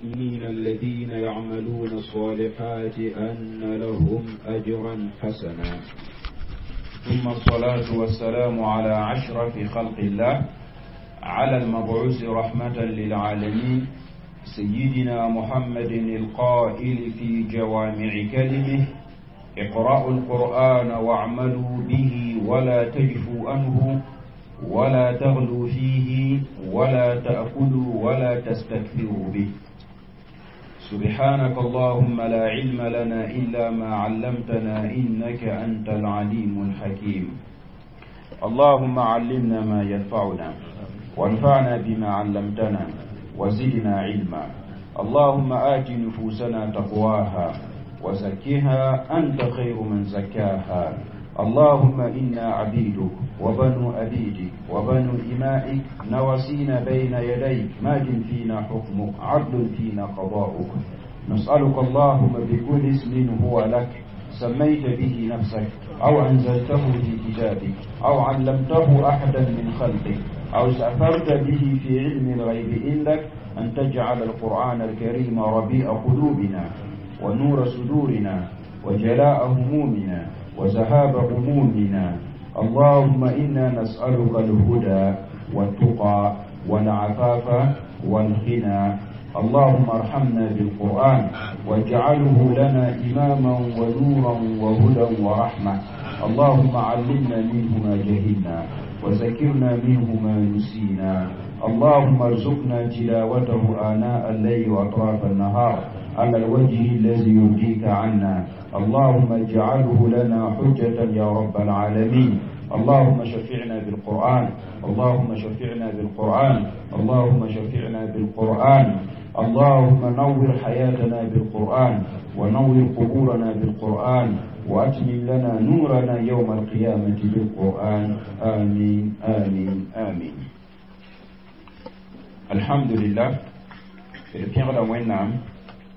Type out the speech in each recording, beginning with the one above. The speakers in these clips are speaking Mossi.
المؤمنين الذين يعملون الصالحات أن لهم أجرا حسنا. ثم الصلاة والسلام على أشرف خلق الله، على المبعوث رحمة للعالمين، سيدنا محمد القائل في جوامع كلمه: اقرأوا القرآن واعملوا به ولا تجفوا عنه ولا تغلوا فيه ولا تأكلوا ولا تستكثروا به. سبحانك اللهم لا علم لنا إلا ما علمتنا إنك أنت العليم الحكيم. اللهم علمنا ما ينفعنا، وانفعنا بما علمتنا، وزدنا علما. اللهم آت نفوسنا تقواها وزكها أنت خير من زكاها. اللهم إنا عبيدك وبنو عبيدك وبنو إمائك، نواسينا بين يديك، ماض فينا حكمك، عدل فينا قضاؤك. نسألك اللهم بكل اسم هو لك سميت به نفسك، أو أنزلته في كتابك، أو علمته أحدا من خلقك، أو استأثرت به في علم الغيب عندك، أن تجعل القرآن الكريم ربيع قلوبنا ونور صدورنا وجلاء همومنا وذهاب غمومنا. اللهم إنا نسألك الهدى والتقى والعفاف والغنى. اللهم ارحمنا بالقرآن واجعله لنا إماما ونورا وهدى ورحمة. اللهم علمنا منه ما جهلنا وذكرنا منه ما نسينا. اللهم ارزقنا تلاوته آناء الليل وأطراف النهار على الوجه الذي يرضيك عنا. اللهم اجعله لنا حجة يا رب العالمين. اللهم شفعنا بالقرآن، اللهم شفعنا بالقرآن، اللهم شفعنا بالقرآن. اللهم نور حياتنا بالقرآن، ونور قبورنا بالقرآن، وأتمم لنا نورنا يوم القيامة بالقرآن. آمين آمين آمين. الحمد لله. D pẽgda Wẽnnaam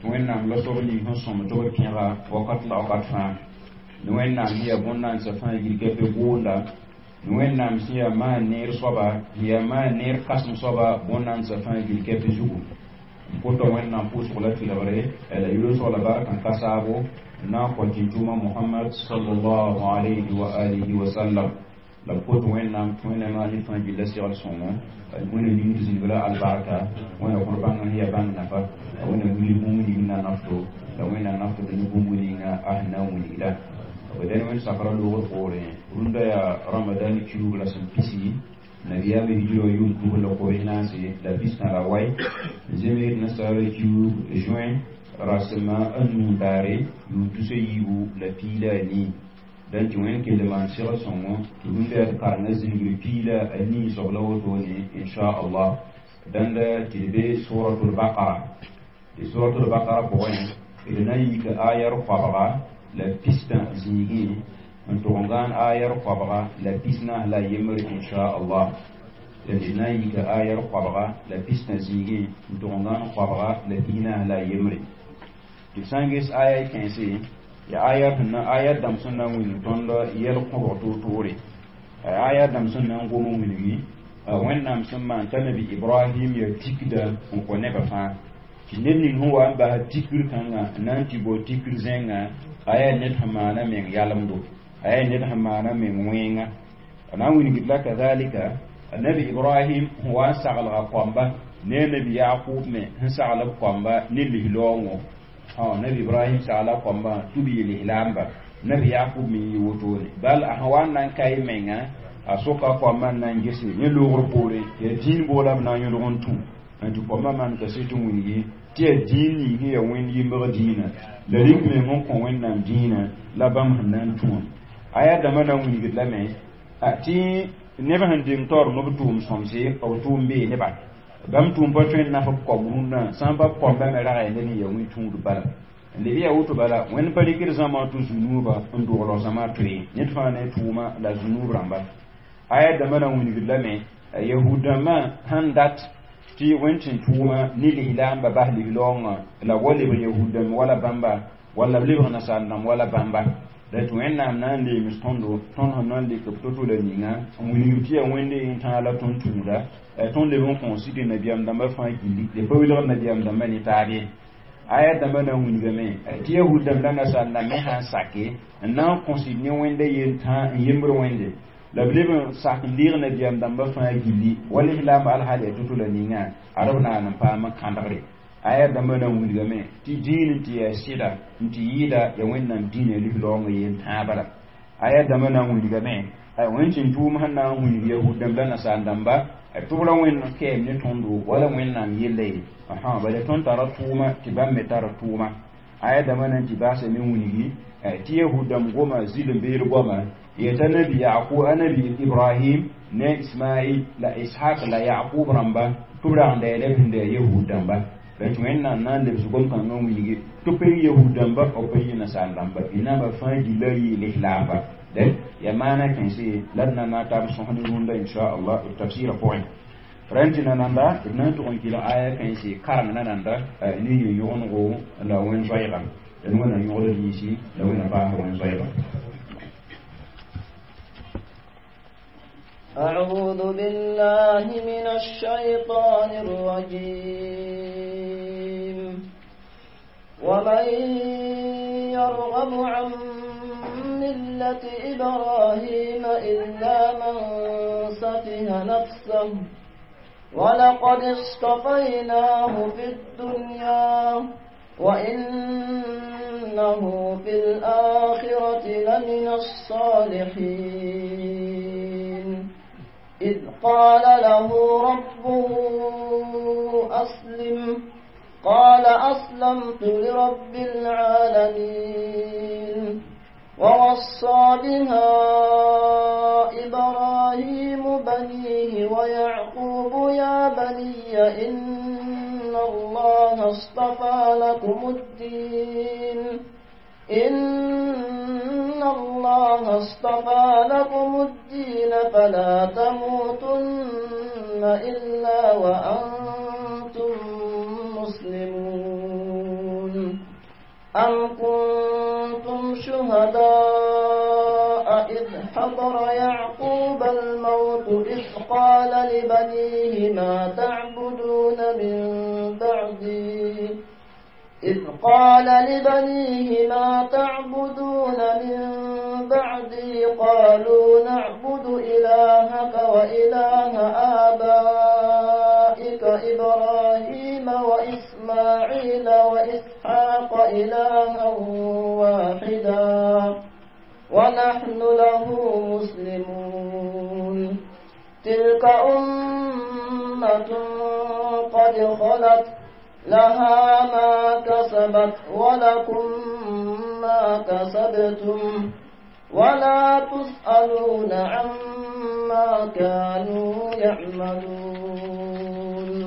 tɩ Wẽnnaam la soab ning sẽn sõm tɩ b pẽga wakat la wakat fãa. Ni Wẽnnaam sẽn yaa bõn-naandsã fãa yirga be goonda, ni Wẽnnaam sẽn yaa maan neer soaba, sẽn yaa maan neer kãsem soaba bõn-naandsã fãa yirga be zugu. N kota Wẽnnaam pʋʋsg la tɩlgre la yʋlsg la bark n ka saabo n na n kõ tɩ-tʋʋma Mohamad sallallahu alayhi wa alihi wa sallam. La b kot Wẽnnaam tɩ Wẽnnaam maan ned fãa gilla segl sõngo, Wẽnna ning tɩ zĩnig la albarka, Wẽnna kõr bãng sẽn yaa bãng nafa, la Wẽnna wilg bũmb ning na nafto, la Wẽnna naftd ne bũmb ninga a sẽn na n wilgda. B dẽn Wẽnd sakra loogr poorẽ, rũndã yaa Ramadan kiuug la sẽn pisi nabiyaamã hijra yʋʋm 2014 la wai, n zems nasaara kiuug juin rasema a nuu daare yʋʋm 2014. Dẽn tɩ Wẽnd kell maan segl sõngo tɩ rũndã yaa tɩ karengã zĩngr 14 soab la wotone, inchallah. Dãnda tɩ d be Suratul Bakara. Tɩ Suratul Bakara pʋgẽ d na n yika ayar 160 zĩigẽ n tʋg n gãan ayar 141, inchallah. D na n yika ayar 160 zĩigẽ n tʋg n gãan 141. Tɩ b sã n ges aya kãense, yaa aya sẽn na aya dãmb sẽn na n wilg tõnd yɛl kõbg toor-toore, aya dãmb sẽn na n gom n wilgi Wẽnnaam sẽn maan t'a nabi Ibrahim yaa tikda n kõ nebã fãa, tɩ ned ning sẽn wa n bas tikr kãngã n na n tɩ bao tikr zẽnga, a yaa ned sẽn maana meng yalemdo, a yaa ned sẽn maana meng wẽnga. A na n wilgd la kazalika nabi Ibrahim sẽn wa n saglga koamba ne a nabi Yakub me sẽn sagl b koamba ne lislaoongõ. Nabi Ibrahim sagla koambã tɩ b yeel lislaamba, nabi Yakub me yɩ wotone. Bal a sẽn wa n na n ka y menga, a soka koambã n na n gese yẽ loogr poorẽ yaa dĩin boola b na n yõlg n tũ n tɩ koambã maan kaset n wilgi tɩ yaa dĩin ning sẽn yaa Wẽnd yimbg dĩinã la rɩk meng n kõ Wẽnnaam dĩinã la bãmb sẽn na n tũ wã. Aya dãmbã na n wilgd lame tɩ neb sẽn deng taoor nob tʋʋm sõmse, b tʋʋm bee neba bãmb tʋʋm pa tõe n naf b koam rũnnã, sã n pa b koambã me ragã ned n yaa wẽ tũud bala. N leb yaa woto bala, Wẽnd pa rɩkd zãma tɩ zu-nuubã n dogl zãma toe, ned fãa ne tʋʋma la zu-nuub rãmba. Aya dãmbã na n wilgd lame yahud dãmbã sẽn dat tɩ Wẽnd tɩ tʋʋma ne lislaamba bas lislaoongã la wa lebg yahud dãmb wala bãmba, walla b lebg nasaar dãmb wala bãmba. La tɩ Wẽnnaam na n leems tõndo, tõnd sẽn na n lek b to-to la ninga n wilgd tɩ yaa Wẽnde yẽn-tãag la tõnd tũuda. Tõnd leb n kõo sɩd nabiyaam dãmbã fãa gilli, d pa wilgd nabiyaam dãmbã ne taab ye. Aya dãmbã na n wilgame tɩ yahud dãmb la nasaar dãmb me sã n sake n na n kõsd ne Wẽnda yel-tãag n yembr Wẽnde, la b leb n sak n deeg nabiyaam dãmbã fãa gilli, wa lislaambã alhaal yaa to-to la ninga, ad b naan n paam n kãdgre. Aya dãmbã na n wilgame tɩ dĩin n tɩ yaa sɩda n tɩ yɩɩda yaa Wẽnnaam dĩinã lislaoongã yel-tãabã la. Aya dãmbã na n wilgame Wẽnd sẽn tʋʋm sẽn na n wilg yahud dãmb la nasaar dãmba tɩ b ra Wẽnd kɛɛm ne tõndo wala Wẽnnaam yella ye, bala tõnd tara tʋʋma tɩ bãmb me tara tʋʋma. Aya dãmbã na n tɩ baasa me wilgi tɩ yahud dãmb goma zɩl n beed goama yeta nabi Yaqub, anabi Ibrahim ne Ismail la Ishaq la Yaqub rãmba tɩ b rag n da la b sẽn da yahud dãmba. Tɩ Wẽnnaam na n lebs gom-kãngã n wilgi tɩ pa yɩ yahud dãmba, b pa yɩ nasaar dãmba, naamba fãa gilla yɩ lislaamba. Dẽ yaa maana kãense la d na na tab sõs ne rũndã inchallah d tafsɩrã pʋgẽ. Rẽn tɩ nananda d na n tʋg n kɩlg aya kãense kareng nananda ne yẽ-yõgenego la wẽn-zoɛɛga d Wẽnna yõgd yĩsi la Wẽnna paas wẽn-zoɛɛga. أعوذ بالله من الشيطان الرجيم. ومن يرغب عن ملة إبراهيم إلا من سفه نفسه ولقد اصطفيناه في الدنيا وإنه في الآخرة لمن الصالحين. إذ قال له ربه أسلم قال أسلمت لرب العالمين. ووصى بها إبراهيم بنيه ويعقوب يا بني إن الله اصطفى لكم الدين إن الله اصطفى لكم الدين فلا تموتن إلا وأنتم مسلمون. أم كنتم شهداء إذ حضر يعقوب الموت إذ قال لبنيه ما تعبدون من بعدي إذ قال لبنيه ما تعبدون من بعدي قالوا نعبد إلهك وإله آبائك إبراهيم وإسماعيل وإسحاق إلها واحدا ونحن له مسلمون. تلك أمة قد خلت لها ما كسبت ولكم ما كسبتم ولا تسألون عما كانوا يعملون.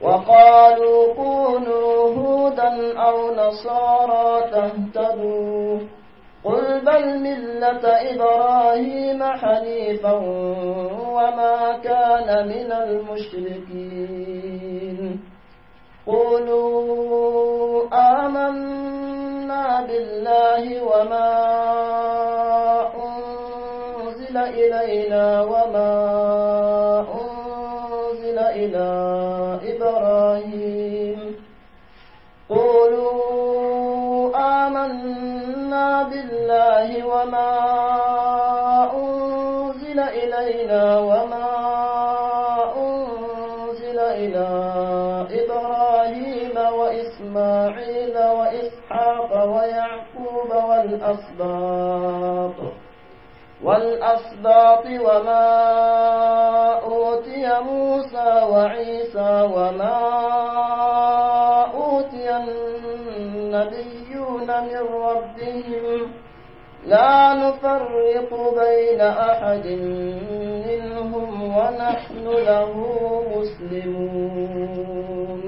وقالوا كونوا هودا أو نصارى تهتدوا قل بل ملة إبراهيم حنيفا وما كان من المشركين. قولوا آمنا بالله وما أنزل إلينا وما أنزل إلى إبراهيم قولوا آمنا بالله وما أنزل إلينا وما أنزل إلى إبراهيم وإسماعيل وإسحاق ويعقوب والأسباط وما أوتي موسى وعيسى وما أوتي النبيون من ربهم لا نفرق بين أحد منهم ونحن له مسلمون.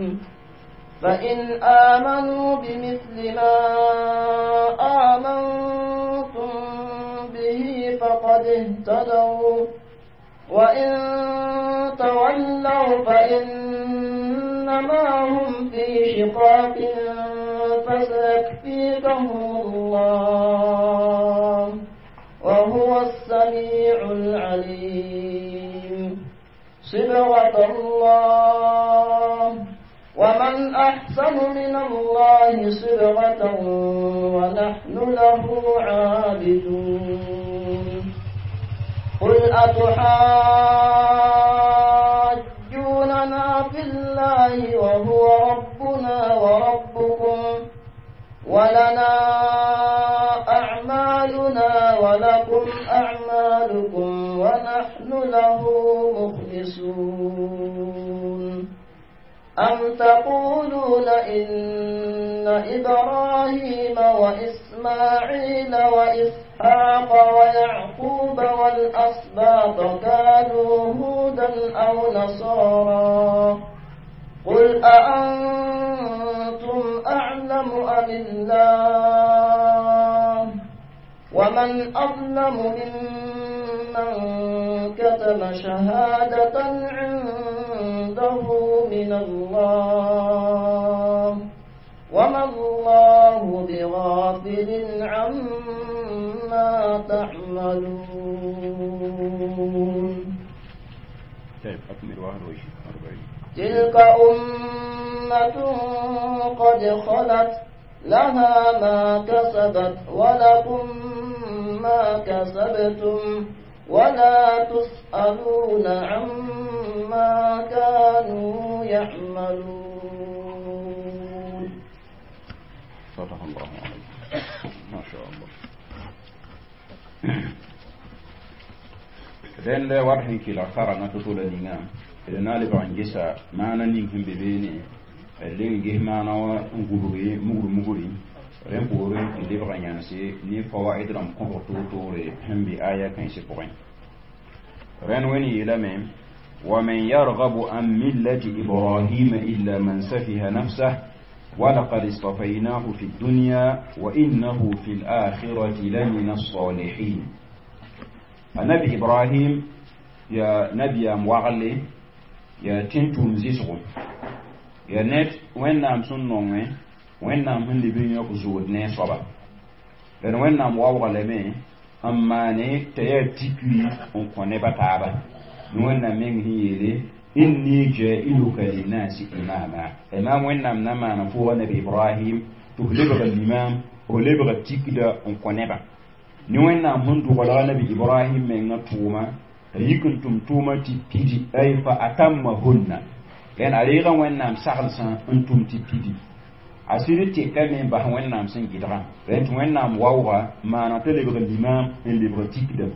فإن آمنوا بمثل ما آمنتم به فقد اهتدوا وإن تولوا فإنما هم في شقاق فسيكفيكهم الله صبغة الله ومن أحسن من الله صبغة ونحن له عابدون. قل أتحاجوننا في الله وهو ربنا وربكم ولنا أعمالنا ولكم أعمالكم ونحن له مخلصون. أم تقولون إن إبراهيم وإسماعيل وإسحاق ويعقوب والأسباط كانوا هودا أو نصارى قل أأنتم أعلم أم الله ومن أظلم ممن كتم شهادة عنده من الله وما الله بغافل عما تعملون. طيب أكمل 41. تلك أمة قد خلت لها ما كسبت ولكم ما كسبتم ولا تسألون عما كانوا يعملون. صدق الله عليك. ما شاء الله. Den le war hin kila kara na tutula ninga na le bangisa mana ning hin bebene le ngi mana wa ngururi muguru muguri ren pore le banyanse ni fawaid ram ko to to re hembi aya kan se poin ren weni yelame wa man yarghabu an millati ibrahim illa man safiha nafsahu ولقد اصطفيناه في الدنيا وإنه في الآخرة لمن الصالحين. النبي إبراهيم يا نبي مواغلي يا تنتم زيسغو يا نت وين نام سنونغي وين نام هن لبين يقزود نصبا لأن وين نام واغلي أما ني تيا تيكوي on connaît pas taba وين نام من هي إني جائلك للناس إماما. إمام وين نام نما نفوه نبي إبراهيم تهلبغ الإمام ولبغ التيكدا on connaît pas ni وين نام هن دوغلا نبي إبراهيم من توما يكنتم توما تبتدي أي فأتمهن لأن عليغا وين نام سغلسا أنتم تبتدي أسيري تكامين بح وين نام سنجدغا لأن وين نام واوغا ما نتلبغ الإمام اللي التيكدا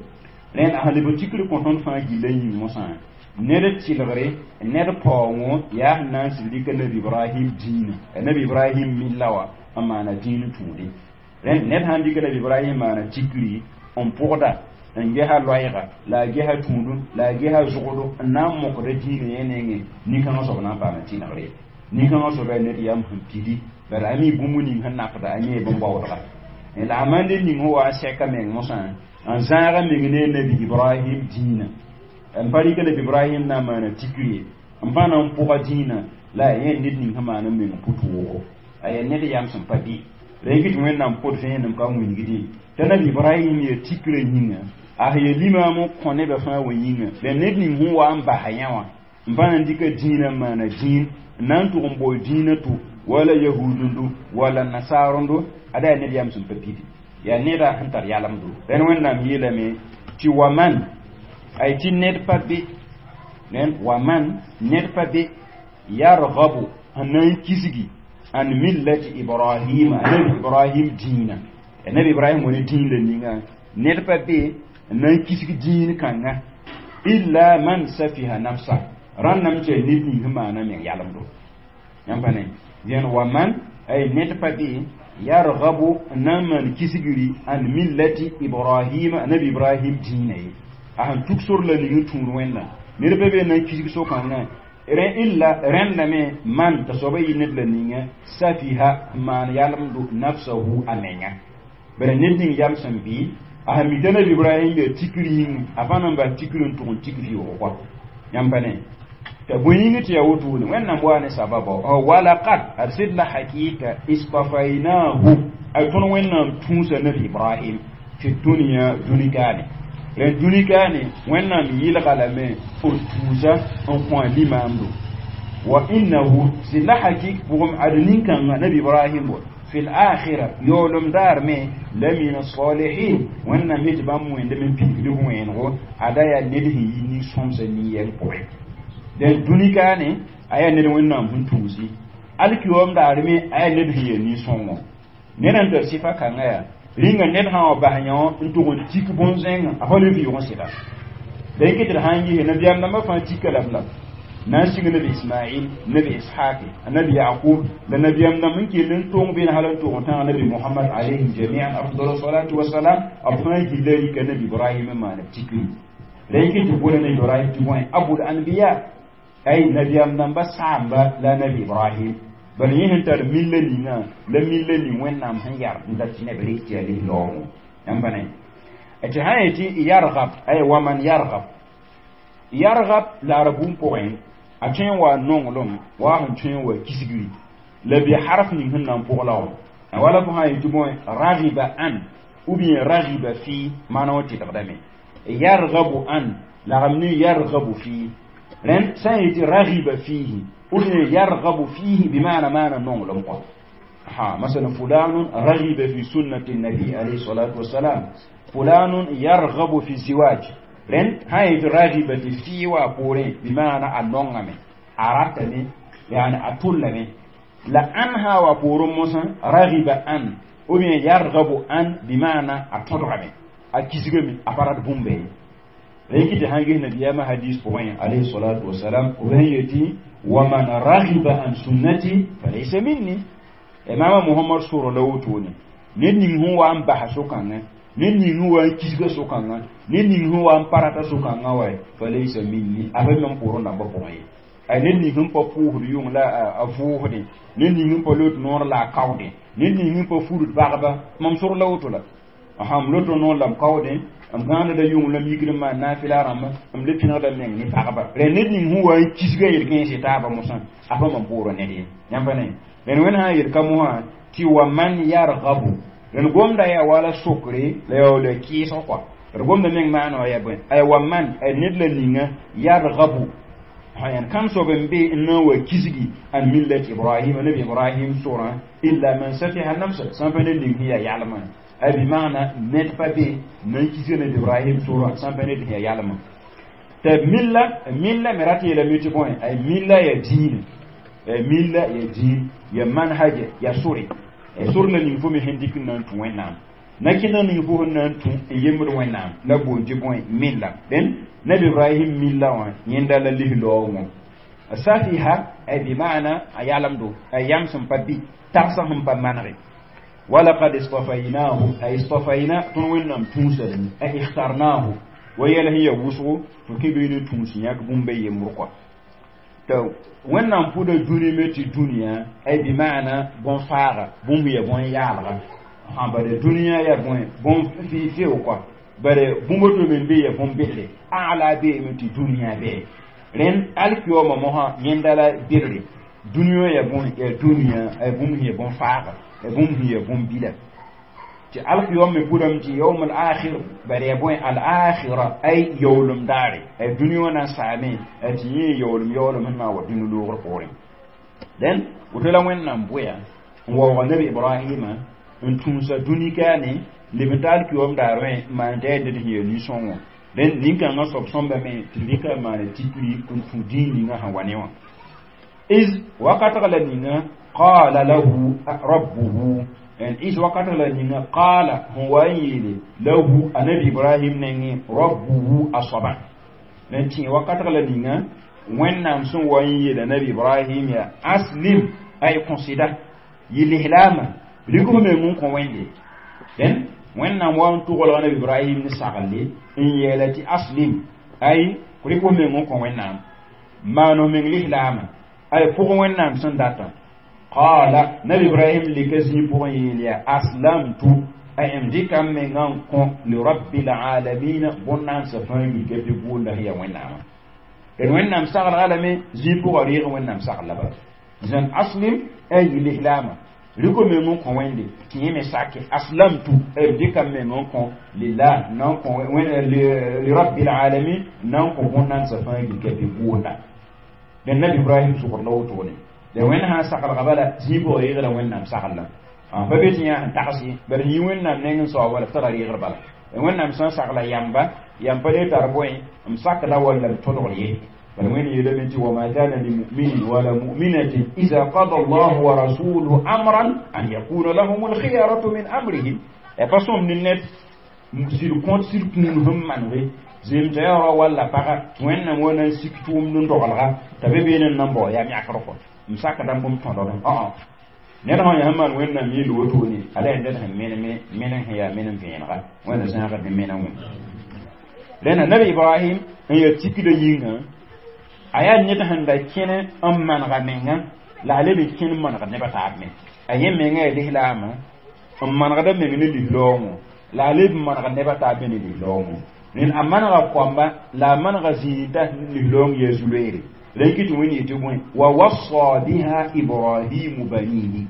لأن أهل التيكدا كنتم فاجلين مصان ned tɩlgre ned paoongo yaa sẽn na n sib dɩka nabi Ibrahim dĩinã nabi Ibrahim milla wã n maana dĩin tũude ned sãn dɩka nabi Ibrahim maana tikri n pʋgda n gesa loɛɛga la a gesa tũudu la a gesa zʋgdo n na n mokda dĩinã yẽ nengẽ nin-kãngã soab na n paama tɩnegre nin-kãngã soaba yaa ned yam sẽn pidi bara a mi bũmb ning sẽn nakda a yẽ bõn-baoodga la a mande ning sẽn wa n sɛka meng mosã n zãaga meng ne nabi Ibrahim dĩinã n pa rɩka nabi Ibrahim na n maana tikri n pa na n pʋga dĩinã la a yẽ ned ning sẽn maan n meng pʋ-toogo a yaa ned yam sẽn pa bɩ la yẽ tɩ Wẽnnaam pʋd vẽenem ka wilgdẽ t'a nabi Ibrahim yaa tikrã yĩnga a yaa limaam n kõ nebã fãa wa yĩnga la ned ning sẽn wa n basa yã wã n pa na n dɩka dĩinã n maana dĩin n na n tʋg n bao dĩinã tʋ wala yahudendo wala nasaarendo ada yaa ned yam sẽn pa pidi yaa neda sẽn tar yalemdo rẽnd Wẽnnaam yeelame tɩ wa man ay tɩ ned pa be wa man ned pa be yargabu sẽn na n kisgi an millati Ibrahim nabi Ibrahim dĩinã nabi Ibrahim wã ne dĩin la ninga ned pa be n na n kisg dĩin kãnga illa man safiha nafsa rãnname tɩ yaa ned ning sẽn maana meng yalemdo yãmb pa ne dẽn wa man ay ned pa be yargabu n na n maan kisgri an millati Ibrahim nabi Ibrahim dĩinã ye a sẽn tuk sor la ning n tũud Wẽnnaam ned pa be n na n kisg so-kãngã illa rẽndame man t'a soaba yɩ ned la ninga safiha n maan yalemdo nafsahu a menga bara ned ning yam sẽn bɩ a sẽn mita nabi Ibrahim yaa tikr yĩng a pa na n bas tikr n tʋg n tik vɩʋʋg kɔa yãmb pa ne t'a bõe yĩng tɩ yaa wotone Wẽnnaam waa ne sababa walaqad ad sɩd la hakɩɩka istafainahu ay tõnd Wẽnnaam tũusa nabi Ibrahim fi dunia dũni gaane Rẽnd dũni kaane Wẽnnaam yɩlga lame n tuusa n kõ a limaamdo wa innahu sɩd la hakik pʋgem ad nin-kãngã nabi Ibrahim wa fi l-akhira yaoolem daar me la min as-salihin Wẽnnaam yetɩ bãmb wẽndame n pidgd b wẽenego ada yaa ned sẽn yi nin-sõmsã nin-yɛng pʋgẽ dẽn dũni kaane a yaa ned Wẽnnaam sẽn tuusi alkiyoom daar me a yaa ned sẽn yaa nin-sõngo ned n tar sɩfa kãngã yaa rĩnga ned sã wa bas yõ n tʋg n tik bõn-zẽngã a pa le vɩʋg n sɩda la yike tɩ d sã n yise nabiyaam dãmbã fãa tika la b la na n sig nabi Ismail, nabi Ishaq, nabi Yaqub la nabiyaam dãmb n kell n tong beene hal n tʋg n tãag nabi Muhammad alayhim jamian afdal salatu wasalam b fãa gilla rika nabi Ibrahim n maan b tikri la yike tɩ bola nabi Ibrahim tɩ bõe abul anbiya ay nabiyaam dãmba saamba la nabi Ibrahim bala yẽ sẽn tar milla ninga la milla ning Wẽnnaam sẽn yar n dat tɩ neb rɩk tɩ yaa lis-laoogo yãmb pa ne tɩ sã n yetɩ yargab ay waman yargab yargab la r bũmb pʋgẽ a tõe n wa nonglem wa sẽn tõe n wa kisgri la bɩ harf ning sẽn na n pʋg la wã wala fo sã n yetɩ bõe ragiba an ou bien ragiba fi maana wã tɩlgdame yargabu an lagm ne yargabu fi rẽnd sã n yetɩ ragiba fihi ou bien yargabu fihi bima'na maana nonglem kɔ ha masalan fulanun ragiba fi sunnati nabi alayhi salatu wassalam fulanun yargabu fi ziwaj rẽnd sã n yetɩ ragiba tɩ fɩ wa poorẽ bima'na a nongame a ratame yani a tʋllame la an sã wa poorẽ mosã ragiba an ou bien yargabu an bima'na a tõdgame a kisgame a pa rat bũmba ye la yiki tɩ sã n ges nabiyaamã hadis pʋgẽ alayhi salatu wasalam b sẽn yetɩ waman ragiba an sunnati falaysa minni imama Muhammad sʋrg la wotone ned ning sẽn wa n basa so-kãngã ned ning sẽn wa n kisga so-kãngã ned ning sẽn wa n pa rata so-kãngã wa falaysa minni a pa mam pʋʋrẽ dãmbã pʋgẽ ye ay ned ning sẽn pa pʋʋsd yʋng la a vʋʋsdẽ ned ning sẽn pa lot noor la a kaoodẽ ned ning sẽn pa furd bagba mam sʋrg la woto la m lot noor la m kaoodẽ m gãaneda yʋng la m yikd n maan naafɩla rãmba m le pẽnegda meng ne pagba rẽ ned ning sẽn wa n kisga yel-kẽese taaba mosã a pa mam pʋʋrẽ ned ye yãmb pa ne rẽnd Wẽnd sã n yel ka mosã tɩ wa man yargabu rẽnd gomda yaa wala sokre la yaa la kɩɩsg kɔa d gomda meng maana wã yaa bõe ay wa man ay ned la ninga yargabu yan kam sob n be n na n wa kisgi an millat Ibrahim nabi Ibrahim sorã illa man safiha nafsa sã n pa ned ning sẽn yaa yalmã ay bi maana ned pa be na n kisga nabi Ibrahim sorã sã n pa ned sẽn yaa yalmã tɩ milla milla me rat yeelame tɩ bõe ay milla yaa diinã milla ya diin ya manhaja ya sore sor la ning fo me sẽn dɩk n na n tũ Wẽnnaam na kẽndg ning fo sẽn na n tũ n yembd Wẽnnaam la boond tɩ bõe milla dẽn nabi Ibrahim milla wã yẽnda la lis-laoongõ safiha ay bi maana a yalemdo a yam sẽn pa bɩ tagsã sẽn pa manege walaqad istafaynahu ay istafayna tõnd Wẽnnaam tũusadame ay ikhtarnahu wa yɛl sẽn ya wʋsgo tɩ kẽ bee ne tũus yãk bũmba yembr kɔa tɩ Wẽnnaam pʋda dũni me tɩ dũniyã ay bi maana bõn-faaga bũmb ya bõn-yaalga sã bare dũniyã yaa bõe bõn fɩ-fɩʋ kɔa bare bũmb to me n be ya bõn-bedre ala beeme tɩ dũniyã bee rẽnd alkiyoomã mosã yẽnda la bedre dũniyã ya bõe ya dũniyã ay bũmb sẽn ya bõn-faaga ya bũmb sẽn ya bõn-bila tɩ alkiyom me pʋdame tɩ yaum al akhir bare ya bõe al akhira ay yaoolem daare ay dũni wã na n saame tɩ yẽ yaoolem yaoolem sẽn na n wa dũni loogr poorẽ dẽn woto la Wẽnnaam bʋya n waooga nabi Ibrahima n tũusa dũni kaane leb n ta alkiyom daar wẽ n maan tɩ yaa ned sẽn yaa nin-sõngo dẽn nin-kãngã soab sõmbame tɩ rɩka n maana tikri n tũ dĩin ninga sẽn wa ne wã iz wakatg la ninga qala lahu rabbuhu en is wakat la ninga qala huwa yele lahu anabi Ibrahim nenge rabbuhu asaba nen ti wakat la ninga Wẽnnaam sẽn wa n yeela nabi Ibrahim ya aslim ay considère yilihlama rɩk f meng n kõ Wẽnde dẽn Wẽnnaam wa n tʋglga nabi Ibrahim ne saglle n yeela tɩ aslim ay rɩk f meng n kõ Wẽnnaam maan f meng lislaama ay pʋg Wẽnnaam sẽn data qala nabi Ibrahim lika zĩig pʋgẽ yeel yaa aslamtu ay m dɩka m mengã n kõ li rabbil alamin bõn-naandsã fãa wilga bɩ boonda sẽn yaa Wẽnnaamã d Wẽnnaam saglga lame zĩig pʋgã reeg Wẽnnaam sagl la bala zãn aslim ay yilislaama Rɩk meng n kõ Wẽnde tɩ yẽ me sake aslamtu b dɩka m meng n kõ lillah n na n kõ lirabbil alamin n na n kõ bõn-nansã fãa gilka bɩ goonda dẽn nabi Ibrahim sʋgr la wotone la Wẽnd sã n saglga bala zĩig pʋgã reegra Wẽnnaam saglã pa be tɩ yã sẽn tags ye bala yĩ Wẽnnaam neng n saoog bala tara reegr bala Wẽnnaam sã n sagla yamba yam pa le tar bõe m sakda walla m tõdgr ye bala Wẽnd yeelame tɩ wama kana limuminin wala muminatin ida qada allahu wa rasuluhu amran an yakuna lahum alkhiyaratu min amrihim ya pa sõm ne ned sɩd kõt sɩd kũun sẽn manege zem t'a yaa rao walla paga Wẽnnaam wa na n sik tʋʋmd n dogelga t'a be beene n na n bao yam yãkr kɔ m sakda n bũmb tõdgẽ ã ned sã yaa sẽn maan Wẽnnaam yeel wotone ala yaa ned sẽn meneme menem sẽn yaa menem vẽenega Wẽnda zãagd ne menem wẽ rẽnda nabi Ibrahim n yaa tikda yĩngã a yaa ned sẽn da kẽne n manega menga la a leb n kẽn n manegd nebã taab me a yẽ menga yaa lislaamã n manegda meng ne lislaoongõ la a leb n manegd nebã taab me ne lislaoongõ rẽnd a manega koamba la a manega zĩigda lislaoong yaa zu-loeere rẽn kɩ tɩ Wẽnd yetɩ bõe wa wasa biha Ibrahimu banihi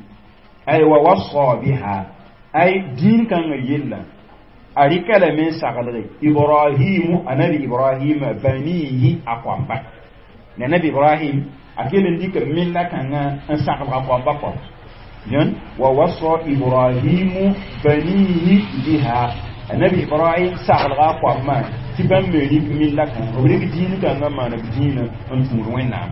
ay wa wasa biha ay dĩin kãngã yella a rɩka lame n saglge Ibrahimu anabi Ibrahim banihi a koamba la nabi Ibrahim a kell n dɩka mella kãngã n saglga koamba kɔ yẽn wa wasa Ibrahimu banihi biha anabi Ibrahim saglga a koambã tɩ bãmb me rɩk milla kãngã b rɩk dĩin kãngã maan b dĩinã n tũud Wẽnnaam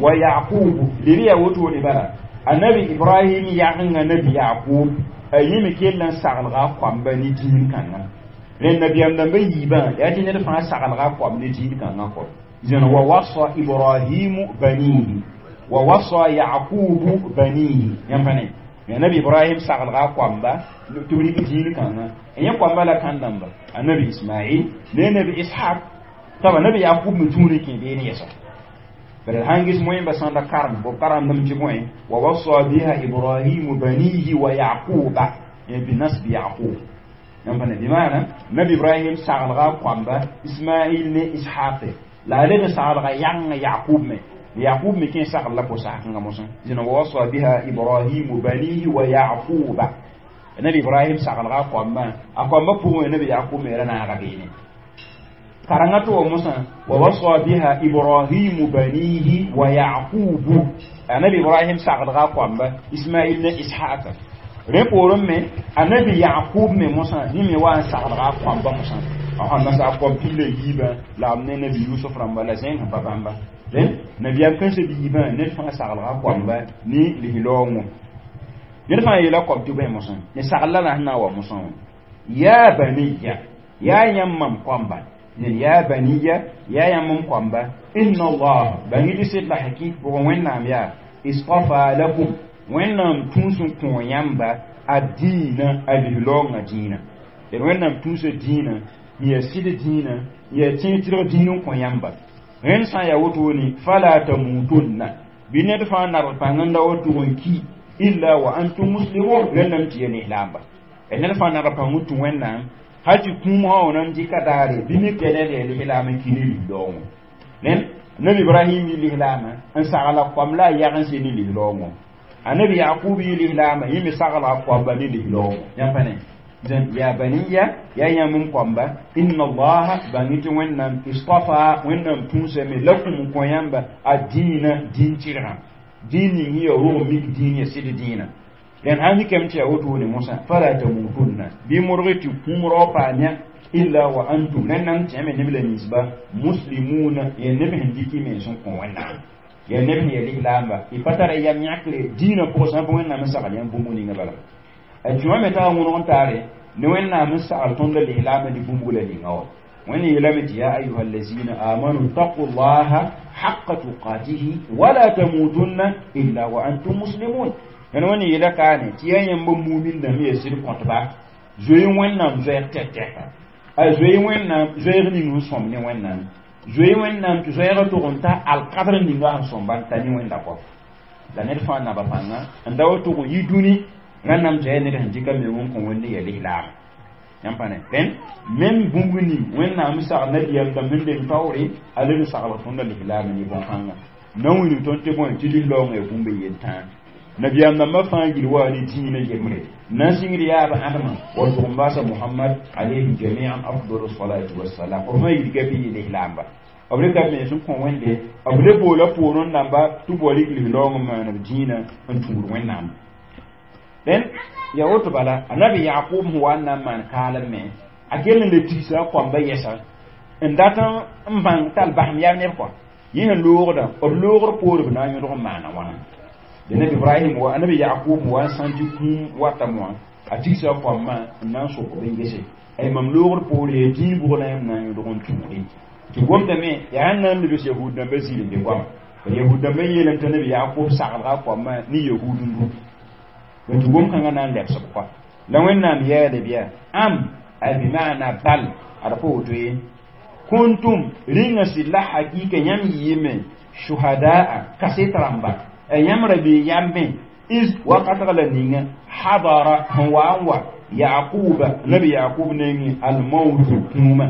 wa Yaqub leb yaa wotone bala anabi Ibrahim yagenga nabi Yaqub a yẽ me kell n saglga a koamba ne dĩin kãngã rẽnd nabiyaam dãmbã yiibã yaa tɩ ned fãa saglga a koam ne dĩin kãngã kɔ zẽn wa wasa Ibrahimu banihi wa wasa Yaqubu banihi yãmb pa ne ya nabi Ibrahim saglga a koamba tɩ b rɩk dĩin kãngã yẽ koamba la kãn-dãmba anabi Ismail ne nabi Ishaq taba nabi Yaqub me tũud n kẽ beene yɛsa bala sãn ges moẽmba sãn da karem b karemdame tɩ bõe wa wasa biha Ibrahimu banihi wa Yaquba binasbi Yaqub yãmb pa ne bɩ maana nabi Ibrahim saglga a koamba Ismail ne Ishaq la a leb n saglga yãngã Yaqub me Yaqub me kẽ sagl la pʋ-sakengã mosẽ zĩna wa wasa biha Ibrahimu banihi wa Yaquba nabi Ibrahim saglga a koambã pʋgẽ nabi Yaqub me ra naaga beene karengã tɩ wa mosã wa wasa biha Ibrahimu banihi wa Yaqubu anabi Ibrahim saglga a koamba Ismail ne Ishaq rẽ poorẽ me anabi Yaqub me mosã yẽ me wa n saglga a koambã mosã a nasa a koam pila yiibã la b ne nabi Yusuf rãmba la zẽng sẽn pa bãmba rẽ nabiyaam kãensã biibã ned fãa saglga a koamba ne lislaoongõ ned fãa yeela koam tɩ bõe mosã ne sagl la la sẽn na n wa mosã wã yaa baniya yaa yãmb mam koamba ned yaa baniya yaa yãmb m koamba inna Allah bãng tɩ sɩd la hakɩk pʋgẽ Wẽnnaam yaa istafa lakum Wẽnnaam tũus n kõ yãmba a dĩinã a lislaoongã dĩinã d Wẽnnaam tũusa dĩinã n yaa sɩd dĩinã n yaa tẽeg tɩrg dĩin n kõ yãmba rẽnd sã n yaa wotone fala tamutunna bɩ ned fãa nabg pãng n da wa tʋg n ki illa wa antum muslimun rẽndame tɩ ya lislaamba ned fãa nabg pãng n tũ Wẽnnaam hal tɩ kũum sã wã na n dɩka daare bɩ mik tɩ ned yaa lislaam n ki ne lislaoongõ rẽnd nabi Ibrahim yɩ lislaamã n sagla koam la a yag n se ne lislaoongõ anabi Yaqub yɩ lislaamã yẽ me sagla a koamba ne lislaoongõ yãmb pa ne ya baniya ya yãmb n koamba inna allaha bãng tɩ Wẽnnaam istafa Wẽnnaam tũusame lakum n kõ yãmba a dĩinã dĩin tɩrgã dĩin ning sẽn yaa rog mik dĩin ya sɩd dĩinã rẽnd sãn mikame tɩ yaa wotone mosã fala tamutunna bɩ modg tɩ kũum rao paam yã illa wa antum rẽnd tẽme neb la ninsba muslimuna ya neb sẽn dɩk y mens n kõ Wẽnnaam ya neb sẽn ya lislaamba y pa tara yam yãkre dĩinã pʋgẽ sã n pa Wẽnnaam n sagl yãmb bũmb ninga bala a tũwã me taa wõneg n taare ne Wẽnnaam n sagl tõnd la lislaambã ne bũmb la ninga wã Wẽnd yeelame tɩ ya ayuha allazina amanu taqu llaha haqa tuqatihi wala tamutunna illa wa antum muslimun yãn Wẽnd yeela kaane tɩ yaa yãmb mumin dãmb yaa sɩd kõtba zoe Wẽnnaam zoɛɛg tɛk-tɛka a zoe Wẽnnaam zoɛɛg ning sẽn sõm ne Wẽnnaam zoe Wẽnnaam tɩ zoɛɛgã tʋg n ta alkadr ninga sẽn sõmba n ta ne Wẽnda kɔ la ned fãa naba pãnga n da wa tʋg n yi dũni rãnnam tɩ yaa ned sẽn dɩka meng n kõ Wẽnde yaa lislaam yãmb pa ne rẽnd mem bũmb ning Wẽnnaam sagl nabiyaam dãmb sẽn deng taoore a leb n saglg tõndã lislaam ne bõn-kãnga na n wilg tõnd tɩ bõe tɩ lislaoongã yaa bũmb yel tãa Nabiyam namba fãa gil wa ne dĩinã yembre na n sɩngd yaab ãdemã wa tʋg-n-baasa Muhammad alayhi jamian afdalu salatu wassalam b fãa yidga bɩ yɩ lislaamba b rɩka b mens n kõ Wẽnde b le boola poorẽ dãmba tɩ b wa rɩk lis-raoong n maan b dĩinã n tũud Wẽnnaam dẽn ya woto bala anabi Yaqub sẽn wa n na n maan kaalem me a kell n le tigsa a koamba yɛsa n dat n bãng t'a l basem yaa neb kɔa yẽ sẽn loogda b loogr poor b na n yõdg n maana wãna de nabi Ibrahim wa anabi Yaqub wa n sãn tɩ kũum watame wã a tigsa a koambã n na n sok b n gese ay mam loogr poor yaa dĩig bʋg la yãmb na n yõdg n tũude tɩ gomdame yaa n na n lebs yahud dãmbã zĩig n be goama yahud dãmbã yeelame t'a nabi Yaqub saglga a koambã ne yahud n du tɩ gom kãngã na n lebs b kɔa la Wẽnnaam yaale bɩa am ay bimana bal ad pa woto ye kuntum rĩnga sɩd la hakika yãmb yɩɩme shuhadaa kaset rãmba yãmb ra bee yambe is wakatg la ninga hadara sẽn wa n wa Yaquba nabi Yaqub nengẽ almautu kũumã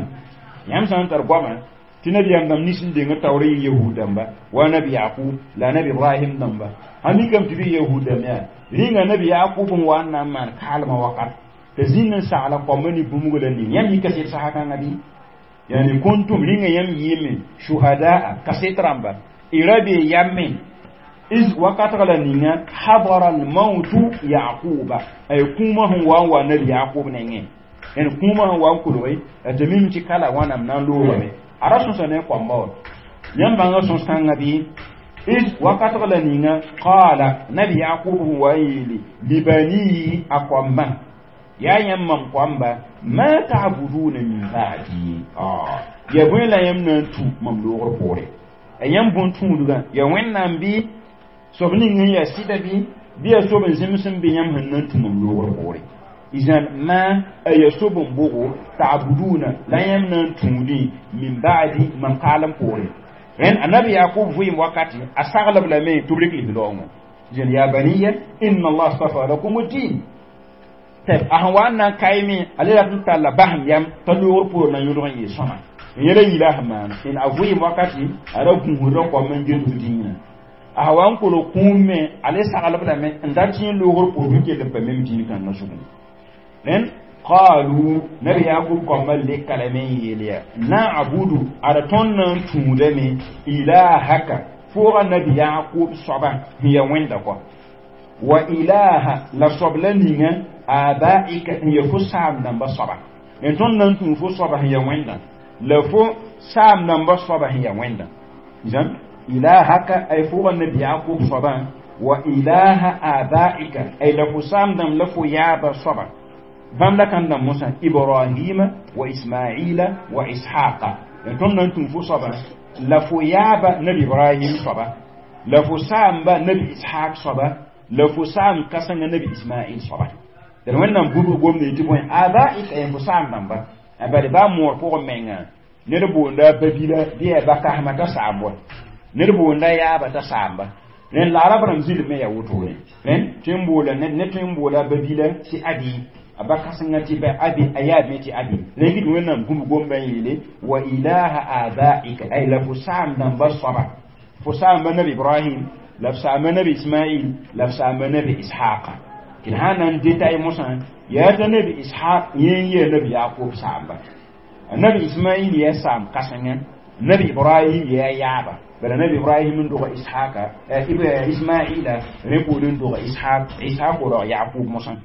yãmb sã n tar goama tɩ nabiyam dãmb nins n deng taoor yɩ yahud dãmba wa nabi Yaqub la nabi Ibrahim dãmba sã mikame tɩ bɩ yahud dãmb yaa rĩnga nabi Yaqub n wa n na n maan kaalmã wakat t'a zĩnd n sagla koambã ne bũmb la ning yãmb yɩ kaset sasa kãngã bɩ yani kuntum rĩnga yãmb yɩɩme shuhadaa kaset rãmba y ra bee yambe is wakatg la ninga hadara almautu Yaquba ay kũumã sẽn wa n wa nabi Yaqub nengẽ yani kũumã sẽn wa n kolge tɩ mim tɩ kala wãnam na n loogame a ra sõsa ne koamba wa yãmb bãnga sõs kãngã bɩ is wakatg la ninga qala nabi Yaqub sẽn wa n yeele libanihi a koambã yaa yãmb mam koamba ma ta'buduna min ba'di ya bõe la yãmb na n tũ mam loogr poore a yãmb bõn tũudgã ya Wẽnnaam bɩ soab ning sẽn yaa sɩda bɩ yaa soab n zems n be yãmb sẽn na n tũ mam loogr poore izan ma a ya soab n bogo ta'buduna la yãmb na n tũudẽ min ba'di mam kaalem poore rẽnd anabi Yaqub vɩɩm wakati a saglb lame tɩ b rɩk lis-raoongõ zẽn ya baniya inna Allah astafa lakum ad-din tɩ a sẽn wa n na n kaime a le rat n talla basem yam t'a loogr poor na yõdg n yɩ sõma n yẽla yila sẽn maan n a vɩɩm wakati a ra gũusda koam n get b dĩinã a sã wa n kolg kũum me a le saglb lame n dat tɩ loogr poor n kell n pa mem dĩin kãngã zugu rẽnd qalu nabi Yaqub koambã leka lame n yeel yaa na'budu ada tõnd na n tũudame ilahaka fooga nabi Yaqub soaba sẽn yaa Wẽnda kɔa wa ilaha la soab la ninga abaika n ya fo saam dãmba soaba n tõnd na n tũu fo soaba sẽn yaa Wẽnda la fo saam dãmba soaba sẽn yaa Wẽnda zãm ilahaka ay fooga nabi Yaqub soaba wa ilaha abaika ay la fo saam dãmb la fo yaaba soaba bãmb la kãn dãmb mosã Ibrahima wa Ismaila wa Ishaqa n tõnd na n tũu fo soaba la fo yaaba nabi Ibrahim soaba la fo saamba nabi Ishaq soaba la fo saam kãsengã nabi Ismail soaba d Wẽnnaam bũmb gomda yetɩ bõe abaika yẽ fo saam dãmba a bala baa moor pʋgẽ menga ned boonda a babila bɩ yaa bakasmã t'a saam wa ned boonda yaaba t'a saamba rẽnd la arab rãmb zɩlm me yaa wotone rẽnd tõe n boola ned tõe n boola a babila tɩ abi a bakasengã tɩ ba abi a yaab me tɩ abi rẽ gɩd Wẽnnaam bũmb gomdã n yeele wa ilaha abaika ay la fo saam dãmba soaba fo saamba nabi Ibrahim la f saamba nabi Ismail la f saamba nabi Ishaqa tɩ d sã na n detail mosã yaa t'a nabi Ishaq yẽ n yee nabi Yaqub saamba nabi Ismail yaa saam kãsengã nabi Ibrahim yaa yaaba bala nabi Ibrahim n doga Ishaqa Ismaila rẽ poor n doga Ishaq Ishaq rog Yaqub mosã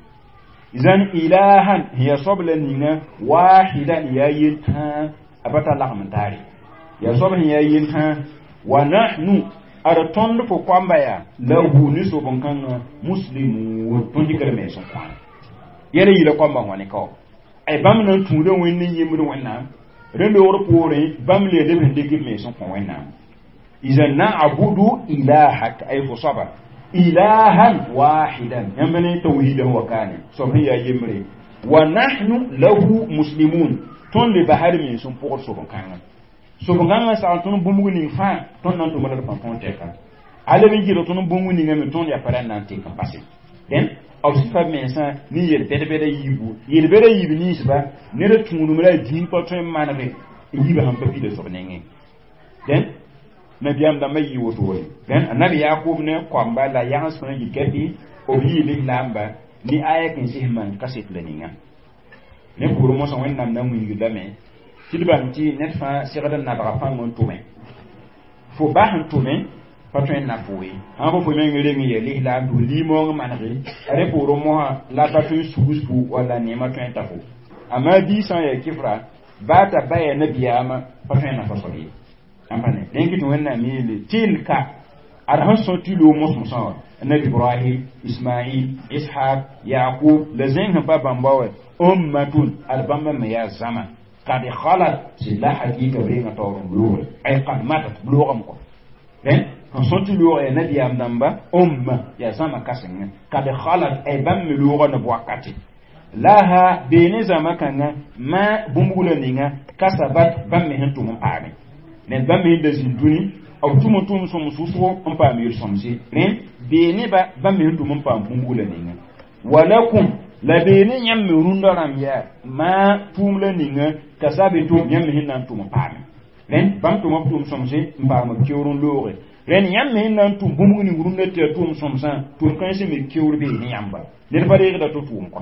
izan ilahan hiya soab la ninga wahidan yaa yel-tãa a pa tar lagm n taare yaa soab sẽn yaa yel-tãa wa nahnu ad tõnd fo koamba yaa lahu ne soab n kãngã muslimun tõnd dɩkd mens n kõ yɛla yila koambã wã ne ka ay bãmb na n tũuda Wẽnd ne yembd Wẽnnaam rẽ loogr poorẽ bãmb le leb sẽn dɩk b mens n kõ Wẽnnaam izan na'budu ilahak ay fo soaba ilahan wahidan yãmb ne tawhiidã wa kaane soab sẽn yaa yembre wa nahnu lahu muslimun tõnd le basd mens n pʋgd soab n kãngã soab n kãngã sagl tõnd bũmb ning fãa tõnd na n tʋma la d pãn tõog tɛka a leb n gɩlg tõnd bũmb ninga me tõnd yaa pa ra n na n tek n pase dẽn b sɩfa mensã ne yel-bɛd-bɛda yiibu yel-bɛda yiib ninsba ned tũudum la a dĩig pa tõe n manege n yiibã sẽn pa pida soab nengẽ dẽn Nabiyaam dãmbã yɩ wotone rẽnd anabi Yakub ne koamba la yãgs fãa yik tɩ b yɩ lislaamba ne aya kẽn sɩs maan kaset la ninga. Ne pʋʋr mosã Wẽnnaam na wilg lame tɩ d bãng tɩ ned fãa segd n nabga pãng n tʋme fo ba sẽn tʋme pa tõe n na fo ye sã fo fo meng reng n yaa lislaam tɩ f liimoong manege a rẽ poorẽ mosã la pa tõe n sugs fo walla neemã tõe n ta fo amma bii sã n yaa kɩfra baa t'a ba yaa nabiyaamã pa tõe n nafa soab ye ãmba ne rẽn kɩ tɩ Wẽnnaam yeele tilka ad sẽn sõ tɩ loog mos-mosã wã Nabi Ibrahim, Ismail, Ishaq, Yaqub la zẽng sẽn pa bãmba wa ummatun ad bãmba me yaa zãma kad khalat sɩd la hakɩɩka b renga taoor n loogre ay kad matat b loogame kɔ rẽnd sẽn sõ tɩ loog yaa nabiyaam dãmba umma yaa zãma kãsengã kad khalat ay bãmb me looga ne b wakate laha beene zãma kãngã ma bũmb la ninga kasabat bãmb me sẽn tʋm n paame ned bãmb me sẽn da zĩnd dũni b tʋm n tʋm sõm sʋsgo n paam yel-sõmse rẽnd beeneba bãmb me sẽn tʋm n paam bũmb la ninga walakum la beene yãmb me rũndã rãmb yaa maa tʋʋm la ninga kasabe tʋm yãmb me sẽn na n tʋm n paame rẽnd bãmb tʋma b tʋʋm sõmse n paam b keoor n looge rẽnd yãmb me sẽn na n tʋm bũmb ning rũndã tɩ yaa tʋʋm sõmsã tʋʋm kãensẽ me keoor beene yãmba ned pa reegda tɩ tʋʋm kɔ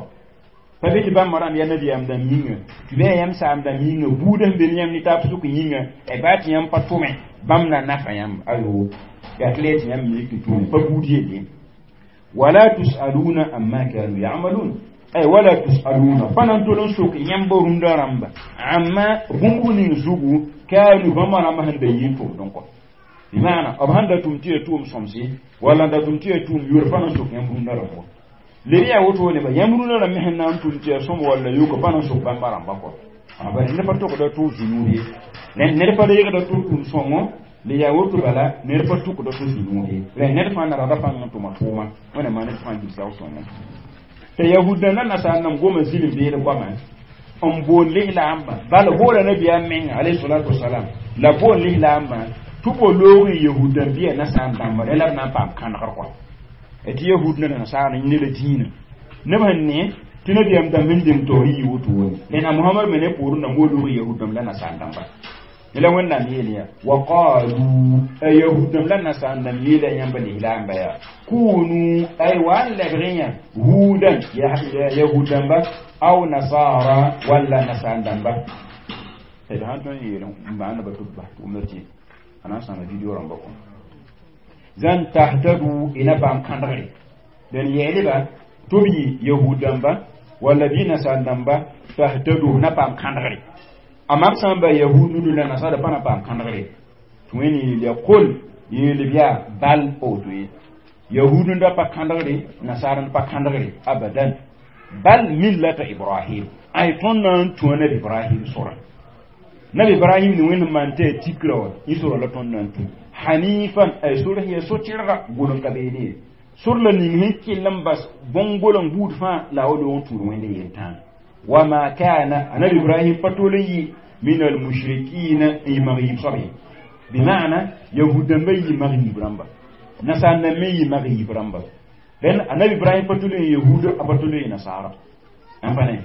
pa be tɩ bãmba rãmb yaa nabiyaam dãmb yĩnga tɩ bɩ yaa yãmb saam dãmb yĩnga buudã sẽn be ne yãmb ne taab sʋk yĩnga baa tɩ yãmb pa tʋme bãmb na nafa yãmb ayo yaa tɩ la tɩ yãmb me tɩ tʋme pa buud yelle wala tusaluna amma kanu yamalun ay wala tusaluna pa na n tol n sok yãmb rũndã rãmba amma bũmb ning zugu kanu bãmba rãmba sẽn da yɩ n tʋmdẽ kɔ bɩmaana b sãn da tʋm tɩ yaa tʋʋm sõmse walla n da tʋm tɩ yaa tʋʋm yʋr pa na n sok yãmb rũndã rãmba le yaa woto ne ba yãmb rũndã rãmb me sẽn na n tʋm tɩ yaa sõm walla yoka pa na n sok bãmba rãmba kɔ bari ned pa togda tʋ zũnuud ye ned pa reegda tʋ tʋm sõngo le yaa woto bala ned pa tʋkda tʋ zũnuud ye rẽ ned fãa nargda pãng n tʋma tʋʋma Wẽnnaam ned fãa gilsg sõngo tɩ yahud la nasaar nam goma zĩlim beed goama n bool lislaambã bala boola nabiyaam menga alayhi salatu wasalam la bool lislaambã tɩ bo loog n yahud dãmb bɩa nasaar dãmba rẽ la b na n paam kãnegr kɔ tɩ yahud ne nasaar ne la dĩinã neb sẽn ne tɩ nabiyaam dãmb sẽn deng taoor yɩ wotone rẽna Mohamad me ne poorẽ dãmb wo loog yahud dãmb la nasaar dãmba la Wẽnnaam yeel yaa wa qalu a yahud dãmb la nasaar dãmb yeela yãmba lislaamba yaa kunu ay wa n lebg yã hudan yahud dãmba aw nasara walla nasaar dãmba d sãn tõe n yeel n maanda tɩ b bas tʋʋmda tɩ a na n sãama video rãmba kõ zãn tahtadu ina paam kãndgre dẽn yɛɛlba tɩ b yɩ yahud dãmba walla bɩ nasaar dãmba tahtadu na paam kãndgre amma b sã n ba yahud nudu la nasara pa na paam kãndgre tɩ wẽnd yeel ya kol yeel b yaa bal woto ye yahud n da pa kãndgre nasaar n pa kãndgre abadan bal millata Ibrahim ay tõnd na n tũ nabi Ibrahim sora nabi Ibrahim ne Wẽnd maan tɩ yaa tikra wã yẽ sora la tõnd na n tũ hanifan ay sor sẽn yaa so-tɩrga gʋleng ka beene ye sor la ning sẽn kell n bas bõn-goleng buud fãa la a wa loog n tũud Wẽnd yel-tãag wama kana anabi Ibrahim pa tol n yɩ min almushrikina n yɩ mag yiib soab ye bima'ana yahud dãmbã yɩ mag yiib rãmba nasaar dãmb me yɩ mag yiib rãmba rẽnd anabi Ibrahim pa tol n yahuud a pa tol n yɩ nasaara ãn pa ne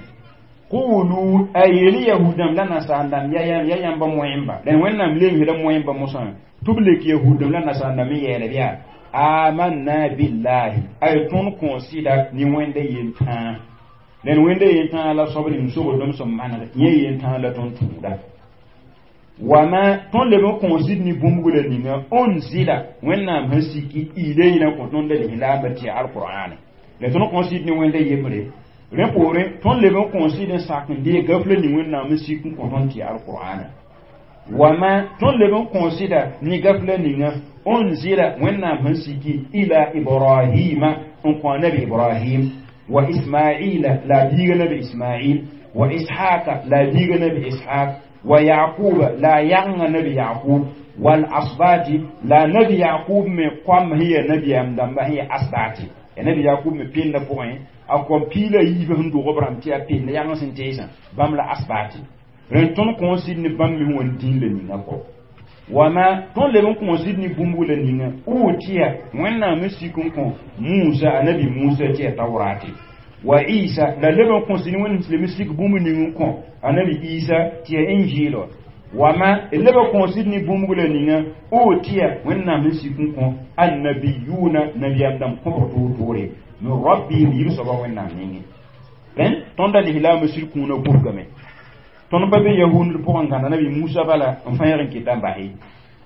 qulu a yeel yahud dãmb la nasaar dãmb ya yãmba moẽmba rẽnd Wẽnnaam lemsda moẽmba mosã tɩ b lek yahud dãmb la nasaar dãmb n yɛɛla b yaa amanna billahi ay tõnd kõn sɩda ne Wẽnda yel-tãa rẽnd Wẽnda yel-tãa la soab ning sogdem sẽn maneg yẽ yel-tãa la tõnd tũuda wama tõnd leb n kõn sɩd ne bũmb la ninga unzila Wẽnnaam sẽn siki ilayna kõ tõnd la lislaambã tɩ yaa alqur'ane la tõnd kõn sɩd ne Wẽnda yembre rẽ poorẽ tõnd leb n kõn sɩd n sak n deeg gaf la ning Wẽnnaam n sik n kõ tõnd tɩ yaa alqur'ana wama tõnd leb n kõn sɩda ne gaf la ninga unzila Wẽnnaam sẽn siki ila Ibrahima n kõ nabi Ibrahim wa Ismaila la biiga nabi Ismail wa Ishaqa la biiga nabi Ishaq wa Yaquba la yãnga nabi Yaqub wal asbati la nabi Yaqub me koam hiya nabiyaam dãmba sẽn ya asbati ya nabi Yaqub me pẽnda pʋgẽ a kom piila yiibã sẽn dog b rãmb tɩ yaa pẽnd yãng sẽn teesã bãmb la asbati rẽnd tõnd kõn sɩd ne bãmb me wã dĩin la ninga kɔ wama tõnd leb n kõn sɩd ne bũmb la ninga utiya Wẽnnaam n sik n kõ Musa anabi Musa tɩ yaa Taurate wa Isa la leb n kõn sɩd ne Wẽnd leb n sik bũmb ning n kõ anabi Isa tɩ yaa Injil Wama leba kõ sɩd ne bũmb la ninga utiya Wẽnnaam sẽn sik n kõ annabiyuna nabiyam dãmb kõbg toor-toore min rabbihim yib soaba Wẽnnaam nengẽ. Rẽnd tõnd a lislaamã sɩd kũunã gũbgame. Tõnd pa be yahud pʋgẽ n gãnda nabi Musa bala n fãyg n keta n base,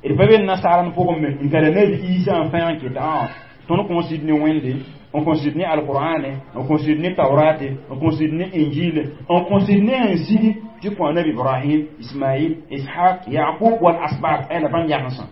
d pa be nasaar pʋgẽ me n gãda nabi Isa n fãyg n keta. Tõnd kõ sɩd ne Wẽnde, n kõ sɩd ne alqur'ane, n kõ sɩd ne taurate, n kõ sɩd ne injile, n kõ sɩd ne n sigi tɩ kõ nabi Ibrahim, Ismail, Ishaq, Yaqub wal asbat ay la bãmb yagensã.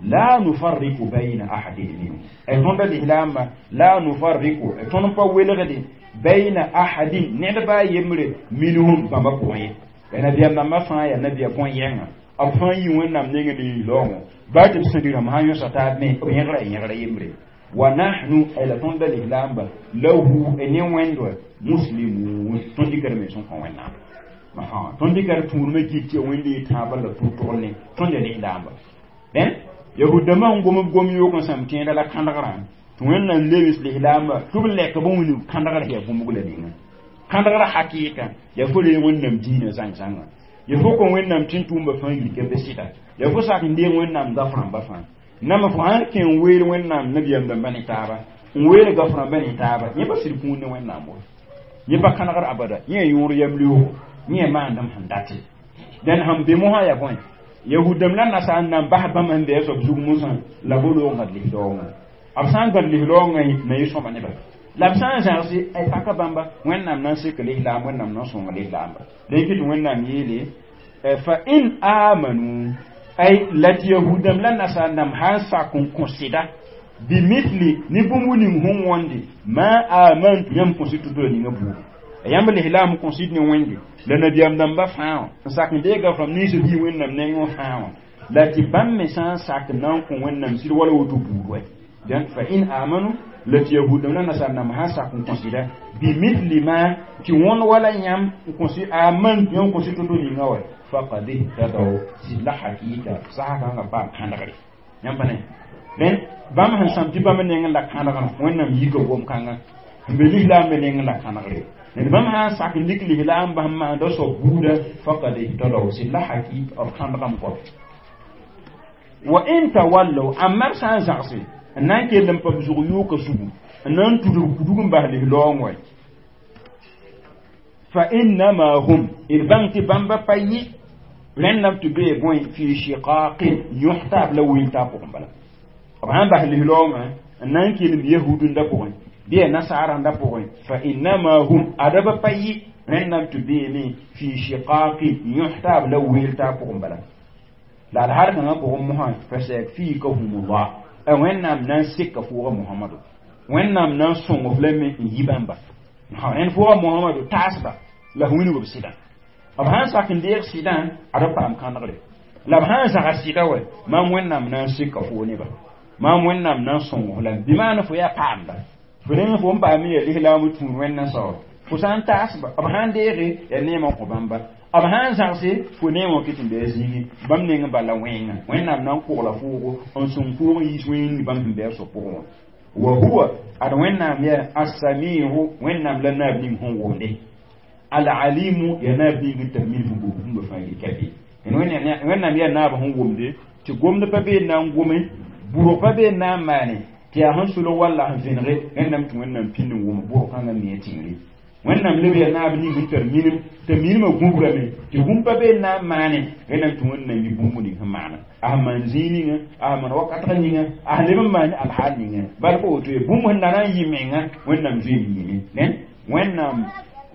La nufarriqu bayna ahadin minhum, ay tõnda lislaamba la nufarriqu, tõnd pa welgde bayna ahadin ned baa yembre minhum bãmba pʋgẽ ye. Ya nabiyam dãmbã fãa yaa nabiya bõn-yɛngã, b fãa yi Wẽnnaam nengẽ ne lislaoongõ baa tɩ b sẽn rɩ sã yõsa taab me b yẽgra yẽgra yembre. Wa nahnu ay la tõnda lislaamba lahu ne Wẽnd wa muslimun, tõnd dɩkra me sẽn kõ Wẽnnaam, tõnd dɩkra tũudmã git tɩ Wẽnd yɩ tãabã la tʋg-tʋgl ne tõnd ya lislaamba. Dẽn yahud-dãmbã n gom b gom yoog n sãm tẽeda la kãndgrã tɩ Wẽnnaam lebs lislaamba tɩ b lɛk b wilg kãndgrã yaa bũmb la ninga kãndgrã hakɩɩka yaa fo reeg Wẽnnaam dĩinã zãng-zãnga, ya fo kõ Wẽnnaam tɩ n tʋʋmba fãa yirka be sɩda, ya fo sak n deeg Wẽnnaam gaf rãmba fãa nama fo sãn kẽ n weel Wẽnnaam nabiyam dãmba ne taaba n weel gaf rãmba ne taaba, yẽ pa sɩd kũun ne Wẽnnaam wa, yẽ pa kãnegr abada, yẽ yõor yam leoogo, yẽ maandem sẽn date. Dẽn sẽn be mosã yaa bõe yahudame la nasaar nan bas bãmb sẽn be a soab zug mosã la bo loog gãd lislaoongã, b sã n gãd lislaoongã na yɩ sõma neba la b sã n zãgse ay paka bãmba Wẽnnaam na n sek lislaam, Wẽnnaam na n sõng lislaamba. Dẽn kɩ tɩ Wẽnnaam yeele fa in amanu ay la tɩ yahudame la nasaar dãmb sã n sak n kõ sɩda bimithli ne bũmb ning sẽn wõnde ma amantu yãmb kõ sɩd tʋ-tʋ la ninga buudu yãmb lislaam kõ sɩd ne Wẽnde la nabiyaam dãmba fãa wã n sak n deega fam nins b yi Wẽnnaam nengẽ fãa wã la tɩ bãmb me sã n sak n na n kõ Wẽnnaam sɩd wala woto buud wɛ. Dẽn fa in amanu la tɩ yahudame la nasaar dãmb sã n sak n kõ sɩda bimithli ma tɩ wõnd wala yãmb n kõ sɩd amantu yãmb kõ sɩd to-to ninga wɛ faqad ihtadaw sɩd la hakɩɩka sasa kãngã paam kãndgre yãmb pa ne. Dẽn bãmb sẽn sãm tɩ bãmb nengẽ la kãndgrã Wẽnnaam yika gom-kãngã sẽn be lislaam me nengẽ la kãndgre ned bãmb sã n sak n lik lislaam bas n maanda soab buuda faqad ihtadaw sɩd la hakɩɩk b kãndgame kɔb. Wa in tawallaw amma b sã n zãgse n na n kell n pa b zug yooka sugu n na n tudg kudug n bas lislaoong wɛ fa innama hum d bãng tɩ bãmba pa yɩ rẽndame tɩ bee bõe fi shiqaqin yõs taab la wil taab pʋgẽ bala b sãn bas lislaoongã n na n kelem yahudẽnda pʋgẽ bɩ ya nasaarãnda pʋgẽ fa innama hum adaba pa yɩ rẽndame tɩ beeme fi shiqaqin yõs taab la weel taab pʋgẽ bala la alhaal kãngã pʋgẽ mosã fa sayakfikahumullah a Wẽnnaam na n seka fʋʋga Mohamado, Wẽnnaam na n sõng f lame n yi bãmba rẽnd fʋʋga Mohamado taasba la f wilg b sɩdã b sãn sak n deeg sɩdã ad b paam kãndgre la b sãn zags sɩda wɛ maam Wẽnnaam na n seka foo neba maam Wẽnnaam na n sõng f lame bɩ maan fo yaa paamda fo rẽng fo n paam yaa lislaam tũud Wẽnna saoor fo sã n taasba b sãn deege yaa neemã kõ bãmba b sãn zãgse fo neemã kɩ tɩ n bɩ a zĩigi bãmb neng bala wẽnga Wẽnnaam na n kogla foogo n sõng foog n yiis wẽng bãmb sẽn bɩ a soab pʋgẽ wã wa huwa ad Wẽnnaam yaa assamiu Wẽnnaam la naab ning sẽn wʋmde alalimu ya naab ning n tar min sẽn gom bũmba fãa yel ka be Wẽnnaam yaa naab sẽn wʋmde tɩ gomd pa bee na n gome bʋrg pa bee na n maane tɩ yaa sẽn solg walla sẽn vẽnege rẽndame tɩ Wẽnnaam pĩnd n wʋm bʋrg kãngã me tẽngre Wẽnnaam leb yaa naab ning sẽn tar minim t'a minimã gũbrame tɩ bũmb pa bee na n maane rẽndame tɩ Wẽnnaam yi bũmb ning sẽn maana a sẽn maan zĩig ninga a sẽn maan wakatg ninga a sẽn leb n maan alhaal ninga bal pa woto ye bũmb sẽn na n yɩ menga Wẽnnaam zoeem yĩme dẽn Wẽnnaam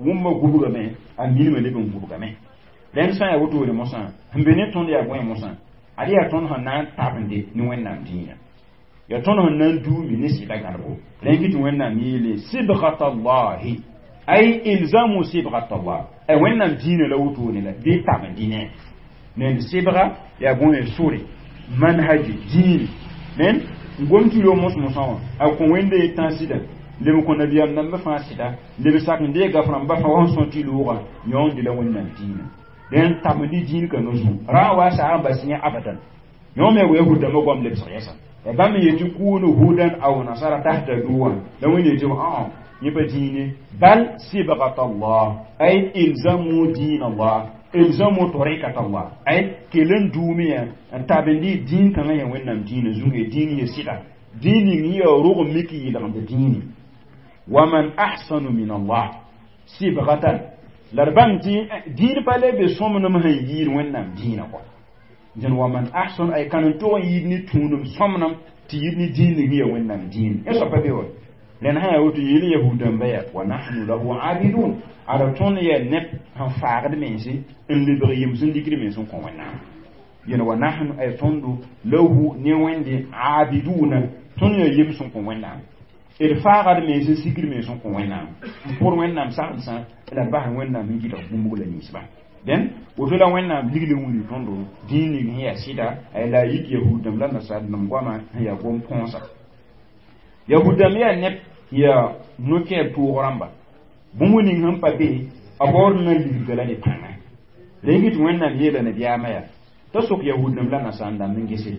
wũmba gubgame a minimã leb n gubgame rẽnd sã n yaa wotone mosã sẽn be ne tõnd yaa bõe mosã ad yaa tõnd sẽn na n tabende ne Wẽnnaam dĩinã yaa tõnd sẽn na n duumi ne sɩda gãdbo rẽn kɩ tɩ Wẽnnaam yeele sibgat allahi ay ilzamu sibgat allah ay Wẽnnaam dĩinã la wotone la bɩ tabendɩ ne ned sɩbga yaa bõe sore manhaji dĩine ned n gom tɩ yo mos-mosã wã a kõ Wẽnde ye tã sɩda leb kõ nabiyaam dãmbã fãa sɩda leb sak n deeg gaf rãmbã fãa wa sẽn sõt tɩ loogã yõonde la Wẽnnaam dĩinã dẽn tabend dĩin kãngã zugu rã wa saag n bas yẽ abadan yõ me wa yahud dãmbã goam lebsg yɛsa ya bãmb yetɩ kunu hudan aw nasara tahtadu wã la Wẽnd yetɩ ã yẽ pa dĩine bal sibgat allah ay ilzamu din allah Ilzamu tariqat Allah ay kelen dumiya n tabendi dĩin kãngã yaa wẽnnaam dĩinã zũnge dĩin ye sɩda dĩin ning yaa rog mik yɩlgmd dĩini wa man ahsanu min Allah sibgatan la d bãng tɩ dĩin pa le be sõmnem sẽn yiid wẽnnaam dĩinã kɔ dẽn wa man ahsanu ay kan n tog n yiid ne tũudum sõmnem tɩ yid ne dĩin ning yaa wẽnnaam dĩin yẽ soaba be wa rẽnd sã yaa woto yeel yahud-dãmba yaa wa nahnu lahu abidun ada tõnd yaa neb sẽn faagd mense n lebg yems n dikd mens n kõ wẽnnaam yẽn wa nahnu ay tõndo lahu ne wẽnde abiduna tõnd yaa yems n kõ wẽnnaam d faagd mens n sikd mens n kõ wẽnnaam n pʋd wẽnnaam sagsã la bas wẽnnaam n gɩdg bũmb la ninsba dẽn woto la wẽnnaam ligl n wilg tõndo dĩin ning sẽn yaa sɩda la a yik yahud-dãmb la nasaar-dãmb goama sẽn yaa gom põosa yahud-dãmb yaa neb yaa no-kɛɛb tʋʋg rãmba bũmb ning sẽn pa be a baood n na ligdga la ne pãnga rẽn tɩ wẽnnaam yeela nabiyaamã yaa t'a sok yahud-dãmb la nasaar-dãmb n gese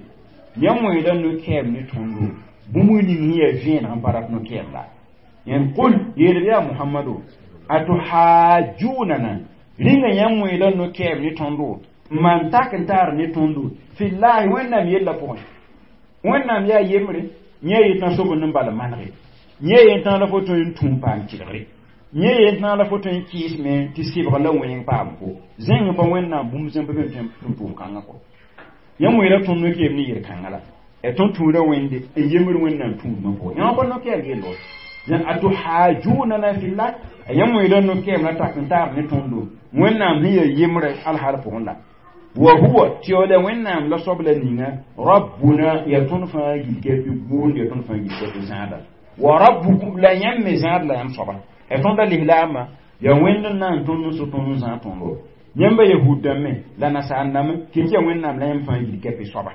yãmb wẽeda no-kɛɛb ne tõndo bũmb ning sẽn yaa vẽeneg n pa rat no-kɛɛb la yẽn qul yeel yaa muhammado atuhajunana rĩnga yãmb wẽeda no-kɛɛb ne tõndo n maan tak n taar ne tõndo fillahi wẽnnaam yella pʋgẽ wẽnnaam yaa yembre yẽ yetã sob n bal manege yẽ yetã la fo tõe n tũum paam kɩlgre yẽ yetã la fo tõe n kɩɩs me tɩ sɩbg la wẽng paam ko zẽng pa wẽnnaam bũmb zẽmb be tõe n tʋʋm kãngã kɔ yãmb wẽeda tõnd no-kɛɛb ne yel-kãngã la tõnd tũuda wẽnde n yembre wẽnnaam tũudmã pʋgẽ yã pa no-kɛɛb yello atuhajunana fillah yãmb wẽeda no-kɛɛb la tak n taar ne tõndo wẽnnaam sẽn yaa yembre alhaal pʋgẽ la wa huwa tɩ yaoola wẽnnaam la soab la ninga rabbuna yaa tõnd fãa gilka tɩ gʋʋnd yaa tõnd fãa gilka tɩ zãada wa rabbukum la yãmb me zãad la yãmb soaba ya tõnda lislaambã yaa wẽnd n na n tõnd n so tõnd n zãag tõndo yãmba yahud dãmbẽ la nasaar dãmb kɩ tɩ yaa wẽnnaam la yãmb fãa gilka tɩ soaba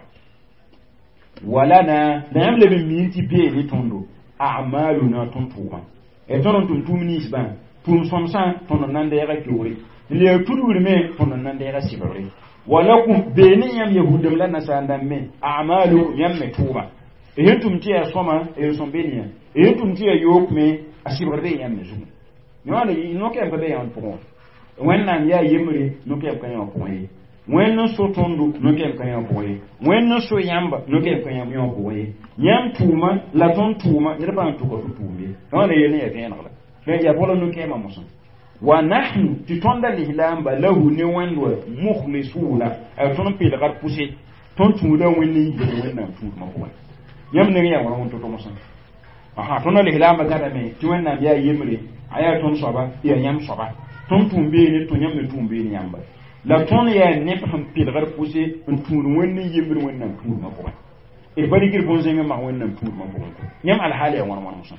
walana la yãmb leb n miin tɩ bee ne tõndo amaluna tõnd tʋʋmã ya tõnd n tʋm tʋʋm ninsbã tʋʋm sõmsã tõnd n na n deega keoore n leeg tudgr me tõnd n na n deega sɩbgre walakum bee ne yãmb yahud-dãmb la nasaar dãmb me amalukum yãmb me tʋʋma sẽn tʋm tɩ yaa sõma n sõm be ne yã sẽn tʋm tɩ yaa yook me a sɩbgr bee yãmb me zugu yõwã no-kɛɛm pa be yãmb pʋgẽ wẽnnaam yaa yembre no-kɛɛm ka yã pʋgẽ ye wẽnd n so tõndo no-kɛɛm ka yã pʋgẽ ye wẽnd n so yãmba no-kɛɛm ka yã pʋgẽ ye yãmb tʋʋma la tõnd tʋʋma ned pa n tʋka tɩ tʋʋm ye wãna yel ne yaa vẽeneg la yaa bala no-kɛɛmã mosã wa nahnu tɩ tõnda lislaamba lahu ne wẽnd wa mukhlisuna a tõnd n peelgd pʋse tõnd tũuda wẽnd n yigd wẽnnaam tũudmã pʋgẽ yãmb neng yaa wãna wẽn to-to mosã aha tõnda lislaambã gadame tɩ wẽnnaam yaa yembre a yaa tõnd soaba yaa yãmb soaba tõnd tũum beene tõ yãmb me tũum beene yãmba la tõnd yaa neb sẽn pelgd pʋse n tũud wẽnd n yembre wẽnnaam tũudmã pʋgẽ d pa rɩkd bõn-zẽng n mag wẽnnaam tũudmã pʋgẽ yãmb alhaal yaa wãn wãn mosã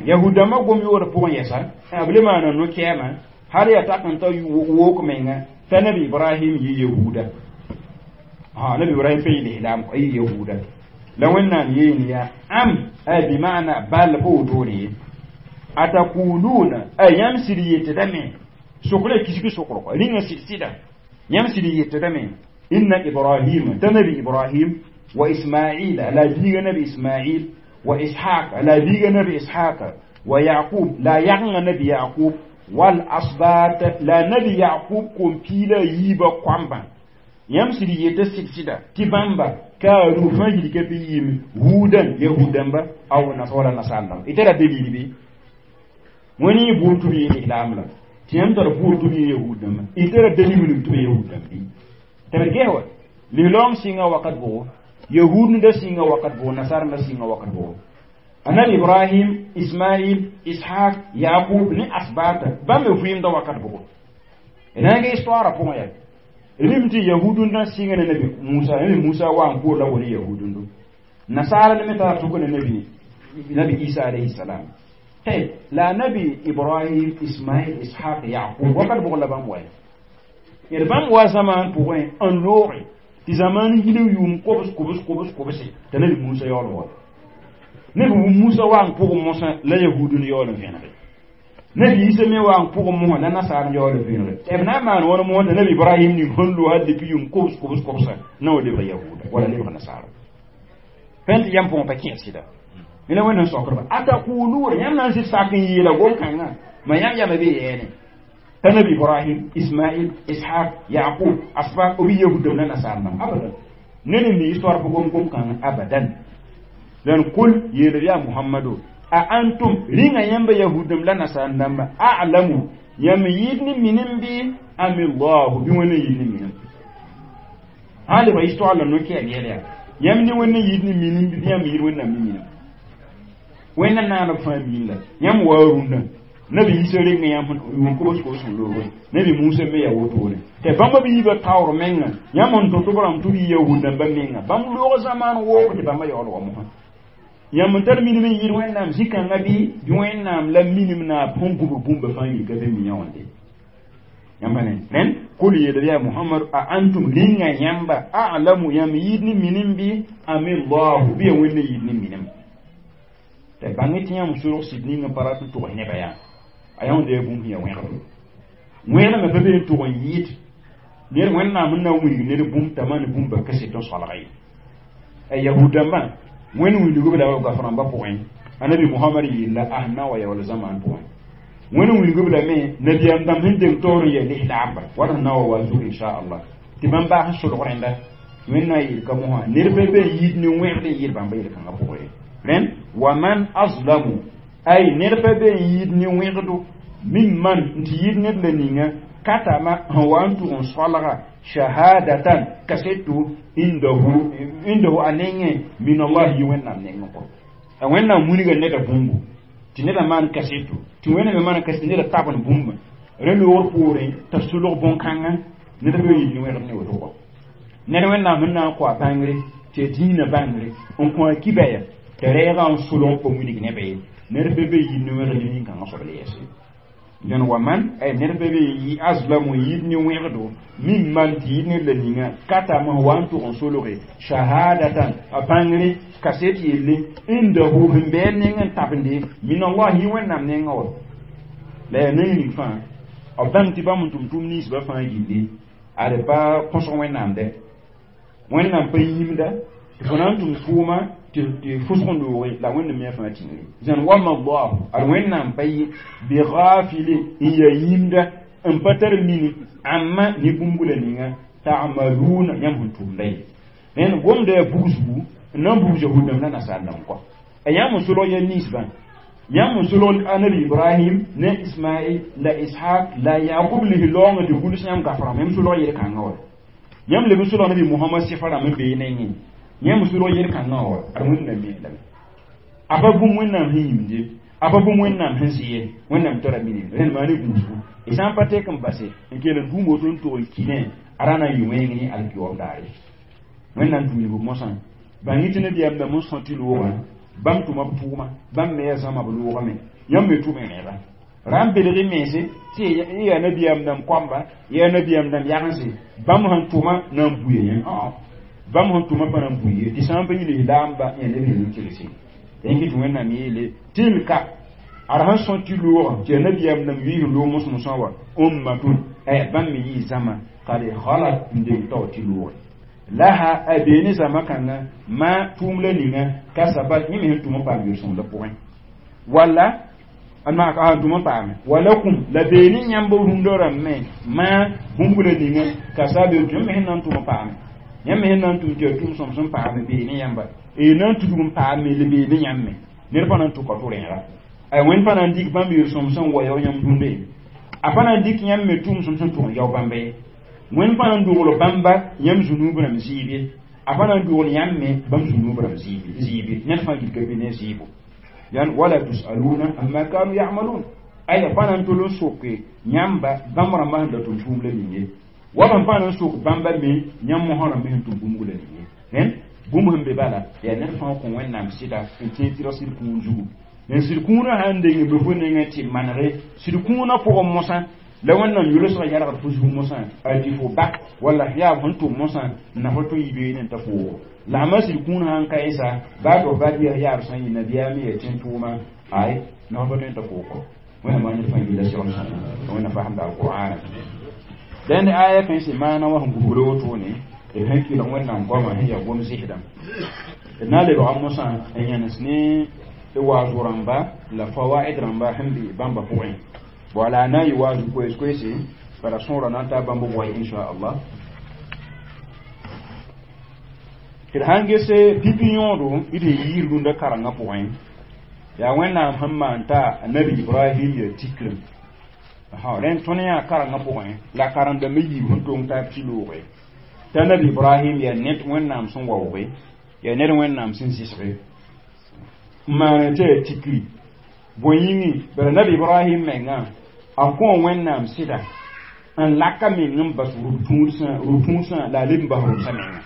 yahud-dãmbã gom yoor pʋgẽ yɛsa b le maana no-kɛɛmã hal yaa tak n ta wook menga t'a nabi ibrahim yɩ yahuda nabi ibrahim pa yɩ lislaam a yɩ yahuda la wẽnnaam yeen yaa am ay bimana bal pa wotone ye atakuluna ay yãmb sɩd yetdame sokra kisg sokr kɔ rĩnga sɩd sɩda yãmb sɩd yetdame inna ibrahima t'a nabi ibrahim wa ismaila la biiga nabi ismail wa ishaq la biiga nabi ishaq wa yaqub la yagŋa nabi yaqub wal asbat la nabi yaqub kom piila yiibã koambã yãmb sɩd yeta sɩd sɩda tɩ bãmba kaaru fãa yilka bɩ yɩɩm huudan yahud-dãmba aw wala nasaar-dãmba y tara dalil bɩ wẽnd yẽ buud tɩ b yɩ lislaam la tɩ yãmb tar buud tɩ b yɩ yahud-dãmba y tara dalil ning tɩ b yahud-dãmb bɩ tɩ b ges wa lislaam sɩnga wakat bʋgo yahud da sɩnga wakat bʋgo nasaar da sɩnga wakat bʋgo anabi ibrahim ismail ishaq yaqub ne asbata bãmb me vɩɩmda wakat bʋgo d na n ge histoire pʋgẽ yaa rim tɩ yahudun sɩnga ne nabi musa nabi musa wa n koor la wala yahudundo nasara ne me tara tʋk ne nabi isa alayhi salam tayb la nabi ibrahim ismail ishaq yaqub wakat bʋg la bãmb wa d bãmb wa zamaan pʋgẽ n looge tɩ zamaan yil yʋʋm kobs kobs kobs kobse t'a nabi musa yaool wa nabi musa wa n pʋg mosã la yahudun yaool n vẽnege nabi isa me wa n pʋg mosã la nasaar yaool n vẽnege b na n maan wãn mosã t'a nabi ibrahim ning sẽn lo hal depuis yʋʋm kobs kobs kobsa na wa lebg yahuda wala lebg nasaara fẽn tɩ yãmb pʋgẽ pa kẽes sɩda la wẽnd n sokdba ataquluna yãmb na n sɩd sak n yeela gom-kãngã ma yãmb yama be yɛɛne Tanabi Ibrahim, Ismail, Ishaq, Yaqub, asbab obi yahudam na nasar nam abadan. Nene mi histoire ko gom kan abadan. Dan kul yel ya Muhammadu a antum ringa yamba yahudam la nasar nam a'lamu yam yidni minimbi am Allah bi wona yidni minim. Hali ba histoire la no ke yel yam ni wona yidni minimbi yam yid wona minim. Wena na na famille yam warunda nabi Isa renga yam yun ko ko so logo nabi Musa me ya woto ne te bamba bi ba tawr menga yam on to to baram to bi yahuda ba menga bam logo zaman wo te bamba yolo mo ha yam tar min min yir wennam zika ngabi bi wennam la minim na pongu bu bumba famille ka be mi yawande yamba ne nen kul yeda ya Muhammad a antum ringa yamba a'lamu yam yidni minimbi amillahu bi wenne yidni minim te bangi tiɲa muso sidni nga paratu to ne baya ayon de bum hiya wẽgr wẽna me pa be n tʋg n yɩɩd ned wẽnnaam n na n wilg ned bũmb t'a maan bũmba kaset n solga ye a yahud-dãmbã wẽnd wilgb la gaf-rãmbã pʋgẽ anabi Muhammad yella a sẽn na n wa yaool zamaan pʋgẽ wẽnd wilgb lame nabiyaam dãmb sẽn deng taoor n yaa lislaamba wat sẽn na wa wa zug inchallah tɩ bãmb baas n solg rẽnda wẽnna yeel ka mosã ned pa be n yɩɩd ne wẽgd n yɩɩd bãmba yel-kãngã pʋgẽ ye rẽnd waman azlamu ay ned pa be n yɩɩd ne wẽgdo mimman tɩ yɩɩd ned la ninga katama sẽn wa n tʋg n solga shahadatan kaseto indahu a nengẽ min Allah yɩ wẽnnaam nengẽ kɔ a wẽnnaam wilga neda bũmbu tɩ neda maan kaseto tɩ wẽnna me maan kaseto neda tabn bũmba rẽ loogr poorẽ t'a solg bõn-kãngã ned pa yɩɩd ne wẽgd ne woto kɔ ned wẽnnaam sẽn na n kõ a bãngre tɩ a dĩinã bãngre n kõ a kibaya t'a rɛɛgã n solg n pa wilg nebã ye ned pa be yɩɩd ne wẽgd ne nin-kãngã soab la yɛse dẽn wa man ay ned pa be yɩ azlamu yɩɩd ne wẽgdo mimman tɩ yɩɩd ned la ninga katama wa n tʋg n solge shahadatan a bãngre kaset yelle indahu sẽn bɩ a neng n tabende min Allah yɩ wẽnnaam nengã wa la yaa neng ning fãa b bãng tɩ bãmb n tʋm tʋʋm ninsbã fãa gilli ad pa kõsg wẽnnaam dɛ wẽnnaam pa yĩmda tɩ fo na n tʋm tʋʋma tɩ fʋsg n looge la wẽnnaam me fãa tĩngre zãn wama Allah ad wẽnnaam pa yɩ bighafili n yaa yĩmda n pa tar mini amma ne bũmb la ninga ta'maluna yãmb sẽn tʋmda ye rẽnd gomda yaa bugsgu n na n bugs yahud-dãmb la nasaar-dãmb kɔ a yãmb n solg ya ninsbã yãmb n solg anabi Ibrahim ne Ismail la Ishaq la Yaqub lis laoongã tɩ gʋls yãmb gaf-rãmb yãmb solg yel-kãngã wa yãmb leb n solg nabi Muhammad sɩfa rãmb n bee nengẽ yãmb solg yel-kãngã wa ad wẽnnaam me lame a pa bũmb wẽnnaam sẽn yĩmde a pa bũmb wẽnnaam sẽn zɩ ye wẽnnaam tara minim rẽnd maa ne gũusgu y sã n pa tek n base n kell n dũum woto n tʋg n kɩnẽ a ra na n yɩ wẽng ne alkiwaoog daare wẽnnaam tũ wilg mosã bãng tɩ nabiyaam dãmb n sõ tɩ loogã bãmb tʋma b tʋʋma bãmb me yaa zãma b loogame yãmb me tʋm rẽega ra n belg y mense tɩ y yaa nabiyaam dãmb koamba yaa nabiyaam dãmb yagense bãmb sẽn tʋma na n buya yẽ bãmb sẽn tʋma pa na n bui ye tɩ sã n pa yɩl y laamba yã neb sẽn kelse yẽ tɩ wẽnnaam yeele tilka ad sẽn sõ tɩ loogã tɩ yaa nabiyaam dãmb yɩɩs loog mos-mosã wa ummatun bãmb me yɩɩ zãma kad halat n deng tao tɩ looge laha a beene zãma kãngã ma tʋʋm la ninga kasabat yẽ me sẽn tʋm n paam yel-sõng la pʋgẽ wala a tʋm n paame walakum la beene yãmb rũndã rãmb me ma bũmb la ninga kasabe yãmb me sẽn na n tʋm n paame yãmb me sẽn na n tʋm tɩ yaa tʋʋm sõm sẽn paame beene yãmba y na n tudg n paame la beene yãmb me ned pa na n tʋka tʋ-rẽega a wẽnd pa na n dɩk bãmb yel-sõm sẽn wa yao yãmb dũnda ye a pa na n dɩk yãmb me tʋʋm sõm sẽn tʋg n yao bãmba ye wẽnd pa na n dogl bãmba yãmb zũnuub rãmb zɩɩb ye a pa na n dogl yãmb me bãmb zũnuub rãmb zɩɩb ye ned fãa gilga be ne zɩɩbo yan wala tusaluna amma kanu ya'malun ay pa na n tol n soke yãmba bãmb rãmbã sẽn da tʋm tʋʋm la ning ye wa bãmb pa na n sok bãmba me yãmb mosã rãmb sẽn tʋm bũmb la ning ye rẽnd bũmb sẽn be bala yaa ned fãa kõ wẽnnaam sɩda n tẽeg tɩ ra sɩd kũun zugu n sɩd kũunã sãn deng be fo nengẽ tɩ manege sɩd kũunã pʋgẽ mosã la wẽnnaam yʋlsgã yalgd fo zug mosã a tɩ fo ba walla yaa sẽn tʋm mosã n na fo tʋ yɩ beene n ta foogo la a ma sɩd kũun sãn ka yẽsa baa tɩ f ba bias yaab sã n yɩ nabiyaam yaa tẽn tʋʋma ay na fo pa tõe n ta foog wẽnnaam maa ned fãa yɩla segl sõma wẽnnaam fasemda alqur'ana dẽnd aya kãe sẽn maana wã sẽn gubgd wotone d sẽn kɩlg wẽnnaam goamã sẽn yaa gom zɩsdã d na n lebga mosã n yãnes ne d waazg rãmba la fawaid rãmba sẽn be bãmba pʋgẽ Wala na yi waazu koees koeese bara sõora na n taa bãmb goay inchallah tɩ d sãn gese pipi yõodo d sẽn yiis rũndã karengã pʋgẽ yaa wẽnnaam sẽn maan t'a nabi ibrahim ya tikrem rẽnd tõnd yã karengã pʋgẽ la karen-dãmbã yiib sẽn tong taab tɩ looge t'a nabi ibrahim yaa ned wẽnnaam sẽn waooge yaa ned wẽnnaam sẽn zɩsge n maane tɩ yaa tikri bõe yĩngi bara nabi ibrahim mengã a kõ wẽnnaam sɩda n laka meng n bas rʋ-tũudsã la a leb n bas rʋbsã menga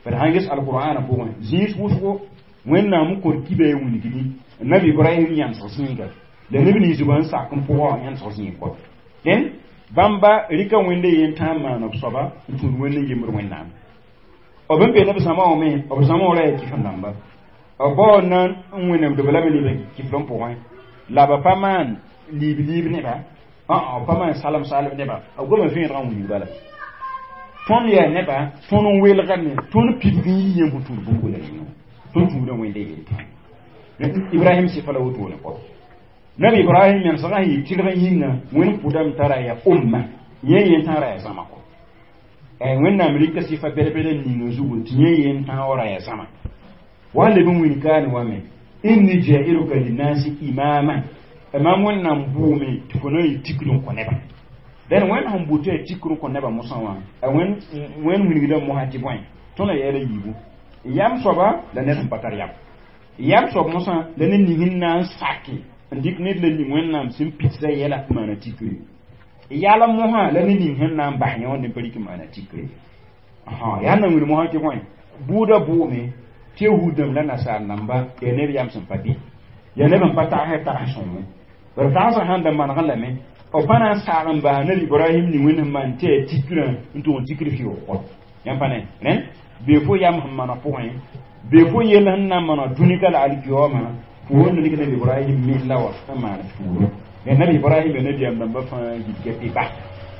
bara sãn ges alqur'ana pʋgẽ zĩis wʋsgo wẽnnaam n kõt kiba ya wilgdi nabi ibrahim yãmsg zĩiga la neb nins b n sak n pʋgã yãmsg zĩig kɔ dẽn bãmba rɩka wẽnde yen tãa n maan b soaba n tũud wẽnd n yembd wẽnnaam b n be neb zãma wã me b zãma wã ra yaa kɩf-n-dãmba b bao na n wẽnemdb lame leb kiflẽ pʋgẽ la b pa maan liib-liib neba b pa maan salem-salem neba b goma vẽenegã n wilg bala tõnd yaa neba tõnd n welgame tõnd pidg n yi yẽmb sẽn tũud bũmb ninga tõnd tũudã wẽnde yel ibrahim sɩfa la wotone kɔ nabi ibrahim yãmsgã sẽn yɩ tɩlg yĩnga wẽnd pʋdame tara yaa umma yẽ yen tã ra yaa zãma kɔ wẽnnaam rɩka sɩfa bɛd-bɛd n ninga zugu tɩ yẽ yen tã wa ra yaa zãma wa leb n wilg kaane wa me inni jailuka linnasi imaman mam wẽnnaam bʋʋme tɩ fo na n yɩ tikr n kõ nebã dẽn wẽnd sẽn bʋ tɩ yaa tikr n kõ nebã mosã wã wẽnd wilgdã mosã tɩ bõe tõnd yɛɛla yiibu yam soaba la ned sẽn pa tar yam yam soab mosã la ned ning n na n sake n dɩk ned la ning wẽnnaam sẽn pitsa yɛla n maana tikre yalem mosã la ned ning sẽn na n bas yẽ wã n pa rɩk n maana tikre yaa na wilg mosã tɩ bõe bʋʋda bʋʋme tɩ yahud-dãmb la nasaar namba yaa neb yam sẽn pa bɩ yaa neb n pa tagsɛ tags sõngo bara tagsã sãn da manegẽ lame b pa na n saag n bas nabi ibrahim ning wẽnd sẽn maan tɩ yaa tikrã n tʋg n tikr fɩʋg kɔ yãmb pa ne rẽnd bee fo yam sẽn mana pʋgẽ bee fo yell sẽn na n mana dũnika la alkiyooma fo wẽnd rɩk nabi ibrahim mella wa n maan tuuro nabi ibrahim ya nabiyaam dãmbã fãa gilga tɩ ba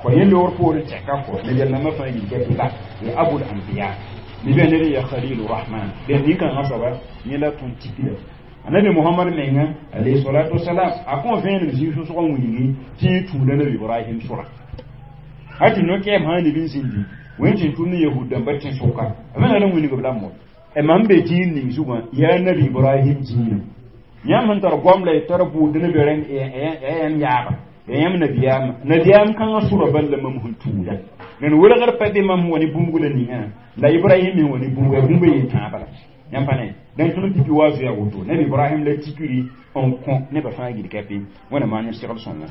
kõ yẽ loogr poorẽ tɛka kɔ nabiyaam dãmbã fãa gilga tɩ ba ya abul anbiya nibã ned ya khalilu rahman dẽn nin-kãngã soaba yẽ la tõnd tikra anabi muhammad menga alayhi salatu wasalam a kõ vẽenem zĩig sʋsg n wilgi tɩ yẽ tũuda nabi ibrahim sʋra hal tɩ no-kɛɛm sã neb n zĩndi wẽnd tɩ tʋm ne yahud dãmbã tẽ-sʋka b me na n wilg b la mo mam be dĩin ning zugã yaa nabi ibrahim dĩinã yãmb sẽn tar goam la y tar bʋʋd ne be rẽnd yãmb yaaba ya yãmb nabiyaamã nabiyaam kãngã sʋra bal la mam sẽn tũuda rẽnd welgr pa be mam sẽn wa ne bũmb la ninga la ibrahim me wa ne bũmb ya bũmb yen tãaba la yãmb pa ne dẽn tõnd pipi wa zoea woto nabi ibrahim la tikri n kõ nebã fãa gilka pɩ wẽna maan yẽ segl sõnga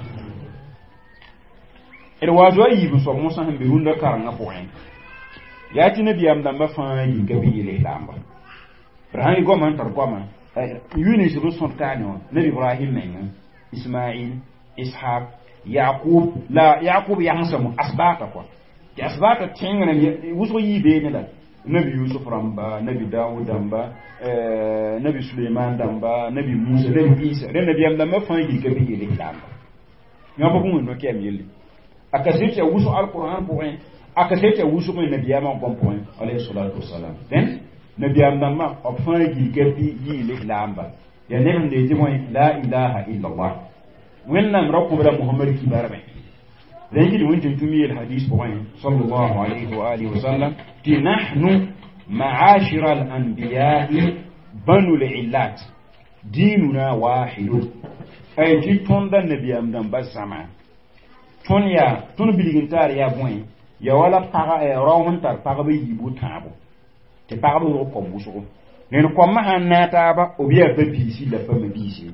d wa zoa yiib n soab mosã sẽn be rũndã karengã pʋgẽ yaa tɩ nabiyaam dãmbã fãa yĩnga bɩ yel-islaamba b sãn yɩ goamã n tar goamã yʋ nins b sõd kaane wã nabi ibrahim menga ismail ishaq yaqub la yaqub yagsame asbaata kɔa tɩ asbaata tẽng wʋsg yii beene la nabi yusuf rãmba nabi dawud dãmba nabi suleiman dãmba nabi musa nabi isa rẽ nabiyaam dãmbã fãa yilka bɩ yel-islaamba yã pa bũmb no-kɛɛm yelle a kaset tɩ ya wʋsg alqur'an pʋgẽ a kaset tɩ ya wʋsg nabiyaamã gom pʋgẽ alayhi salatu wasalam dẽn nabiyaam dãmbã b fãa gilka bɩ yɩ-lislaamba yaa neb sẽn dee tɩ bõe la ilaha illallah wẽnnaam ra kõ la mohamad kibarmẽ rẽn gɩd wẽn tɩ tũm yeel hadis pʋgẽ sallallahu alayhi wa alihi wasallam tɩ nahnu maashira al-anbiyai banu l-illat dinuna wahidun ay tɩ tõnda nabiyaam dãmba zãma tõnd yaa tõnd bilg n taar yaa bõe ya wala pag rao sẽn tar pagb yiibu tãabo tɩ pagb rog kom wʋsgo ned koamã sãn naag taaba b yaa ba-biisi la pa ma-biisi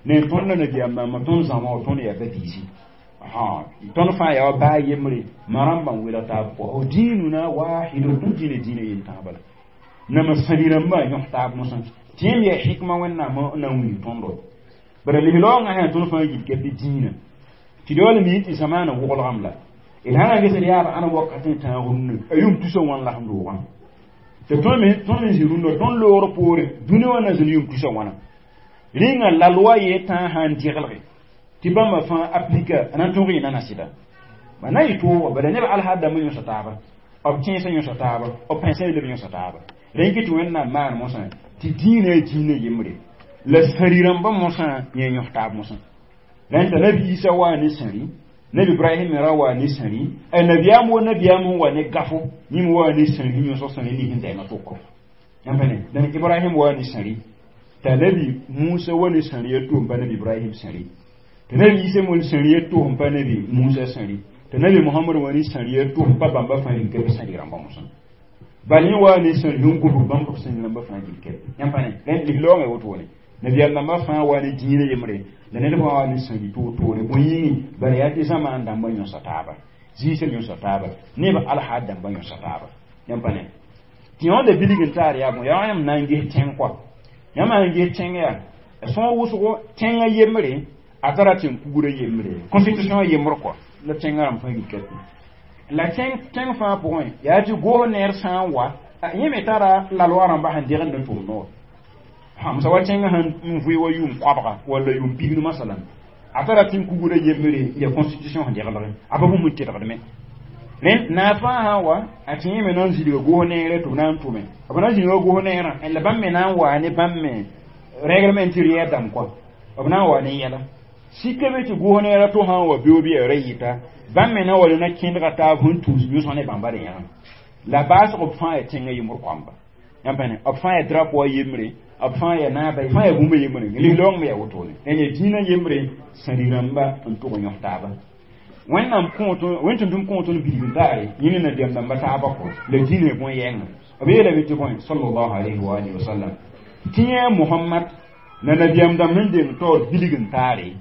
ned tõnd la nabiyaam dãmbã tõnd zãma wa tõnd yaa ba-biisi tõnd fãa yaa wa baa yembre ma rãmbã n welg taab pʋga o dĩinuna wahidun tõnd dĩinã dĩinã yen tãaba la nama sãli rãmbã yõs taab mosã tɩ yẽmb yaa hikma wẽnnaam na n wilg tõndo bara lislaoongã sã tõnd fãa yilka bɩ dĩinã tɩ d wala mi tɩ zamaana woglgame la d sã na ges d yaab ãna wakat n tãag rũnnã a yʋm tusa wãn la sẽn doogã tɩ tõnd me zĩ rũnnã tõnd loogr poore dũni wã na zĩnd yʋm tusa wãna rĩnga la loa yee tãag sã n dɩgelge tɩ bãmba fãa aplika a na n tõg yẽna na sɩda ba na yɩ toogo bala neb alhaad dãmbã yõsa taaba b tẽesã yõsa taaba b pãensã leb yõsa taaba rẽn kɩ tɩ wẽnnaam maan mosã tɩ dĩinã a dĩinã yembre la sãri rãmbã mosã yẽ yõs taab mosã Rẽnta nabi Isa waa ne sãri, nabi Ibrahim me ra waa ne sãri, a nabiyaam wa nabiyaam sẽn wa ne gafo, yĩm waa ne sãri sẽn yõsg sãri ning sẽn zɛɛngã tʋko. Yãmb pa ne? Dãn Ibrahim waa ne sãri, t'a nabi Musa wa ne sãri a to n pa nabi Ibrahim sãri, t'a nabi Isa me wa ne sãri a to n pa nabi Musa sãri, t'a nabi Muhammad wa ne sãri a to n pa bãmba fãa rĩm ka sãri rãmbã mosã. Bal yẽ waa ne sãri sẽn gũbg bãmb b sãri rãmbã fãa gil kɛp. Yãmb pa ne? Rẽnd lislaoongã wotone. Nabiyaam dãmbã fãa waa ne dĩinã yembre, la ned fãa waa ne sãri toor-toore bõe yĩngi, bala yaa tɩ zamaan dãmbã yõsa taaba, zĩisã yõsa taaba, neb alhaad dãmbã yõsa taaba. Yãmb pa ne? Tɩ yõoda bilg n taar yaa bõe, yaa yãmb na n ges tẽng kɔa. Yãmb sã n ges tẽng yaa sõor wʋsgo tẽngã yembre, a tara tẽn-kugrã yembre, constitution yembr kɔa la tẽngã rãmb fãa yika. La tẽng fãa pʋgẽ yaa tɩ goos neer sã n wa, yẽ me tara la loi rãmba sẽn degend n tʋm noor. Hamsa wa tẽngã sẽn n vʋɩ wa yʋʋm koabga walla yʋʋm pisnu masalan, a tara tẽn-kugrã yembre ya constitution sẽn deglgẽ, a pa bũmb n tedgdme. Rẽnd naag fãa sã n wa, a tɩ yẽ me na n zĩlga goos neere tɩ b na n tʋme. B na n zĩlga goos neerã, la bãmb me na n waa ne bãmb me règlement intérieur dãmb kɔa, b na n wa ne yɛla. Sika be tɩ goos neerã to sã n wa beoog bɩ yaa ra yɩta, bãmb me na wa ne na kẽndga taab sẽn tũus yõsg ne bãmba rẽ yãga. La baasg b fãa yaa tẽngã yembr koamba. Yãmb pa ne? B fãa yaa drapeau a yembre, b fãa yaa naaba, fãa yaa bũmb yembre. Lislaoong me yaa wotone. Rẽnd yaa dĩinã yembre sãri rãmba n tʋg n yõs taaba. Wẽnnaam kõot wẽn tʋm-tʋm kõot n bilg n taare yẽ ne nabiyaam dãmba taaba kɔ la dĩinã bõe-yɛɛngã. B yeelame tɩ bõe sallallahu alayhi wa alihi wa sallam tɩ yẽ Muhammad la nabiyaam dãmb sẽn deng taoor bilg n taare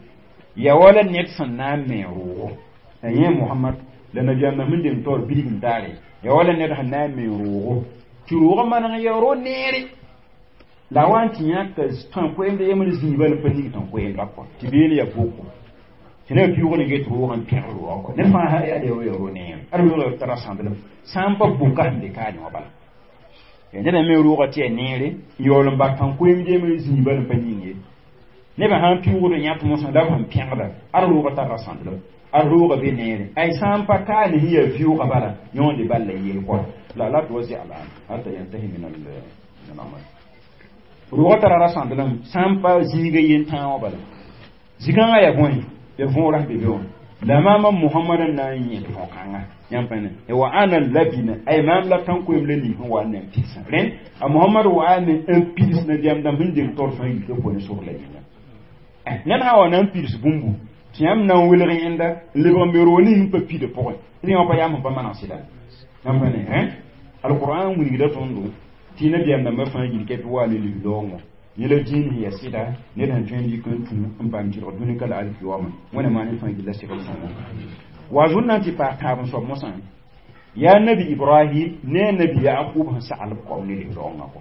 yaa wala ned sẽn na n me roogo. La yẽ Muhammad la nabiyaam dãmb sẽn deng taoor bilg n taare yaa wala ned sẽn na n me roogo, tɩ roogã maneg yaa ro neere la wa n tɩ yãka tã-koɛɛmd yembr zĩiba la pa ning tã-koɛɛmda kɔ tɩ beel yaa boko. Tɩ neb pɩʋʋg ne get roogã n pẽgr roogã kɔ. Ned fãa yaa yaa ro neere, ad roogã tara sãndlem sã n pa boka sẽn be kaane wã bala. Ned me roogã tɩ yaa neere n yaool n bak tã-koɛɛmd yembr zĩiba la pa ning ye. Nebã sã n pɩʋʋgd yãt mosã la b sẽn pẽgda, ad roogã tara sãndlem, ad roogã be neere. Ay sã n pa kaane sẽn yaa vɩʋʋgã bala, yõonde bal la yeel kɔ. La la tuwazi al'an hatta yantahi min al-amal. Roogã tara ra sãndlem sã n pa zĩiga yen tãag wã bala. Zĩ-kãngã yaa bõe? Ya võora sẽn be be wã. La maama Muhammad n na n yẽd võor-kãnga. Yãmb pa ne? Wa ana labina, ay maam la tãn-koeem la ning sẽn wa n na n pidsã. Rẽnd a Muhammad wa ne n pids nabiyaam dãmb sẽn deng taoor fãa yika pʋgẽ sor la yĩnga. Ned sã n wa na n pids bũmbu, tɩ yãmb na n welg yẽnda n lebg n be roog ning n pa pida pʋgẽ. Rẽ wã pa yam sẽn pa maneg sɩda. Yãmb pa ne? Alqur'an wilgda tõndo tɩ nabiyaam dãmbã fãa yilka tɩ wa ne lislaoongõ. Yẽ la dĩin sẽn yaa sɩda, ned sẽn tõe n dɩk n tũ n paam tɩlg dũni ka la alkiyoma. Wẽnna maan fãa gilla segl sõngo. Wa zũn na n tɩ paas tãab n soab mosã, yaa nabi Ibrahim ne nabi Yaqub sẽn sagl b koam ne lislaoongã kɔ.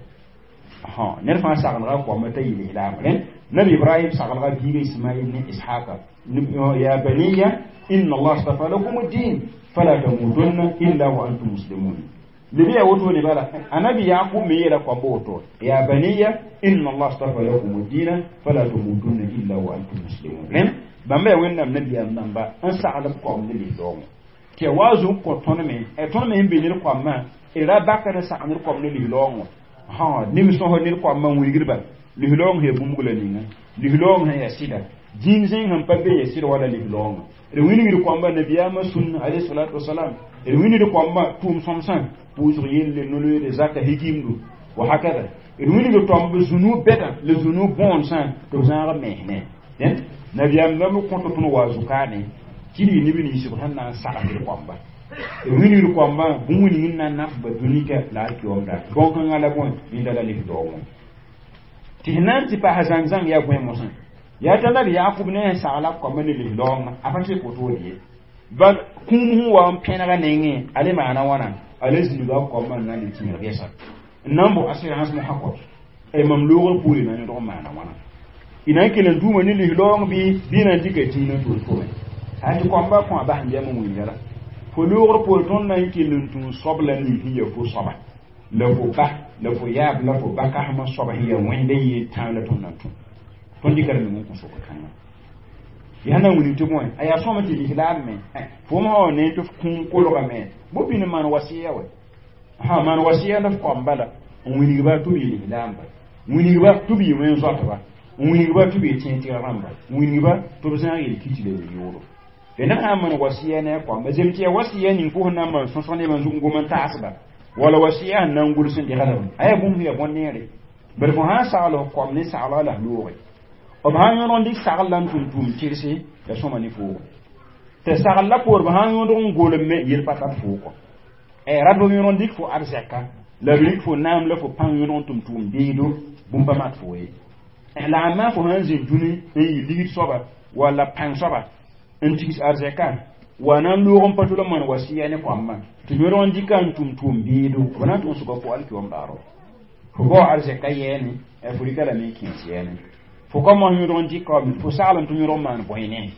Ned fãa saglga koama t'a yɩ lislaam. Rẽnd nabi Ibrahim saglga biiga Ismail ne Ishaqa, ya baniya inna Allah astafa lakum ad-din fala tamutunna illa wa antum muslimun. Libi ya woto ne bala anabi Yaqub me yela koamba woto, ya baniya inna Allah astafa lakum ad-din fala tamutunna illa wa antum muslimun. Rẽnd bãmba yaa Wẽnnaam nabiyaam dãmba n sagl b koam ne lislaoongõ. Tɩ yaa wa zug kõ tõnd me, tõnd me sẽn be ned koamã, d ra bakd n sag ned koam ne lislaoongõ. Nim sõsd ned koamã n wilgdba lislaoong sẽn yaa bũmb la ninga, lislaoong sẽn yaa sɩda, dĩin zẽng sẽn pa be yaa sɩd wala lislaoongã. D wilgd koamba nabiyaamã sũnna alayhi salatu wasalam, d wilgd koamba tʋʋm sõmsã, pʋʋsg yelle, no-loeere, zaka, higimdu wa hakada. D wilgd tõmb zũnu bɛdã la zũnu bõonesã tɩ b zãag mesne. Dẽnd nabiyaam dãmb kõt tõnd wa zukaane tɩ d yɩ neb nins b sẽn na n sag ned koamba. D wilgd koambã bũmb ning n na n naf ba dũnika la alkiyomda. Bõn-kãngã la bõe yẽnda la lislaoongõ. Tɩ sẽn na n tɩ paas zãng-zãng yaa bõe mosã, yaa t'a nabi Yaqub ne sẽn sagla koambã ne lislaoongã, a pa tɩ wotode ye. Bal kũum sẽn wa n pẽnega nengẽ, a le maana wãna, a le zĩiga koambã n na n le tĩig gɛsa n na n bo assurance mosã kɔ. Mam loogr poore na yõdg n maana wãna. Y na n kell n dũuma ne lislaoong bɩ na n dɩka dĩinã toor-tome. A tɩ koambã kõ a bas n yam n wilga la. Fo loogr poore tõnd na n kell n tũ soab la ning sẽn yaa fo soaba, la fo ba, la fo yaab, la fo ba kasmã soaba sẽn yaa wẽnda yeel tãag la tõnd na n tũ. Tõnd dɩka d meng n kõ sokr kãngã. Yaa na n wilg tɩ bõe, a yaa sõma tɩ lislaam me. Fo sã wa ne tɩ f kũum kolgame, bõ bĩn n maan wasɩya wɛ. Maan wasɩya la f koam bala n wilgba tɩ b yɩ lislaamba, wilgba tɩ b yɩ wẽn-zoatba, N wilgba tɩ b tẽ tɩg rãmba n wilgba tɩ b zãag yel-kit la yel-yoodo d ned sã n maan wasiya ne a koamba zem tɩ yaa wasiya ning fo sẽn na n maan sõsg nebã zug n gom n taasba wala wasiya sẽn na n gʋls n degdame a yaa bũmb sẽn yaa bõn-neere bad fo sã n sagl f koam ne saglga la f looge b sã n yõdg n dɩk sagl la n tʋm tʋʋm tɩrse la sõma ne foogo tɩ sagl la poor b sã n yõdg n golem me yel pa tar foo kɔ rat b yõdg n dɩk fo arzɛka la b rɩk fo naam la fo pãng yõdg n tʋm tʋʋm beedo bũmb pa mat fo ye la a maa fo sã n zĩ dũni n yɩ ligd soaba walla pãng soaba n tigs arzɛka wa na n loog n pa tʋl n maan wasiya ne koambã tɩ yõdg n dɩka n tʋm tʋʋm beedo b na n tʋg n sʋka fo alkiwam daaro fo bao arzɛka yɛɛne fo rɩka lame n kẽes yɛɛne fo ka mos yõdg n dɩka fo sagl n tɩ yõdg n maan bõe ne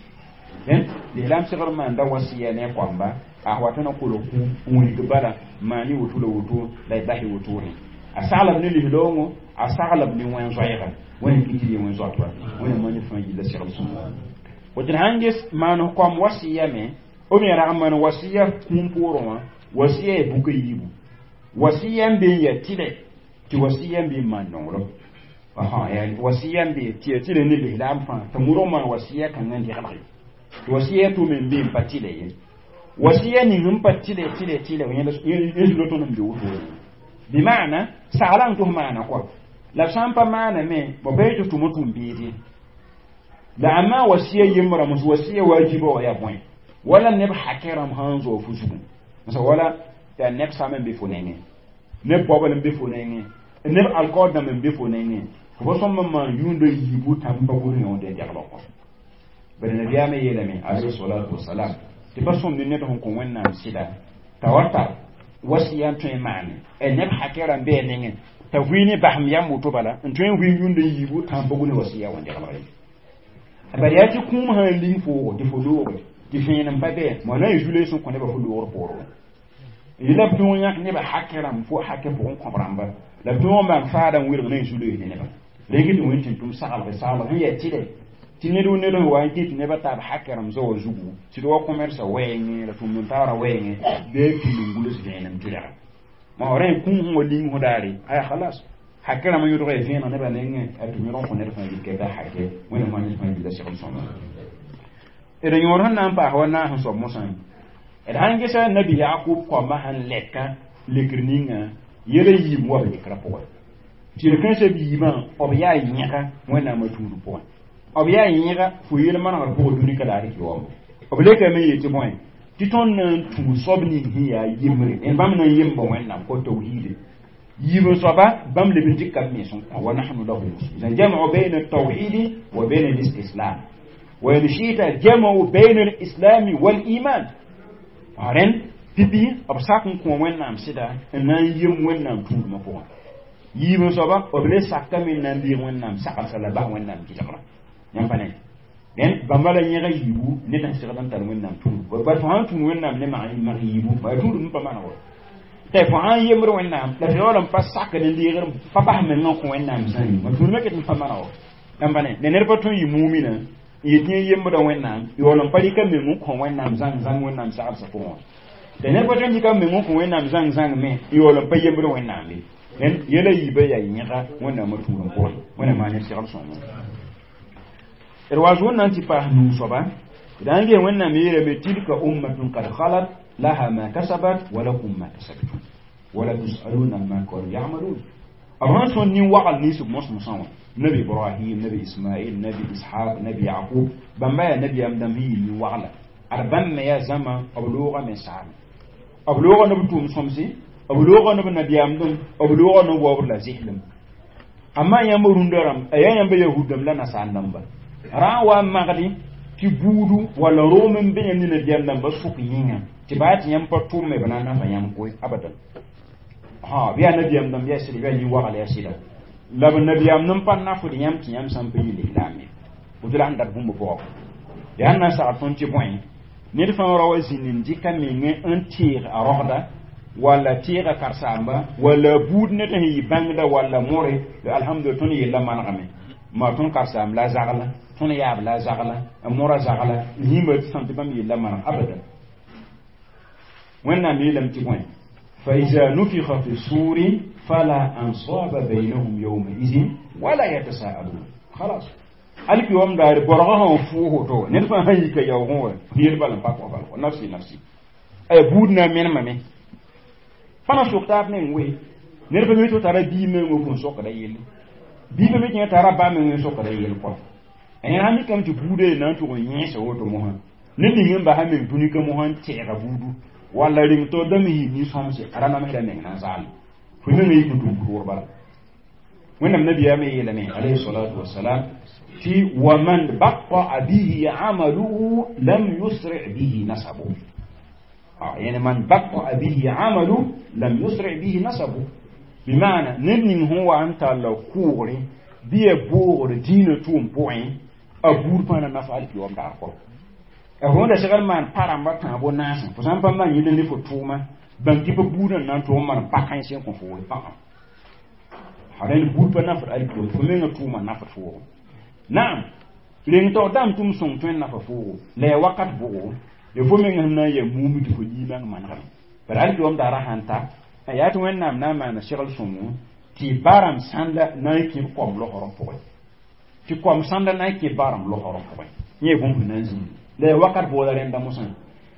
lislaam segr maanda wasiya ne koamba a wa tõnd n kolg kũum n wilg bala maan y woto la woto la y bas y wotone a saglb ne lislaoongõ a saglb ne wẽn-zoɛɛga wẽnd kɩ tɩ yẽ wẽn-zoatba wẽnd ma ne fãa yilla segl sõma woto d sãn ges maan koam wasiya me b me rag n maan wasiya kũum poorẽ wã wasiya ya buka yiibu wasiya n be n yaa tɩlɛ tɩ wasiya n be n maan nonglem wasiya n be tɩ yaa tɩlɛ ne lislaam fãa tɩ murg maan wasiya kãngã n deglge tɩ wasiya tʋʋm n be n pa tɩlɛ ye wasiya ning n pa tɩlɛ tɩlɛ tɩlɛ yẽ zulo tõnd n be wotone bɩmaana sagla n tʋs maana kɔa la b sã n pa maana me b bɩ tɩ tʋm tʋʋm beede la amma wasiya yembrã mos wasiya wajiba wa yaa bõe wala neb hakẽ rãmb sã n zoog fo zugu wala yaa neb sam n be fo nengẽ neb baobl n be fo nengẽ neb alkaoor dãmb n be fo nengẽ fo pa sõmb n maan yũundã yiibu tãmb pa gʋls yõode n deglg kɔ bala nabiyaamã yeelame alayhi salatu wasalam tɩ pa sõmd ned sẽn kõ wẽnnaam sɩda t'a wa tar wasiya n tõe n maane neb hakẽ rãmb bɩ a nengẽ t'a vɩ ne basem yam woto bala n tõe n vɩ yũndã yiibu tãmb pa gʋls wasiya wã deglg ye bala yaa tɩ kũum sã n ling foogo tɩ fo looge tɩ vẽenem pa bɩ ma na n zule sẽn kõ nebã fo loogr poorẽ yela b tõog yãk nebã hakẽ rãmb fo hakẽ pʋgẽ kõb rãmba la b tõog n maan faada n welg na n zuloe ne nebã rẽng tɩ wẽn tɩ tʋm saglg saglg sẽn yaa tɩlɛ tɩ ned wo ned sẽn wa n kɩt nebã taab hakẽ rãmb zoa zugu sɩd wa commerce wɛɛngẽ la tʋmd n taara wɛɛngẽ bɩ a pil n guls vẽenem tɩrga ma rẽ kũum sẽn wa ling fo daare aya khalas hakẽ rãmb yõdg ya vẽeneg nebã nengẽ a tɩ yõdg n kõ ned fãa yik da hakɛ wẽnnaam fãa ned fãa yilla segl sõma d yõor sẽn na n paas wa naas n soab mosã d sãn gesa nabi Yakub koambã sẽn lɛka lekr ninga yɛla yiib wa b lekrã pʋgẽ tɩ yel-kãensã b yiibã b yaa yẽga wẽnnaamã tuud pʋgẽ b yaa yẽga fo yel manegr pʋgẽ dũni ka laar kɩ wambo b lekame yetɩ bõe tɩ tõnd na n tũ soab ning sẽn yaa yembre bãmb na n yemba wẽnnaam kɔ tawhiide yiib n soaba bãmb leb n dɩka b mens n kõ wa nahnu lahu muslimun jam'u bayna at-tawhid wa bayna al-istislam wa in shi'ta jam'u bayna al-islam wal iman aren pipi b sak n kõ wẽnnaam sɩda n na n yem wẽnnaam tũudmã pʋgẽ yiib n soaba b le sakame n na n biig wẽnnaam saglsa la bas wẽnnaam gɩlgrã yãmb pa ne dẽn bãmba la yẽga yiibu ned sẽn segd n tar wẽnnaam tũud bal fo sãn tũud wẽnnaam ne mag yiibu bala tũud n pa manegr tɩ fo sãn yembr wẽnnaam la tɩ yaool n pa sakd n deegr pa bas meng n kõ wẽnnaam zãngi ma tũudmã ket n pa manegr yãmb pa ne la ned pa tõe n yɩ mumina n yet yẽ yembda wẽnnaam yaool n pa rɩka meng n kõ wẽnnaam zãng zãng wẽnnaam saglsã pʋgẽ wã tɩ ned pa tõe n dɩka meng n kõ wẽnnaam zãng zãng me yaool n pa yembd wẽnnaam ye dẽn yɛla yiibã yaa yẽga wẽnnaamã tũud n pʋgẽ wẽnnaam maa ne segl sõngo d wa zʋʋn na n tɩ paas nuu soaba d na n ges wẽnnaam yeelame tilka ummatun kad khalat laha ma kasabat wa lakum ma kasabtum wala tusaluna amma kanu yamalun b sãn sõn nin-wagl nins b mos-mosã wã nabi Ibrahim, nabi Ismail, nabi Ishaq, nabi Yaqub bãmba yaa nabiyaam dãmb sẽn yɩ nin-wagla ad bãmb me yaa zãma b loogame saame b looga ne b tʋʋm sõmse b looga ne b nabiyaamdem b looga ne b waoobr la zɩslem amma yãmb rũndã rãmb a yaa yãmba yahud dãmb la nasaar dãmba rã n wa n magdi tɩ buudu walla room n be yãmb ne nabiyaam dãmbã sʋk yĩnga tɩ baa tɩ yãmb pa tʋʋme b na n nafa yãmb koe abadan ha bɩ yaa nabiyaam dãmb yaa sɩda bɩ yaa nin-wagl yaa sɩda la b nabiyaam n pa nafd yãmb tɩ yãmb sã n pa yɩ lislaam ye woto la sẽn dat bũmb pʋgã yaa n na n sagl tõnd tɩ bõe ned fãa ra wa zĩnd n dɩka meng n teeg a rogda walla teega karsaamba walla buud ned sẽn yɩ bãngda walla more alhamdulillah tõnd yella manegame ma tõnd karsaam la zagla tõnd yaab la zagla mora zagla yĩmba sãn tɩ bãmb yella maneg abadan wẽnnaam yeelame tɩ bõe فإذا نفخ في الصور فلا أنصاب بينهم يومئذ ولا يتساءلون Khalas alki wam daare borga sẽn fʋʋs woto ned fãa sãn yika yaoogẽ wa yel bal n pa kõ bal nafsi nafsi ay buud na n menemame pa na sok taab meng we ned pa mi tɩ tara bii meng n sokda yelle bii pa mi tɩ tara ba meng n sokda yell kɔ yẽ sã mikame tɩ buudã ye na n tʋg n yẽesa woto mosã ned ning n basa meng dũni ka mosã n tɛɛga buudu walla reng tɩ dãmb yɩ nin-sõmse a ra namsda meng na n zaalem fo mengã yik n tʋm pʋʋr bala wẽnnaam nabiyaamã yeelame alayhi salatu wasalam tɩ waman bataa bihi amaluhu lam yusri bihi nasabu yani man bataa bihi amalu lam yusri bihi nasabu bimana ned ning sẽn wa n talla kʋʋgre bɩ ya boogr dĩinã tʋʋm pʋgẽ a buud fãa na naf alkiyoom daar kɔ a fo da segd maan pa rãmba tãabo naasẽ fo sã n pa maan yẽl ne fo tʋʋma bãng tɩ pa buudã n na n tʋg n maan pa-kãens n kõ fo we rẽnd buud pa nafd alkiyoom fo mengã tʋʋma nafd foogo naam reng taoor dãmb tʋm sõng tõe n nafa foogo la ya wakat bʋgo ya fo mengã sẽn na n yaa muum tɩ fo liimang manegame bara alkiyoom daara sãn ta yaa tɩ wẽnnaam na n maana segl sõngo tɩ barãmb sãnda na n kẽ koam losrẽ pʋgẽ tɩ koam sãnda na n kẽ barãmb losrẽ pʋgẽ yẽ bũmb sẽn na n zĩndi la ya wakat boola rẽnda mosã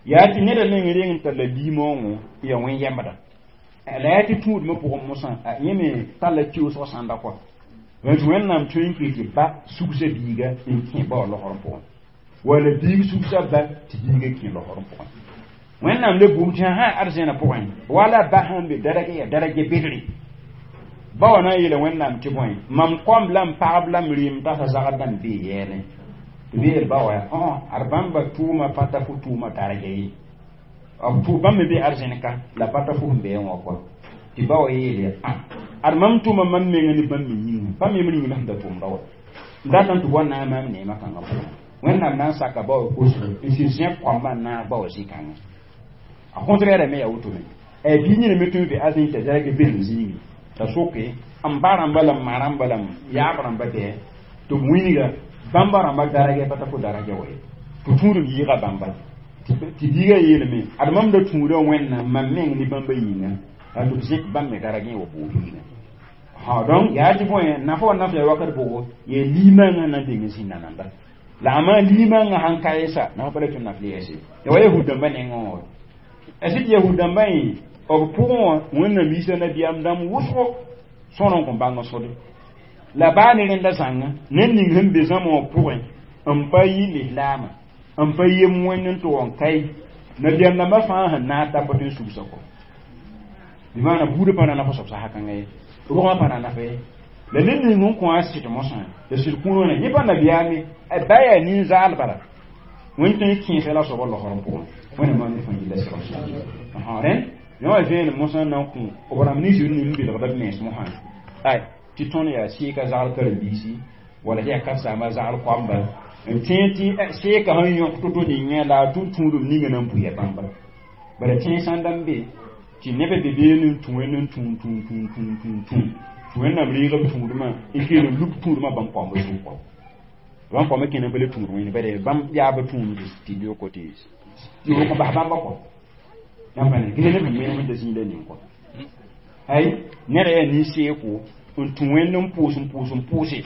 yaa tɩ neda meng reng n talla liimoongõ ya wẽn-yɛmbda la yaa tɩ tũudmã pʋgẽ mosã yẽ me talla kiusg sãnda kɔa tɩ wẽnnaam tõe n kɩ tɩ ba sugsa biiga n kẽ ba wã losrẽ pʋgẽ wala biig sugsa ba tɩ biiga kẽ losrẽ pʋgẽ wẽnnaam le bũmb tɩ sã arzẽna pʋgẽ wala ba sãn be darage ya darage bedre ba wã na n yeela wẽnnaam tɩ bõe mam koamb la n pagb la m rɩɩm tasa zagd dãmb bee yɛɛne tɩ b yeel ba wa ad bãmba tʋʋma pa ta fo tʋʋma darga ye b bãmb me be arzẽn-ka la pa ta fo sẽn beẽ wã kɔa tɩ ba wa yeele ad mam tʋʋma mam menga ne bãmb me yĩnga bãmb yembr yĩng la sẽn da tʋʋmda wa n dat n tɩ wa na n maam neemã kãngã pʋgẽ wẽnnaam na n saka ba wa kosgo n sɩ zẽb koambã n naag ba wa zĩ-kãngã a contraire me ya woto me bii yẽne me tõe n be arzẽn t'a zarg bel zĩigi t'a soke n ba rãmba la n ma rãmba la n yaab rãmba bɩ tɩ b wilga bãmba rãmba daragɛ pa ta fo daragɛ wa ye tɩ tũudem yɩɩga bãmba tɩ biiga yeelame ad mam da tũuda wẽnnaam mam meng ne bãmba yĩnga t'a tɩ b zẽk bãmb me daragẽ wa bood yĩnga ha donc yaa tɩ bõe nafa wa naf ya wakat bʋgo yaa liimãngã na n deng zĩnda nanda la a liimãngã sãn ka yesa nafa pa le tɩ naf le yɛse ya wa yahud dãmbã nengẽ wã a sɩd yahud dãmbã yẽ b pʋgẽ wã wẽnnaam yiisa nabiyaam dãmb wʋsgo sõr n kõ bãng sode la baa ne rẽnda zãnga ned ning sẽn be zãma wã pʋgẽ n pa yɩ lislaama n pa yem wẽnd n tʋg n kae nabiyaam dãmbã fãa sẽn naag t'a pa tõe n sugsa kɔ bɩ maana buudã pa na nafa soab sasa kãngã ye rʋgmã pa na nafa ye la ned ning sẽn kõ a sɩd mosã la sɩd kũur wã yẽ pa nabiyaame ba yaa nin-zaal bala wẽnd tõe n kẽesɛ la soabã losrẽ pʋgẽ wẽnna maan ne fãa yella segl rẽnd yã wã vẽenem mosã n na n kõ b rãmb nins n ning n belgda b mens mosã ay tɩ tõnd yaa seeka zagl karen-biisi wala tɩ yaa karsaambã zagl koamba n tẽeg tɩ seeka sẽn yõk to-to ningẽ la a tʋ tũudum ninga na n buya bãmba bala tẽeg sãn da n be tɩ nebã be been n tũ wẽnd n tũum tũum tũum tũum tũum tũum tɩ wẽnnaam reega b tũudmã n keel n lub tũudmã bãmb koambã zug kɔ bãmb koambã kẽna pa le tũud wẽnd bala bãmb yaabã tũum tɩ yoko tɩ yoko bas bãmba kɔ yãmb pa ne gese neb sẽn menem n da zĩig la ning kɔ ay neda yaa nin-seeko n tũ wẽnd n pʋʋs n pʋʋs n pʋʋse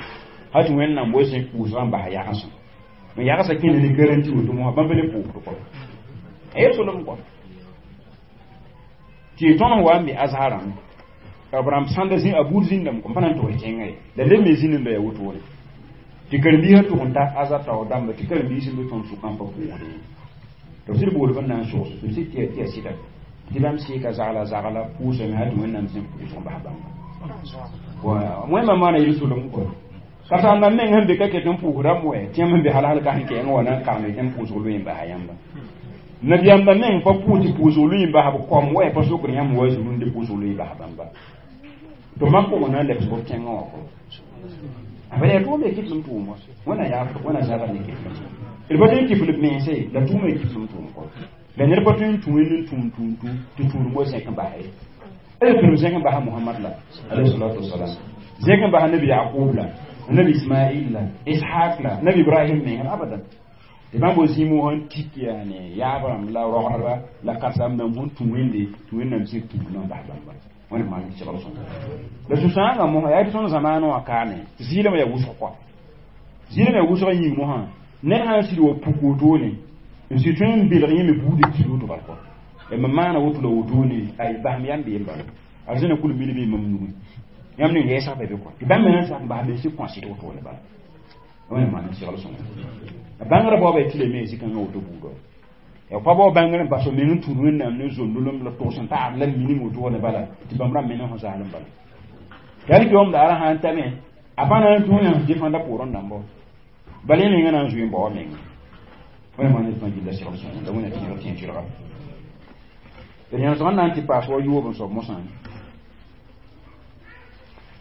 ha tɩ wẽnnaam wa zĩ pʋʋsgã n bas yagsẽ n yagsã kẽna ne garanti woto mosã bãmb pa le pʋʋsd kɔ a yel solem kɔ tɩ tõnd wa n be azarã b rãmb sãnda zĩ a buud zĩndame kõ pa na n tʋgs tẽngã ye la leb me zĩnda yaa wotone tɩ karen-biisã tʋg n ta azar taoor dãmba tɩ karen-biis n be tõnd sʋkã n pa pʋʋsd ye tɩ b sɩd bool b n na n sogs tɩ b sɩd tɩ yaa sɩda tɩ bãmb seeka zagla zagla pʋʋsame ha tɩ wẽnnaam zĩ pʋʋsg n bas bãmba wẽnnaam maana yel solem kɔ ka sãn meng sẽn be ka ket n pʋʋsdame wɛ tɩ yãmb sẽn be hal hal ka sẽn kɛɛngã wa na n karme tɩ m pʋʋsg loe n basa yãmba nabiyaambã meng pa pʋʋs tɩ pʋʋsg loe n basa b koam wɛ pa sokd yãmb wa zurunde pʋʋsg loe basa bãmba tɩ mam pʋgẽ na n lebs b tẽngã wã kɔ a yaa tʋʋm be kɩtlem tʋʋm wa wẽna yaafd wẽna zabr ne kɩtlem d pa tõe n kifl b mense la tʋʋma y kiflem tʋʋm kɔ la ned pa tõe n tũ wẽnd n tũum tũum tũ tɩ tũudum wa zẽk n basa ye d tũudum zẽk n basa Mohamad la alayhi salatu wasalam zẽk n basa nabi Yaqub la nabi Ismail la Ishaq la nabi Ibrahim meng abadan tɩ bãmb wa zĩig wã sẽn tik yaane yaab rãmb la rogdba la karsaam dãmb sẽn tũ wẽnde tɩ wẽnnaam zẽk tũudmã n bas bãmba wẽnd maan segl sõnga la sũ-sãangã mosã yaa tɩ tõnd zamaanã wã kaame tɩ zɩɩlame yaa wʋsg kɔa Zĩig me wʋsg yĩng mosã ned sã n sɩd wa puk wotone n sɩd tõe n belg yẽ me buudã kis woto bal kɔ mam maana woto la wotone ay basem yam beem bala arzẽna kul mil bee mam nugẽ yãmb ning yɛɛsg pa be kɔ tɩ bãmb me na n sak n bas mense kõ sɩd wotone bala wẽna maan n segl sõnga a bãngrã baoobã tɩ lame zĩ-kãngã woto buudã ya pa bao bãngr n bas f meng n tũud wẽnnaam ne zondolem la togs n taab la minim wotone bala tɩ bãmb rãmb me na sẽn zaalem bala tɩ alkiyom daara sã n tame a pa na n tũ yã defãnda poorẽ dãmba bala yẽ menga na n zoe n bao a menga wẽna maan n fãa gilla segl sõnga la wẽna tẽeg tẽeg sɩdga d yãsg n na n tɩ paas wa yoob n soab mosã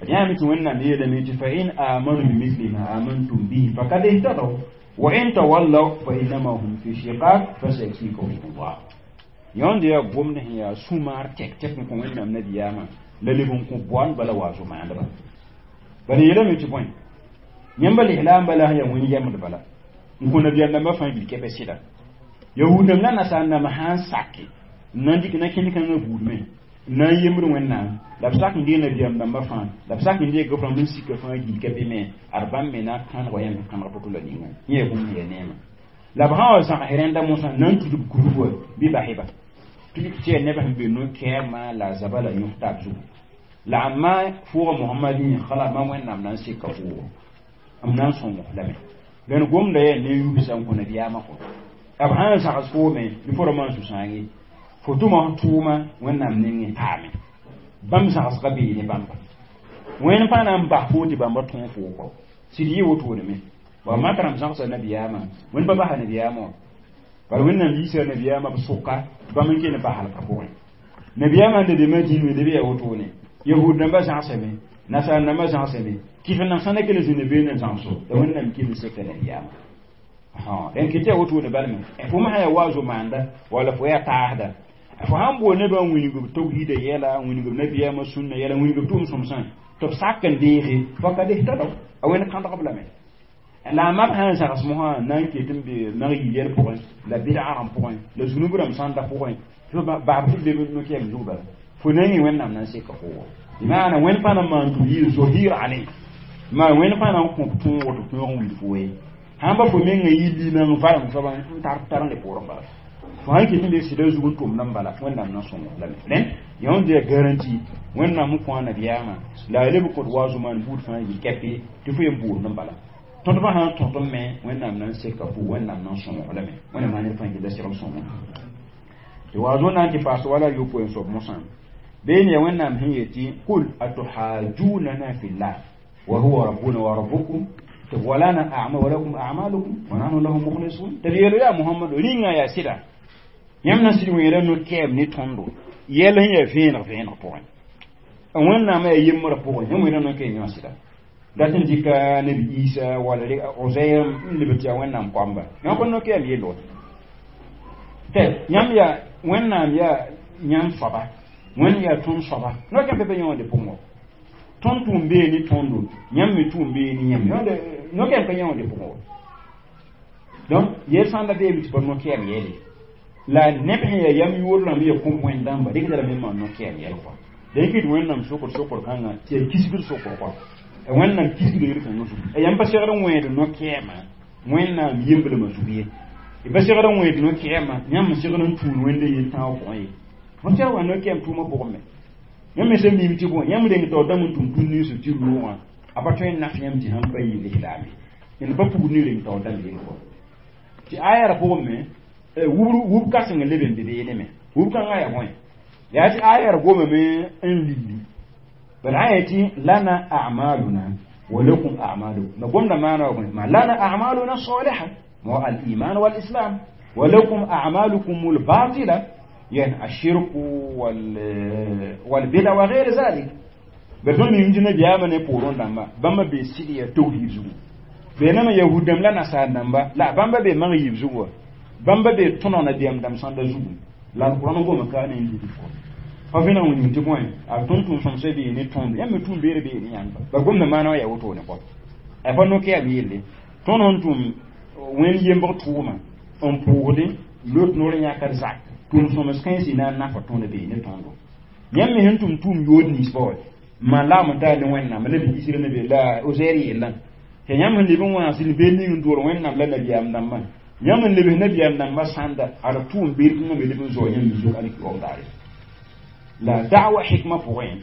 d yãame tɩ wẽnnaam yeelame tɩ fa in amanu bimithli ma amantum bihi fakad ihtadaw wa in tawallaw fa innama hum fi shiqaq fasayakfikahum llah yãnd yaa gomd sẽn yaa sũ-maar tɛk tɛk n kõ wẽnnaam nabiyaamã la leb n kõ boan bala wa zo-maandbã bala yeelame tɩ bõe yãmba lislaam bala sẽn yaa wẽn yɛmd bala n kõ nabiyaam dãmbã fãa gil kɛpɛ sɩda yahud-dãmb la nasaar dãmb sã n sake n na n dɩk na-kẽnd-kãngã buud me n na n yembd wẽnnaam la b sak n dee nabiyaam dãmbã fãa la b sak n deeg b rãmb n sika fãa gil ka be me ad bãmb me na n kãneg wa yãmb kãneg to-to la ninga yẽ yaa bũmb ya neema la b sã wa zãgs rẽnda mosã na n tudb kurub wa bɩ basɩba tɩ yaa neb sẽn be no-kɛɛmã la a zaba la yõs taab zugu la a ma fʋʋga mohamad yẽ kala ma wẽnnaam na n seka fʋʋgo m na n sõng lame dẽn gomda yaa ne yubsã n kõ nabiyaamã kɔ b sã n zags foome bɩ fo ra maan sũ-sãang fo tʋma f tʋʋma wẽnnaam nengẽ paame bãmb zagsga bee ne bãmba wẽnd pãa na n bas foo tɩ bãmba tõog foo kɔ sɩd yɩ wotone wa mak rãmb zãgsa nabiyaamã wẽnd pa basa nabiyaamã wã bala wẽnnaam yiisa nabiyaamã b sʋka tɩ bãmb n kell bas halka pʋgẽ nabiyaamã n da be madin wẽnde be yaa wotone yahud dãmbã zãgsame nasaar dãmbã zãgsame kɩf n sã na kell zĩnda beene zãgso la wẽnnaam kell seka nabiyaamã dẽn kɩ tɩ yaa wotone balme fo me sã yaa wa zo-maanda wala fo yaa taasda fo sãn bool nebã n wilg b tawhiida yɛla n wilg b nabiyaamã sũnna yɛla n wilg b tʋʋm-sõmsã tɩ b sak n deege fakad ihtadaw a wẽnd kãndg b lame la a mab sã n zags mosã na n ket n be mag yil yɛl pʋgẽ la bɩdga rãmb pʋgẽ la zunub rãmb sãnda pʋgẽ tɩ baab tɩ leb no-kɛɛm zug bala fo nengẽ wẽnnaam na n seka fo bɩmaana wẽnd pãa na n maan tɩ yɩ zohir aley maa wẽnd pãa na n kõ tõog tɩ tõog n wilg fo ye sãn ba fo mengã yɩ limang varem soaba n tar tar n le poorẽ bala fo sãn ket n be sɩda zug n tʋmd n bala wẽnnaam na sõng lame rẽn yãnd yaa garanti wẽnnaam n kõ a nabiyaamã la a leb n kõt wa zo-maan buud fãa yɩl kɛpe tɩ fo yen boond n bala tõdbã sã n tõt n me wẽnnaam na n seka fo wẽnnaam na n sõng lame wẽnnaam maan fãa gilla segl sõngo tɩ waazo na n tɩ paas wala yopoe n soab mosã been ya wẽnnaam sẽn yetɩ qul atuhajunana fillah wa huwa rabbuna wa rabbukum tɩ walana a'mal wa lakum a'malukum wa nahnu lahu mukhlisun tɩ d yeel yaa mohamado rĩnga yaa sɩda yãmb na sɩd wẽera no-kɛɛm ne tõndo yɛl sẽn yaa vẽeneg vẽeneg pʋgẽ wẽnnaamã yaa yembrã pʋgẽ yãmb wẽna no-kɛɛm yã sɩda dat n dɩka nabi isa wala Uzair n leb tɩ yaa wẽnnaam koamba yã pa no-kɛɛm yello tɩ yãmb yaa wẽnnaam yaa yãmb soaba wẽnd yaa tõnd soaba no-kɛɛm pa be yõode pʋgẽ wa tõnd tʋʋm bee ne tõndo yãmb me tʋʋm bee ne yãmb no-kɛɛm ka yõode pʋgẽ wa donc yel sã n da beeme tɩ pa no-kɛɛm yɛle la neb sẽn yaa yam yoor rãmb yaa kõm wẽnd dãmba rɩkda lame n maan no-kɛɛm yɛl kɔa la yẽ kɩt wẽnnaam sokr sokr kãngã tɩ yaa kisgd sokr kɔa wẽnnaam kisgd yel-kãngã zugu yãmb pa segd n wẽed no-kɛɛmã wẽnnaam yemblmã zug ye y pa segd n wẽed no-kɛɛmã yãmb n segd n tũud wẽnda yel-tãag pʋgẽ ye fo tɛr wa no-kɛɛm tʋʋmã pʋgẽ me yãmb me sẽn mim tɩ bõe yãmb reng taoor dãmb n tʋm tũud ninsb tɩ roogã a pa tõe n naf yãmb tɩ sãn pa yɩ lislaame d pa pugd ne reng taoor dãmb yel kɔ tɩ aya pʋgẽ me wub kãseng n leb n be beene me wub kãngã yaa bõe yaa tɩ aya gomame n lilli bala a yetɩ lana a'maluna wa lakum a'malukum ma gomda maana wa ma lana a'maluna saliha wa al-iman wal islam wa lakum a'malukum al-batila يعني الشرك والبدع وغير ذلك بدون من جنة بياما نبورون دamba bamba be sidi ya tauhid zugu be nama yahudam la nasar damba la bamba be mang yib zugu bamba be tono na biam dam sanda zugu la alquran go maka ne ndi ko fa vẽna wĩng tɩ bõe a tõnd tʋʋm sõmsã bee ne tõnd yãmb me tʋʋm beere bee ne yãmba ba gomda maana wa yaa wotone kɔ a pa no-kɛɛm yelle tõnd sẽn tʋm wẽnd yembg tʋʋma n pʋʋgdẽ lot noor n yãkd zak tʋʋm sõms kãensi na n nafa tõnd bee ne tõndo yãmb me sẽn tʋm tʋʋm yood ninsba wa maan lagm n taa ne wẽnnaam la bi isra ne be la Ozair yellã Tɩ yãmb sẽn leb n wã zĩnd beed ning n dʋʋr Wẽnnaam la nabiyaam dãmbã yãmb n lebs nabiyaam dãmbã sãnda ad tʋʋm beed kãngã me leb n zao yãmb zug alkiyoom daare la da'wa hikma pʋgẽ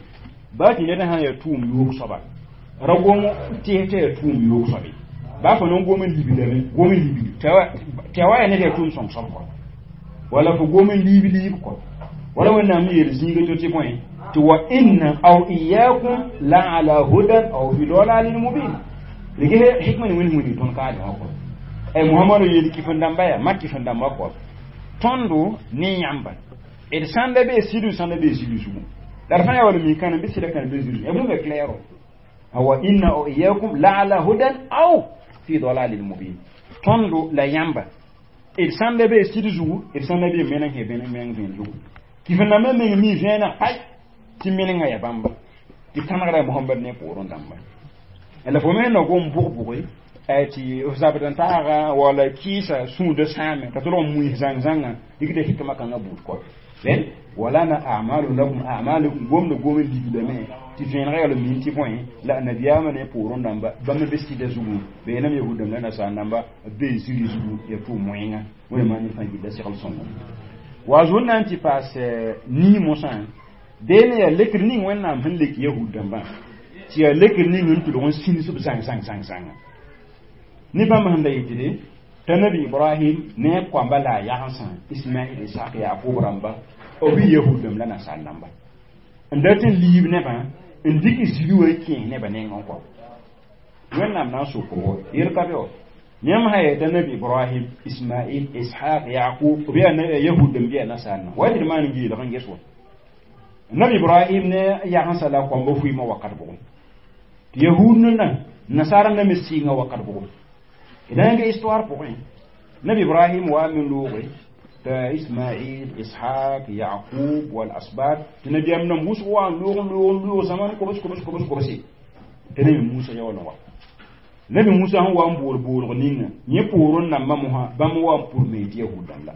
baa tɩ ned sã n yaa tʋʋm yoog soaba ra gom tɩs t'a yaa tʋʋm yoog soabe baa fo nan gom n libdame gom n libd tɩ a wa yaa ned yaa tʋʋm sõng soab kɔ wala fo gom n liib liib kɔ wala Wẽnnaam yeel zĩiga to tɩ bõe tɩ wa inna aw iyakum la ala hudan aw fi dalalin mubin rɩgse hikma ne wẽnd wĩnig tõnd kaale wã kɔ ay Muhamadu yeel kɩf-n dãmba yaa mak kɩf-n dãmba kɔ tõndo ne yãmba d sãnda bee sidu sãnda bee zidu zugu la d fãa yaa wala mikãna bɩ sɩda kãna bee zidu ya bũmb clairo wa inna aw iyakum la ala hudan aw fi dalalin mubin tõndo la yãmba d sãnda bee sɩd zugu d sãnda bee meneng sẽn meng vẽen zugu kɩf-n dãmbã meng mi vẽeneg pay tɩ menengã yaa bãmba tɩ tãnegda Mohamad ne poorẽ dãmba la fo me na gom bʋg-bʋge tɩ f zabd n taaga wala kɩɩsa sũudã sãame t'a tʋlg n muis zãng-zãngã dɩkda hikma kãngã buud kɔ ren walana a'malu lakum a'malukum gomda gom n ligdame tɩ vẽenega yaa min tɩ bõe la nabiyaamã ne poorẽ dãmba bãmb be sɩda zugu beenam yahud-dãmb la nasaar dãmba b bee ziri zugu ya tʋʋm moẽnga wẽnnaam ne fãa gilla segl sõngo wa zʋn na n tɩ paas nii mosã beene yaa lekr ning Wẽnnaam sẽn lek yahud dãmbã tɩ yaa lekr ning n tʋlg n sĩns b zãng zãng zãng zãnga ne bãmb sẽn da yetɩde t'a nabi Ibrahim ne a koamba la a yagensã Ismail Ishaq Yakub rãmba b yahud dãmb la nasaar dãmba n dat n liib nebã n dɩk ziri wã n kẽes nebã nengẽ kɔ Wẽnnaam na n sok-bo yel ka be wa yãmb sã yaa t'a nabi Ibrahim Ismail Ishaq Yakub b yaa yahud dãmb bɩ yaa nasaar dãmb wa tɩ d maan n geelg n ges wa nabi Ibrahim ne yagensã la koamba fuiimã wakat bʋgẽ tɩ yahud nã nasaar na me sɩɩngã wakat bʋgẽ d na n ge histoire pʋgẽ nabi Ibrahim wa me looge t'a Ismail Ishaq Yaqub wal asbat tɩ nabiyaam dãmb wʋsg wa n loog n loog n loog zaman kobs kobs kobs kobse tɩ nabi Musa yaool n wa nabi Musa sẽn wa n bool boolg ninga yẽ poorẽ nambã mosã bãmb wa n pur me tɩ yahud dãmb la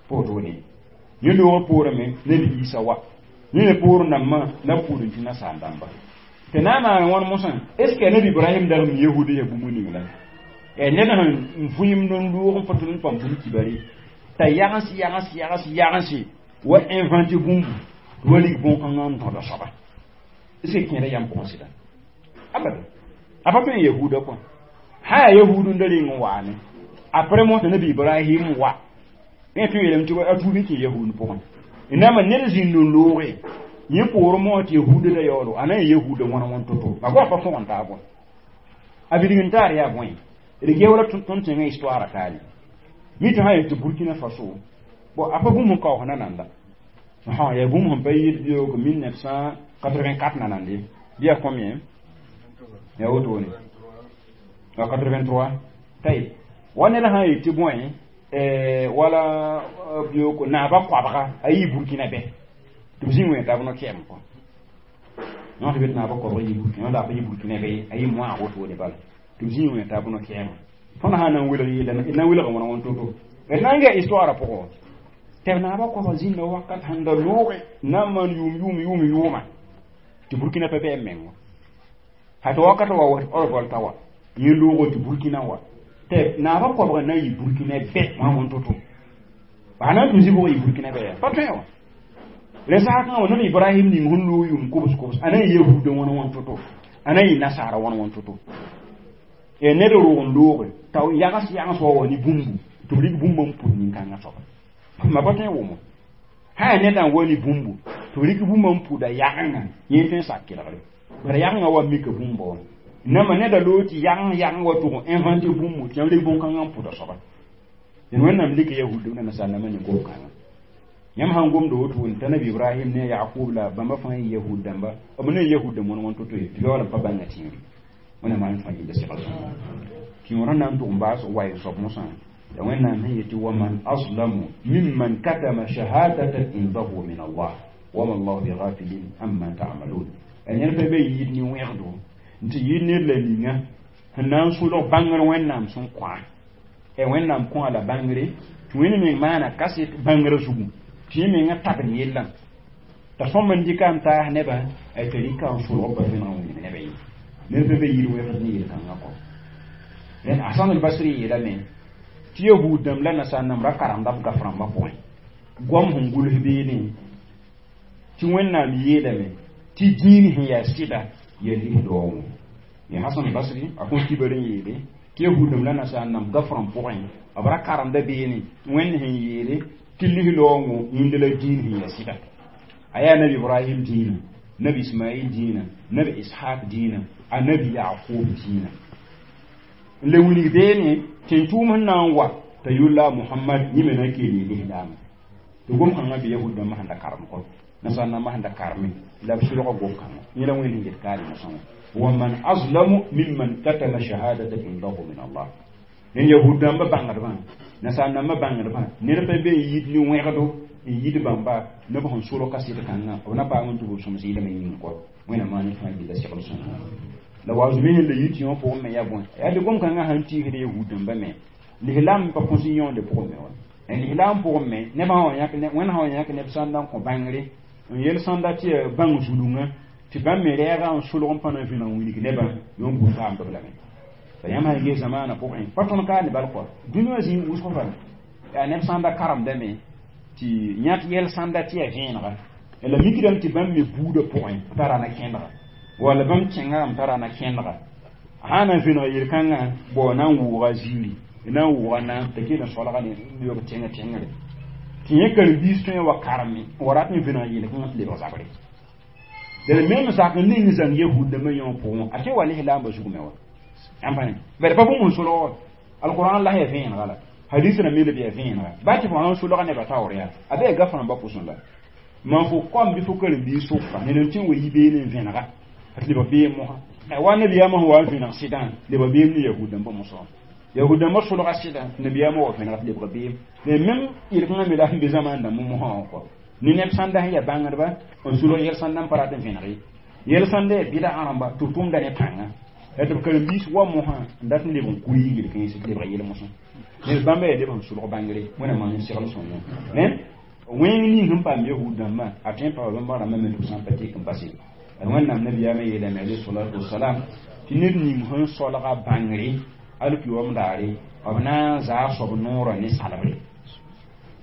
pa wotone yẽ loog poorẽ me nabi Isa wa yẽ me poorẽ nambã la pur n tɩ nasaar dãmba tɩ na n maan wãn mosã est ce que nabi Ibrahim dag m yahuud yaa bũmb ning la ned sẽn vʋɩmd n loog n pa tʋl n pãmb bũmb kibare t'a yagens yagens yagens yagense wa invente bũmbu tɩ wa lig bõn-kãngã n tõda soaba est ce que kẽeda yam pʋgẽ sɩda abada a pa tõe n yahuuda kõ sã yaa yahuud n da reng n waame après mosã nabi Ibrahim wa yẽ tõe yeelame tɩ a tuub n kẽ yahuud pʋgẽ n na ma ned zĩnd n looge yẽ poorẽ mosã tɩ yahuuda da yaoolo a na n yahuuda wãna wãn to-to a goa pa tõg n taa bõe a bilg n taar yaa bõe d gewra tõnd tẽngã histoire kaale mi tɩ sã yel tɩ Burkina Faso bon a pa bũmb n kaoos nananda yaa bũmb sẽn pa yɩɩd bioogo 1984 nanande bɩ yaa combien yaa wotone 83 tayb wa ned sã n yet tɩ bõe wala bioogo naaba koabga a yɩ Burkina bɛ tɩ b zĩng wẽ tab no-kɛɛm kɔ yõ tɩ be tɩ naaba koabg yɩ Burkina wẽnda pa yɩ Burkina bɛ a yɩ moaag wotone bala tɩ b zĩig wẽ tab no-kɛɛma tõnd sã na n welg yeela na n welga wãna wãn to-to d na n gaa histoire pʋgẽ tɩ b naaba koabg zĩnda wakat sẽn da looge na n maan yʋʋm yʋʋm yʋʋm yʋʋma tɩ Burkina pa bɩ m mengo ha tɩ wakat wa wa révolte wa yẽ loogo tɩ Burkina wa tɩ naaba koabga na n yɩ Burkina bɛ wãna wãn to-to a na n tʋm zĩ bʋg yɩ Burkina bɛ yaa pa tõe wa la sakã wa nabi Ibrahim ning sẽn loog yʋʋm kobs kobs a na n yahuudã wãna wãn to-to a na n yɩ nasaara wãna wãn to-to ned roog n looge t'a yagens yagens wa wa ne bũmbu tɩ b rɩk bũmb n pʋd nin-kãngã soaba ma pa tõe n wʋmo sã yaa nedã n wa ne bũmbu tɩ b rɩk bũmb n pʋda yagenga yẽ tõe n sak kelgre bara yagenga wa mika bũmba wã nama neda loog tɩ yageng yageng wa tʋg n invente bũmbu tɩ yãmb rɩk bõn-kãngã n pʋda soaba dẽn Wẽnnaam lika yahud la nasaar nambã ne gom-kãngã yãmb sãn gomda wotone t'a nabi Ibrahim ne Yakub la bãmba fãa yɩ yahud dãmba b ne yahud dãmb wãn wãn to-to ye tɩ yaool n pa bãnga tẽere wẽnnaam maan fãa yella segl sõngo tɩ yõor na n tʋg n baas wa n soab mosã la Wẽnnaam sẽn yetɩ waman azlamu mimman katama shahadatan indahu min Allah wama llahu bighafilin amma ta'malun ned pa be yɩɩd ne wẽgdo n tɩ yɩɩd ned la ninga sẽn na n sʋlg bãngr Wẽnnaam sẽn kõa Wẽnnaam kõa la bãngre tɩ wẽnd meng maana kaset bãngrã zugu tɩ yẽ mengã tabd yellã t'a sõm n dɩka n taas nebã t'a rɩka n sʋlg pa vẽneg n wilg nebã ye ned pa be yɩɩd wẽgd ne yel-kãngã kɔ Hasan al-Basri yeelame tɩ yahud dãmb la nasaar-nãmb ra karemda b gaf rãmbã pʋgẽ goam sẽn gʋls beene tɩ Wẽnnaam yeelame tɩ dĩin sẽn yaa sɩda yaa lis-loogẽ ya Hasan al-Basri a kõn kibar n yeele tɩ yahud dãmb la nasaar-nãmb gaf rãmb pʋgẽ b ra karemda beene Wẽnd sẽn yeele tɩ lis-loogõ yĩnd la dĩin sẽn yaa sɩda a yaa nabi Ibrahim dĩinã, nabi Ismail dĩinã, nabi Ishaq dĩinã, a nabi Yaqub dĩinã n le wilg beene tɩ n tʋʋm sẽn na n wa t'a yʋlla Mohamad yẽ me na n keel lislaamã tɩ gom-kãngã be yahud dãmbã sẽn da karem kɔ nasaar-nambã sẽn da kareme la b sʋlga gom-kãngã yẽ la Wẽnd sẽn get kaare mosã wã wa man azlamu mimman katama shahadatan indahu min Allah ne yahud dãmbã bãngdbã nasaar-nambã bãngdbã ned pa be n yit ne wẽgdo n yit bãmba neb sẽn solg kaset kãngã b na paam n tʋ b sõms yɩlem n yĩng kɔ Wẽnnaam maan fãa gilla segl sõngo la wa zumi sẽn la yit yõ pʋgẽ me yaa bõe yaa tɩ gom-kãngã sãn tiisd yahud dãmbã me lislaam pa kõs n yõonde pʋgẽ me wa lislaam pʋgẽ me neb sã wa yãk Wẽnd sã wa yãk neb sãn da n kõ bãngre n yel sãnda tɩ yaa bãng zulungã tɩ bãmb me rɛɛga n solg n pa na n vẽneg n wilg nebã yõ n bʋ faamdb lame la yãmb sãn ges zamaanã pʋgẽ pa tõnd ka ne bal kɔ dũni wã zĩig wʋsg bala yaa neb sãn da karemdame tɩ yãt yɛl sãnda tɩ yaa vẽenega la mikdame tɩ bãmb me buudã pʋgẽ tara na kẽndga walla bãmb kẽnga n tara na kẽndga sã na n vẽneg yel-kãngã bao na n wʋʋga ziiri na n wʋʋga naam t'a kell n solga ne lebg tẽng tẽngre tɩ yẽ karen-biis tõe n wa kareme n wa rat n vẽneg yel-kãngã tɩ lebg zabre la mem zak n ning zãng yahud dãmbã yõ pʋgẽ a tɩ wa lislaambã zug me wa bari pa bũmb n solg wa alquran la yaa vẽenega la hadis rãmb me leb yaa vẽenega ba tɩ fo sãn solga nebã taoor yaa a be gaf rãmbã pʋsẽ la mam fo kom bɩ fo karen-biis sʋka ned n tɩ n wa yi beene n vẽnega tɩ lebg beem mosã wa nabiyaamã sẽn wa n vẽneg sɩdã lebg beem ne yahud dãmbã mosã yahud dãmbã solga sɩdã nabiyaamã wa vẽnega tɩ lebg beem mais même yel-kãngã me la sẽn be zamaan dãmb mosã wã kɔ ne neb sãnda sẽn yaa bãngdba n sulg yɛl sãnda n pa rat n vẽneg ye yɛl sãnda yaa bɩda rãmba tɩ b tʋmda ne pãnga la tɩ b karen-biis wa mosã n dat n leb n kuri yel-kãens tɩ lebg yel mosã ned bãmba yaa leb sẽn sulg bãngre Wẽnnaam maan n segl sõngo wẽng ning sẽn paam yahud dãmbã a tõe n paama bãmba rãmbã me tɩ b sã n pa tek n base Wẽnnaam nabiyaamã yeelame alayhi salatu wasalam tɩ ned ning sẽn solga bãngre alkiyoom daare b na n zaa soab noorã ne salbre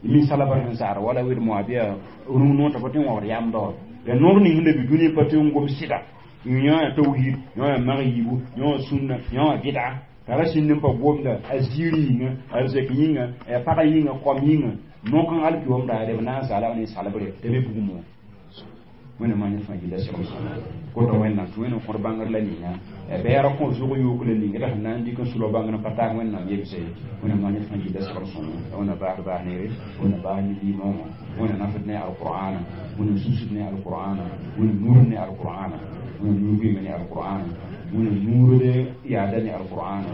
mi salbr sẽn zaar wala wed moabiya rũng noor t'a pa tõe n wãbd yamda wa la noor ning sẽn da be dũni pa tõe n gom sɩda yõ yaa tawhid yõ yaa mag yiibu yõ wã sũnna yõ wã bɩda t'a ra sĩnd n pa gomda a ziir yĩnga a zek yĩnga a pagã yĩnga kom yĩnga no-kãng alkiyoom daare b na n zaala ne salbre t'a be bugum wã Wẽnnaam maan fãa gilla segl sõngo kota Wẽnnaam tɩ Wẽnnaam kõd bãngr la ninga bɛɛra kõ zʋg yook la ninga la sẽn na n dɩk n sulg bãngr n pa taag Wẽnnaam yemse Wẽnnaam maan fãa gilla segl sõngo Wẽnna baasd baas neere Wẽnna baas ne limaoongã Wẽnna nafd ne alqur'ana Wẽnna susd ne alqur'ana Wẽnna nurd ne alqur'ana Wẽnna nuur ne alqur'ana Wẽnna nuurd yaada ne alqur'ana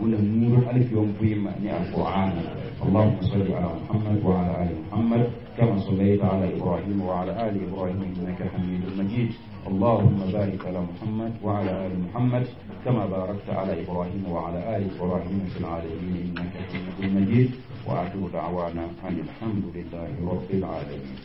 Wẽnna nuurd alfiyom vɩɩmã ne alqur'ana اللهم صل على محمد وعلى آل محمد كما صليت على إبراهيم وعلى آل إبراهيم إنك حميد مجيد اللهم بارك على محمد وعلى آل محمد كما باركت على إبراهيم وعلى آل إبراهيم في العالمين إنك حميد مجيد وآخر دعوانا أن الحمد لله رب العالمين.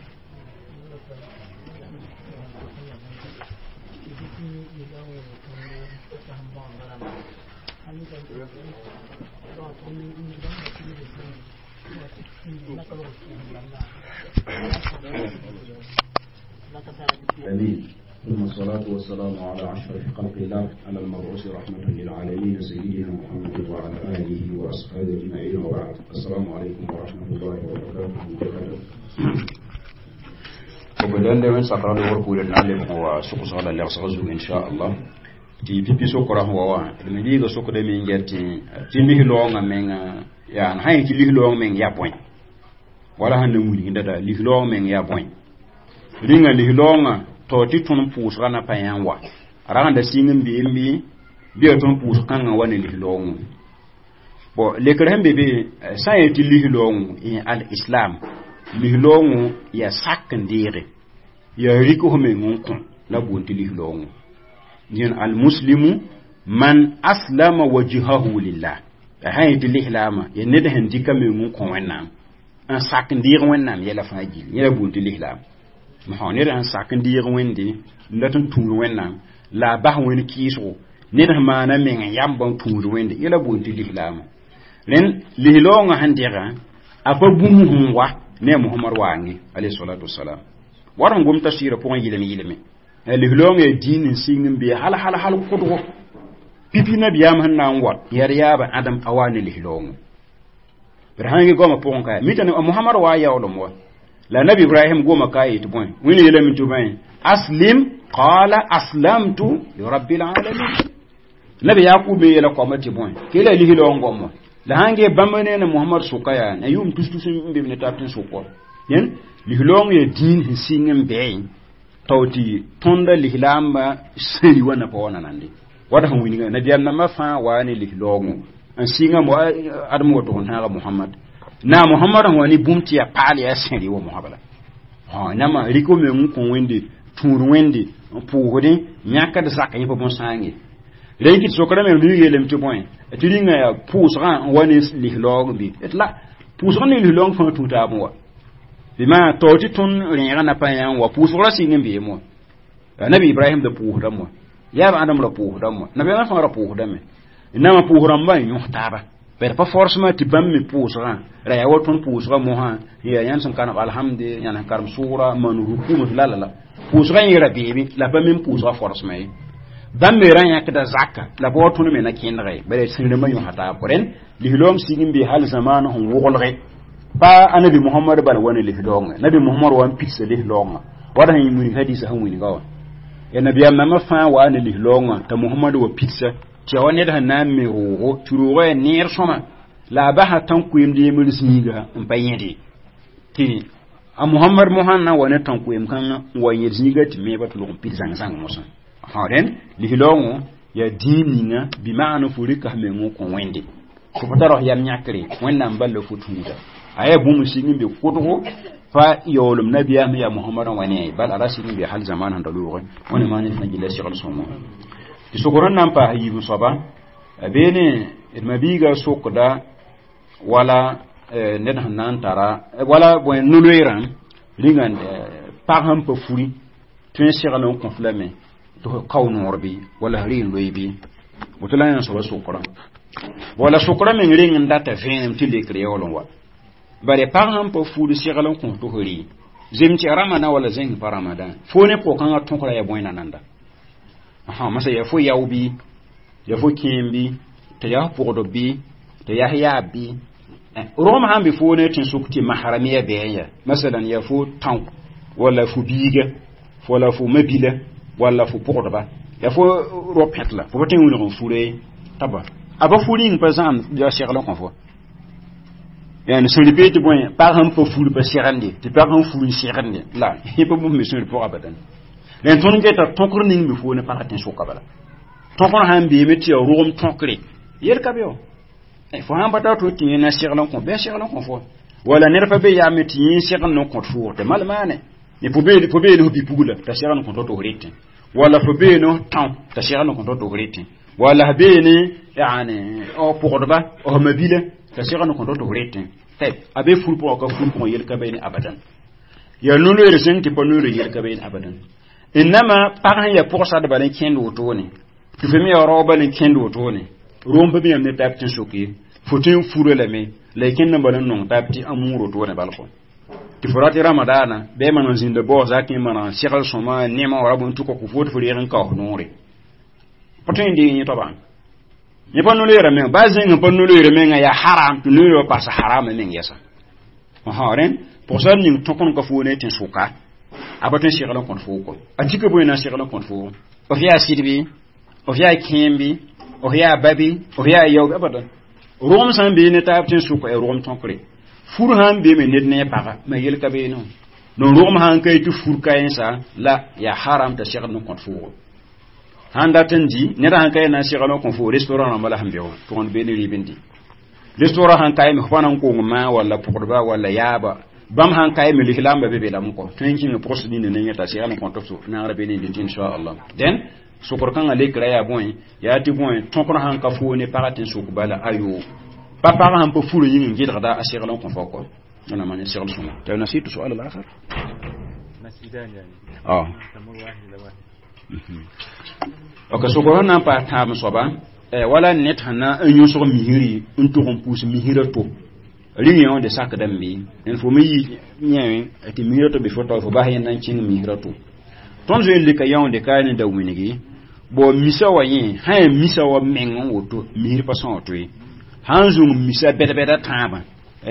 آمين. ثم الصلاة والسلام على أشرف خلق الله على المبعوث رحمة للعالمين سيدنا محمد وعلى آله وأصحابه أجمعين وبعد. السلام عليكم ورحمة الله وبركاته. وبدأنا من سقران ورقول النعلم هو سوق صلاة لغسغزو إن شاء الله. Tɩ pipi sokra sẽn wa wã d me liiga sokdame n ger tɩ lis-loongã menga yaa sã yẽ tɩ lis-loong meng yaa bõe wala sẽn na wilgda da lis-loong meng yaa bõe rĩnga lis-loongã tao tɩ tõnd pʋʋsgã na pa yã n wa a rag n da sĩng n beem bɩ bɩ yaa tõnd pʋʋsg kãngã wa ne lis-loongõ bon lekr sẽn be be sã n yet tɩ lis-loongõ al-islam lis-loongõ yaa sak n deege yaa rik f meng n kõ la boond tɩ lis-loongõ al-muslimu man aslama wajhahu lillah sã yet tɩ lislaamã yaa ned sẽn dɩka meng n kõ Wẽnnaam n sak n deeg Wẽnnaam yɛla fãa gill yẽ la boond tɩ lislaam mosã ned sẽn sak n deeg Wẽnde n dat n tũud Wẽnnaam la a bas Wẽnd kɩɩsgo Ned sẽn maana meng n yamba n tũud Wẽnde yɛla boond tɩ lislaama. Rẽnd lislaoongã sẽn dẽga a pa bũmb sẽn wa ne a Mohamad waange alayhi salatu wasalam. Wat sẽn gom tafsɩɩrã pʋgẽ yɩlem yɩleme. Lislaoongã yaa dĩin n sɩng n bee hal hal hal kʋdgo pipi nabiyaam sẽn na n wat yaa d yaaba Adam a waa ne lislaoongã. B sãn ge goamã pʋgẽ ka mita Mohamad waa yaoolem wa la nabi Ibrahim goma ka yetɩ bõe Wẽnd yeelame tɩ bõe aslim qala aslamtu li rabbil alamin. Nabi Yaqub me yeela koamã tɩ bõe kela lislaoong goam wã la sãn ge bãmb ne na Mohamad sʋka yaa na yʋʋm tus-tus n be ne taab tɩ n sʋk wa. Dẽn lislaoong yaa dĩin sẽn sɩng n bɛɛ tao tɩ tõnda lislaambã sẽri wã na pa wa nanande wad sẽn wilga nabiyaam nambã fãa waa ne lislaoongo n sɩnga adem woto n tãaga Mohamad na Mohamad sẽn wa ne bũmb tɩ yaa paal yaa sẽri wa mosã bala. Nãma rɩk f meng n kõ Wẽnde tũud Wẽnde n pʋʋsdẽ yãkd zak yẽ pa bõn-sãange. Rẽ kɩ tɩ sokra me rɩ yeelame tɩ bõe tɩ rĩnga yaa pʋʋsgã n wa ne lislaoog bɩ d la pʋʋsg ne lislaoong fãa tũ taab wa bɩ maa tao tɩ tõnd rẽegã na pa yã n wa pʋʋsg ra sɩng n beem wa. Nabi Ibrahim da pʋʋsdame wa yaab Adam ra pʋʋsdame wa nabiyaamã fãa ra pʋʋsdame nãma pʋʋs rãmbã n yõs taaba bad pa forcement tɩ bãmb me pʋʋsgã ra yaa wa tõnd pʋʋsgã mosã yaa yãnd sẽn karem alhamde yãnd sẽn karem sʋʋra maan ruku la la la pʋʋsgã yẽ ra beeme la pa mem pʋʋsgã forcement ye. Bãmb me ra yãkda zaka la pa wa tõnd me na kẽndga ye bala sẽn rãmbã yõsa taab rẽnd lislaoom sig n bee hal zamaan sẽn woglge pa anabi Mohamad bala wa ne lislaoongã nabi Mohamad wa n pidsa lislaoongã wad sẽn wilg hadisa sẽn wilga wã ya nabiyaam nambã fãa waa ne lislaoongã t'a Mohamad wa pidsa tɩ wa ned sẽn na n me roogo tɩ roogã yaa neer sõma la a basa tãn-koeemd yembr zĩiga n pa yẽde tɩ a Mohamad mosã na wa ne tãn-koeem kãngã n wa yẽd zĩiga tɩ meeba tɩ log n pid zãng-zãng mosã. Rẽnd lislaoongõ yaa dĩin ninga bɩ maana fo rɩka f meng n kõ Wẽnde fo pa tar f yam yãkre Wẽnnaam bal la fo tũuda a yaa bũmb sɩng n be kʋdgo pa yaoolem nabiyaam yaa Mohamad n wa ne bal a ra sɩng n be hal zaman sẽn da loogẽ wẽnde maan sẽn gilla segl sõngo. Tɩ sokr n na n paas yiib soaba a beene d mabiiga sokda wala ned sẽn na n tara wala bõe no-loeerã rĩnga pag sẽn pa furi tõe n segl n kõf lame tɩ f kao noor bɩ wala f rɩ n loe bɩ woto la yã soaba sokrã wala sokra meng reng n data vẽenem tɩ lekr yaool n wa bare pag sẽn pa furi segl n kõs tɩ f rɩ zem tɩ ramadan wala zẽng pa ramadan fo ne pʋg-kãngã tõkra yaa bõe nananda masa yaa fo yao bɩ yaa fo kẽem bɩ tɩ yaa f pʋgdb bɩ tɩ yaa f yaab bɩ rogem sãn be fo ne tẽn-sʋk tɩ mahrame ya bɩ ya masalan yaa fo tão wala fo biiga wala fo mabila wala fo pʋgdba yaa fo rop pẽtla fo pa tõe n wilg n fure taba a pa fu rĩng pa zãam yaa segl n kõ fo yani sẽn rɩ tɩ bõe pag sẽn pa fur pa segende tɩ pag sẽn fur n segende la yẽ pa bũmb me sẽn rɩ pʋga abadan. Rẽnd tõnd geta tõkr ning be fo ne pagã tẽn-sʋka bala tõkr sãn beeme tɩ yaa rogem tõkre yel ka be wa fo sãn pa tar tɩ yẽ na segl n kõ bɩ a segl n kõ fo wala ned pa be yaame tɩ yẽ segl n kõt foog tɩ mal maane fo bee ne f bi-pugla t'a segl n kõt tɩ f rɩtẽ wala fo bee ne tão t'a segl n kõt tɩ f rɩtẽ wala f bee ne yani pʋgdba f mabila t'a segl n kõt tɩ f rɩtẽ a be fur pʋgã ka fur pʋgẽ yel ka be ne abadan yaa no-loeer zẽng tɩ pa no-loeer yel ka be ne abadan. Innama pag sẽn yaa pʋgsad bala n kẽnd wotone tɩ fo me yaa rao bala n kẽnd wotone rom pa be yãmb ne taab tɩ n sok ye fo tõe n fura lame la y kẽnd n bala n nong taab tɩ a muur wotone bal kɔ tɩ fo rat ramadaana bɩ maan n zĩnda baoos zakẽ maan n segl sõma nema wala bõe tʋka kʋ fo tɩ fo reeg n kaoos noore pa tõe n deeg yẽ toabã yẽ pa no-loeerã meng baa zẽng pa no-loeerã menga yaa haram tɩ no-loeerã wa paas harama meng yɛsa rẽnd pʋgsar ning tõk n ka fo ne tɩ sʋka a pa tõe n segl n kõt foo kɔ a tika bõe na n segl n kõt foo f yaa sɩd bɩ f yaa kẽem bɩ f yaa ba bɩ f yaa yao bɩ abadan rogem sã n bee ne taab tɩ n sʋka yaa rogem tõkre fur sãn beeme ned ne a paga ma yel ka beene no rogem sãn ka tɩ fur ka-yẽnsa la yaa haram t'a segl n kõt foogo sãn dat n di ned sãn ka ye na n segl n kõ fo restaurant rãmba la sẽn be wã tʋgend bee ne rɩɩb n di restaurant sãn ka yeme fo pa na n kong maa walla pʋgdba walla yaaba bãmb sãn ka yeme lislaambã be be lame kɔ tõe n kĩnga pʋgs nina ne yẽta segl n kõt f naagr be ne dɩt inchallah. Dẽn sokr kãngã lekra yaa bõe yaa tɩ bõe tõkr sãn ka fo ne pagã tɩ n sʋk bala ayo pa pagã sãn pa furã yĩng n gɩdgda a segl n kõ fo kɔ أنا ما segl sõma. طيب نسيت سؤال الآخر. مسجدان يعني. اه. تمر واحد إلى واحد. Ok sokor sẽn na n paas tãab soaba wala ned sẽn na n yõsg misri n tʋg n pʋʋs misrã to rĩng yã de sakdame bɩ n fo me yi yẽ tɩ misrã to be fo tao fo bas yẽnda n kẽng misrã to tõnd zoe n leka yãonde ka ne da wĩngi bo misa wa yẽ sã yaa misa wa meng n woto misr pa sõo toe sã n zũng misa bɛd-bɛda tãabã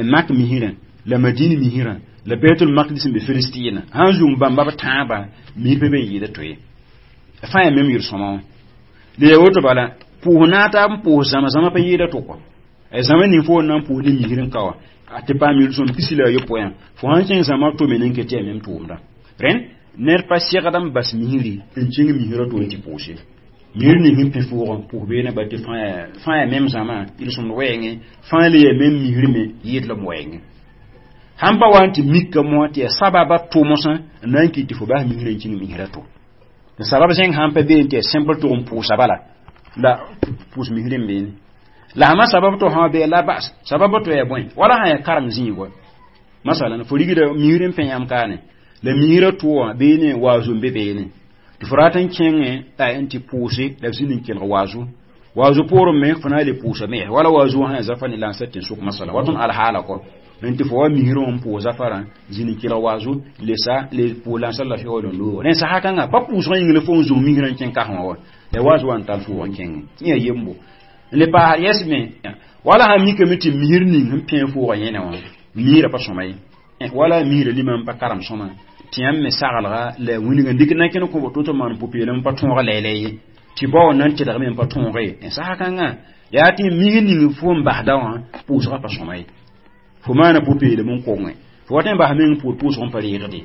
mak misrã la madin misrã la betul maqdis n be filistina sã n zũng bãmba b tãabã misr pa be n yɩɩda toe fãa yaa mem yel-sõma wã la yaa woto bala pʋʋs naataab n pʋʋs zãma zãma pa yɩɩda to kɔ zãma ning fo na n pʋʋs ne misr n ka wã tɩ paam yel-sõm pisi la a yopoe fo sãn kẽng zãma tome nin ke tɩ yaa mem tʋʋmda rẽnd ned pa segd n bas misri n kẽng misrã to n tɩ pʋʋse misr ning sẽn pẽ foogã pʋʋs beene ba tɩ fãa yaa mem zãma yel-sõmd wɛɛngẽ fãa le yaa mem misr me yɩɩd la m wɛɛngẽ sãn pa wa n tɩ mika mosã tɩ yaa sababa tʋmsã n na n kɩt tɩ fo bas misrã n kẽng misrã to tɩ sabab zẽng sãn pa beene tɩ yaa simple tʋg n pʋʋsa bala la pʋʋs misr n beene la sãma sabab to sã bee la bas sabab to yaa bõe wala sã yaa karem zĩigwa masalan fo rigda misr n pẽ yãmb kaane la misrã to wã beene waazo n be beene tɩ fo rat n kẽngẽ n tɩ pʋʋse la b zĩnd n kelg waazo waazo poorẽ me fo na n le pʋʋsa me wala waazo wã sã yaa zafa ne la n sa tẽn-sʋk masala wa tõnd alhaala kɔ n tɩ fo wa misrã wã n pʋʋs zafarã zĩnd n kelg waazo le sa le pʋʋs la n sa lafiya wa lon-loogã rẽn sasa kãngã pa pʋʋsgã yĩng la fo n zũng misrã n kẽng kasẽ wã wa la waazo wã n tall fo wã n kẽngẽ yẽ yaa yembo n le paasd yɛs me wala sã mikame tɩ misr ning sẽn pẽ foogã yẽne wã misrã pa sõma ye wala misrã lima n pa karem sõma tɩ yãmb me sagelga la wĩnga n dɩk na n kẽnd kõ to tɩ maan pʋ-peelem pa tõog lɛɛlɛ ye tɩ bao na n tɩdgme n pa tõoge n sasa kãngã yaa tɩ misr ning fo n basda wã pʋʋsgã pa sõma ye fo maana pʋ-peelem n kongẽ fo wat n bas meng pʋʋr pʋʋsg n pa reegde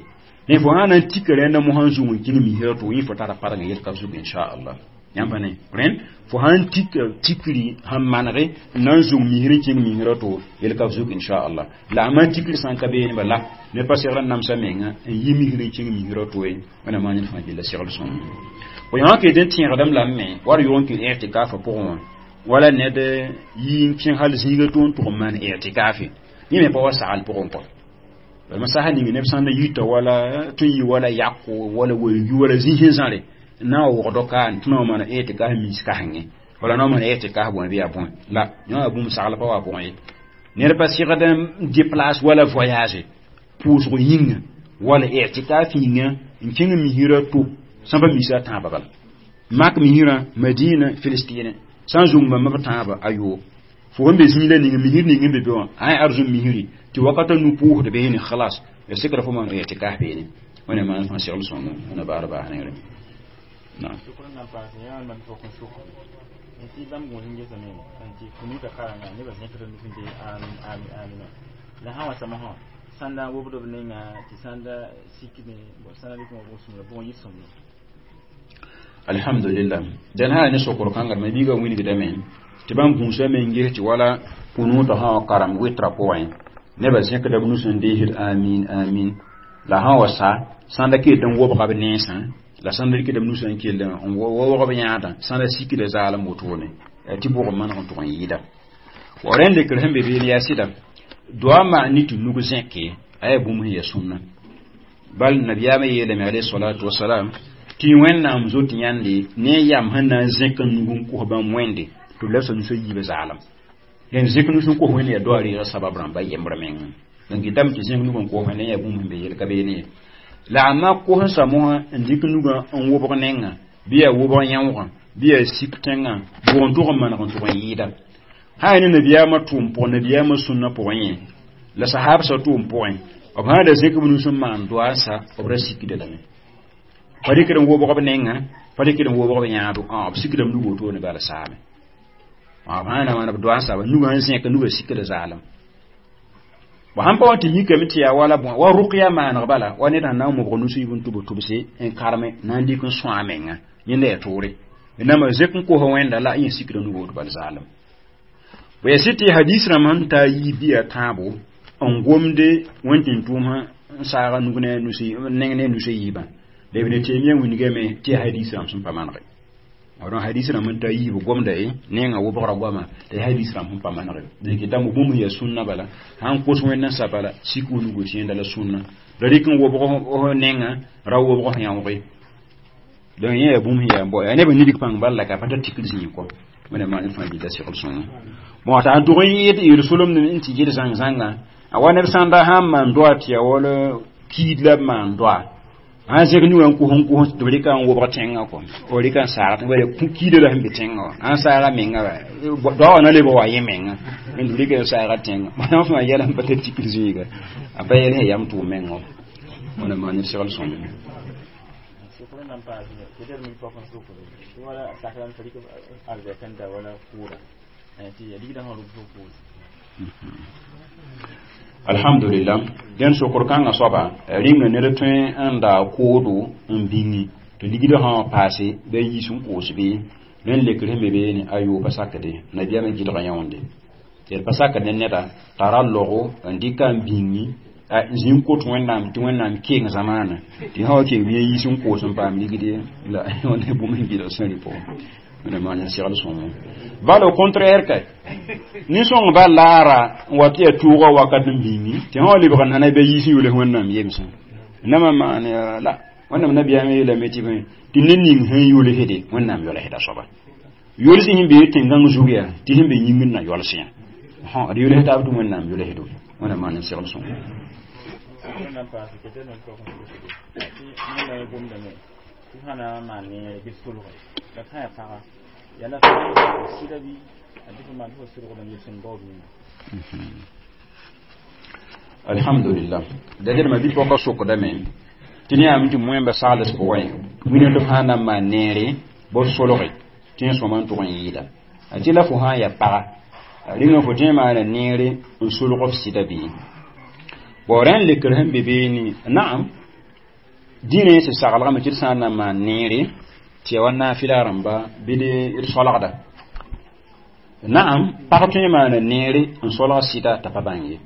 ne fo sã na n tika rẽnda mosã n zũng n kẽng misrã to yẽ fo tara parengã yel-ka zug inchallah yãmb pa ne rẽnd fo sãn tika tikri sãn manege n na n zũng misr n kẽng misrã to yel-ka zug inchallah la a maan tikri sã n ka beene bala ned pa segl n namsa menga n yi misr n kẽng misrã to ye wẽnnaam maan ned fãa gella segl sõng fo yã wã ket n tẽegdame lame me wa d yʋg n kɩ i'tikaafã pʋgẽ wã wala ned yi n kẽng hal zĩiga to n tʋg n maan i'tikaafe yẽ me pa wa sagl pʋgẽ kɔ bala sasa ning neb sãn da yita wala tɩ n yi wala yako wala welgi wala zĩ sẽn zãre n na n wʋgd kaan tɩ na wa maana i'tikaaf mis kasengẽ wala na wa maana i'tikaaf bõe bɩ yaa bõe la yã wã bũmb sagl pa wa pʋgẽ ye ned pa segd n déplace wala voyage pʋʋsg yĩnga wala i'tikaaf yĩnga n kẽng misrã to sãn pa misa tãabã bala mak misrã madina filistine sã n zũng bãmba b tãabã a yoob fo sẽn be zĩig la ning misr ning n be be wã sã yaa arzũm misri tɩ wakata nu pʋʋsd beene khalas ya sekra fo maan i'tikaaf beene wẽnnaam maan fãa segl sõngo wẽna baar baas nengre naam tɩ bãmb gũus n gesame n tɩ kunuta karengã nebã zẽkd nus n dee amin amin amina la sã wa samsã sãn da n wobd b nenga tɩ sãn da sikme sãn da dɩk wã bʋg-sũmra bʋg n yɩ sõmne alhamdulillah dẽn sã ne sokr kãnga ma biigã wingdame tɩ bãmb gũusa me n ges tɩ wala kunuutã sã wã karem wɩtra pʋgẽ nebã zẽkda b nus n deesd amin amin la sã wa sa sãn da ket n wobga b nensã la sãn da rɩkda b nusã n kell n wobg b yãadã sãn da sikda zaalem wotone tɩ bʋg n maneg n tʋg n yɩɩda wa rẽnd lekr sẽn be beene yaa sɩda doa maan ne tɩ nug zẽke a yaa bũmb sẽn yaa sũnna bal nabiyaamã yeelame alayhi salatu wasalam tɩ wẽnnaam zot yãnde ne a yam sẽn na n zẽk n nug n kos bãmb wẽnde tɩ b labsa nusã yiibã zaalem dẽn zẽk nus n kos wẽnd yaa doa reegã sabab rãmba yembr meng donc dame tɩ zẽk nug n kos wẽnd yaa bũmb sẽn be yel ka beene ye la a ma kos n sa mosã n dɩk nugã n wobg nengã bɩ yaa wobg yãoogã bɩ yaa sik tẽngã bʋg n tʋg n maneg n tʋg n yɩɩda sã yaa ne nabiyaamã tʋʋm pʋgẽ nabiyaamã sũnna pʋgẽ yẽ la sahabsã tʋʋm pʋgẽ b sã da zẽk b nus n maan doa n sa b ra sikda lame pa dɩkd n wobg b nengã pa dɩkd n wobg b yãado b sikdame nug wotone bala saame b sã na maan b doa n saba nugã n zẽk nugã sikda zaalem bo sãn pa wa tɩ mikame tɩ yaa wala bõe wa rʋkya maaneg bala wa ned sẽn na n mobg nus yib n tʋbs tʋbse n karme na n dɩk n sõa a menga yẽnda yaa toore nama zẽk n kos wẽnda la yẽ sikda nug woto bal zaalem bo yaa sɩd tɩ hadis rãmb sẽn taa yiib bɩ yaa tãabo n gomde wẽn-tẽn-tʋʋmsã n saaga nug ne neng ne nusã yiibã la Ibn Taymiya wingame tɩ hadis rãmb sẽn pa manege donc hadis rãmb n taa yiib gomda ye nenga wobgra goama la hadis rãmb sẽn pa manege donc dãmb bũmb sẽn yaa sũnna bala sãn kos wẽnd n sa bala sik wnugo tɩ yẽnda la sũnna la rɩk n wobg nenga ra wobg yãooge Donc yẽ yaa bũmb sẽn yaa n bao yaa neb n nidg pãng bal la ka pa tar tikr zĩig kɔ wẽnnaam maan ned fãa gilda segl sõngo bon t'a n tʋg n yɩɩd yel solemd n tɩ yel zãng-zãngã a wa neb sãnda sãn maan doa tɩ yaa wala kiid la b maan doa sãn zẽk nu wã n kos tɩ b rɩka n wobg tẽngã kɔ b rɩka n saag tẽngã kiida la sẽn be tẽngã wã sãn saaga menga doa wã na lebg wa yẽ menga b rɩka n saaga tẽngã bãmb fãa yɛla n pa tar tikr zĩiga a pa yɛl sẽn yam tʋʋm menga wẽnnaam maan ned segl sõngo alhamdulillah dẽn sokr kãngã soaba rĩnga ned tõe n daa koodo n bĩŋi tɩ ligdã sã wã paase bɩ a yiis n koos bɩ rẽnd lekr sẽn be beene a yoo pa sakde nabiyaamã gɩdga yõonde tɩ d pa sakd ne neda tara logo n dɩka n bĩŋi zĩ n kot wẽnnaam tɩ wẽnnaam keng zamaana tɩ sã wa keng bɩ yiis n koos n paam ligde la ne bũmb sẽn gɩdg sẽn rɩ pʋgẽ wẽnnaam maan segl sõngo bal au contraire kay nin-sõng ba laara n wa tɩ yaa tʋʋga wakat n bĩngi tɩ sã wa lebg n nana bɩ yiis n yols wẽnnaam yemsẽ namã maan la wẽnnaam nabiyaamã yeelame tɩ bõe tɩ ned ning sẽn yolsde wẽnnaam yolsda soaba yolsẽ sẽn bee tẽn-gãng zug yaa tɩ sẽn be yĩngr na yols yã d yols taab tɩ wẽnnaam yolsdo wẽnnaam maan n segl sõngo alhamdulillah da ma bi pɔka sokdame tɩ ne yaam tɩ moẽmba sagls pʋgẽ wĩna tɩ f sã na n maan neere bɩ f solge tɩ n sõma n tʋg n yɩɩda a tɩ la fo sã n yaa paga rĩnga fo tõe n maana neere n solg f sɩda bɩ bon rẽnd lekr sẽn be beene naam dĩinã sẽn saglgame tɩ d sã n na n maan neere tɩ ya wa naafɩla rãmba bɩ d solgda naam pag tõe n maana neere n solg sɩda t'a pa bãng ye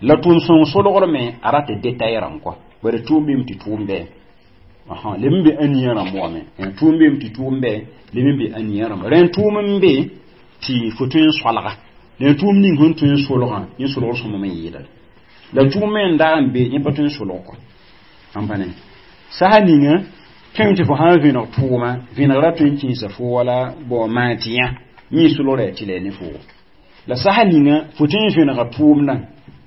la tʋʋm sõng solgr me a rat detay rãmb kɔ bara tʋʋm bɩm tɩ tʋʋm bɛ leb n be ãnia rãmb wame tʋʋm bɩm tɩ tʋʋm bɛ leb n be ãnia rãmb rẽnd tʋʋm n be tɩ fo tõe n solga rẽnd tʋʋm ning sẽn tõe n solgã yẽ solgr sõma me yɩɩda la tʋʋm me n dag n be yẽ pa tõe n solg kɔ n pa ne sasa ninga tõem tɩ fo sã n vẽneg tʋʋma vẽnegra tõe n kẽesa fo wala bon maan tɩ yã yẽ solgra yaa tɩ la ne foogo la sasa ninga fo tõe n vẽnega tʋʋmdã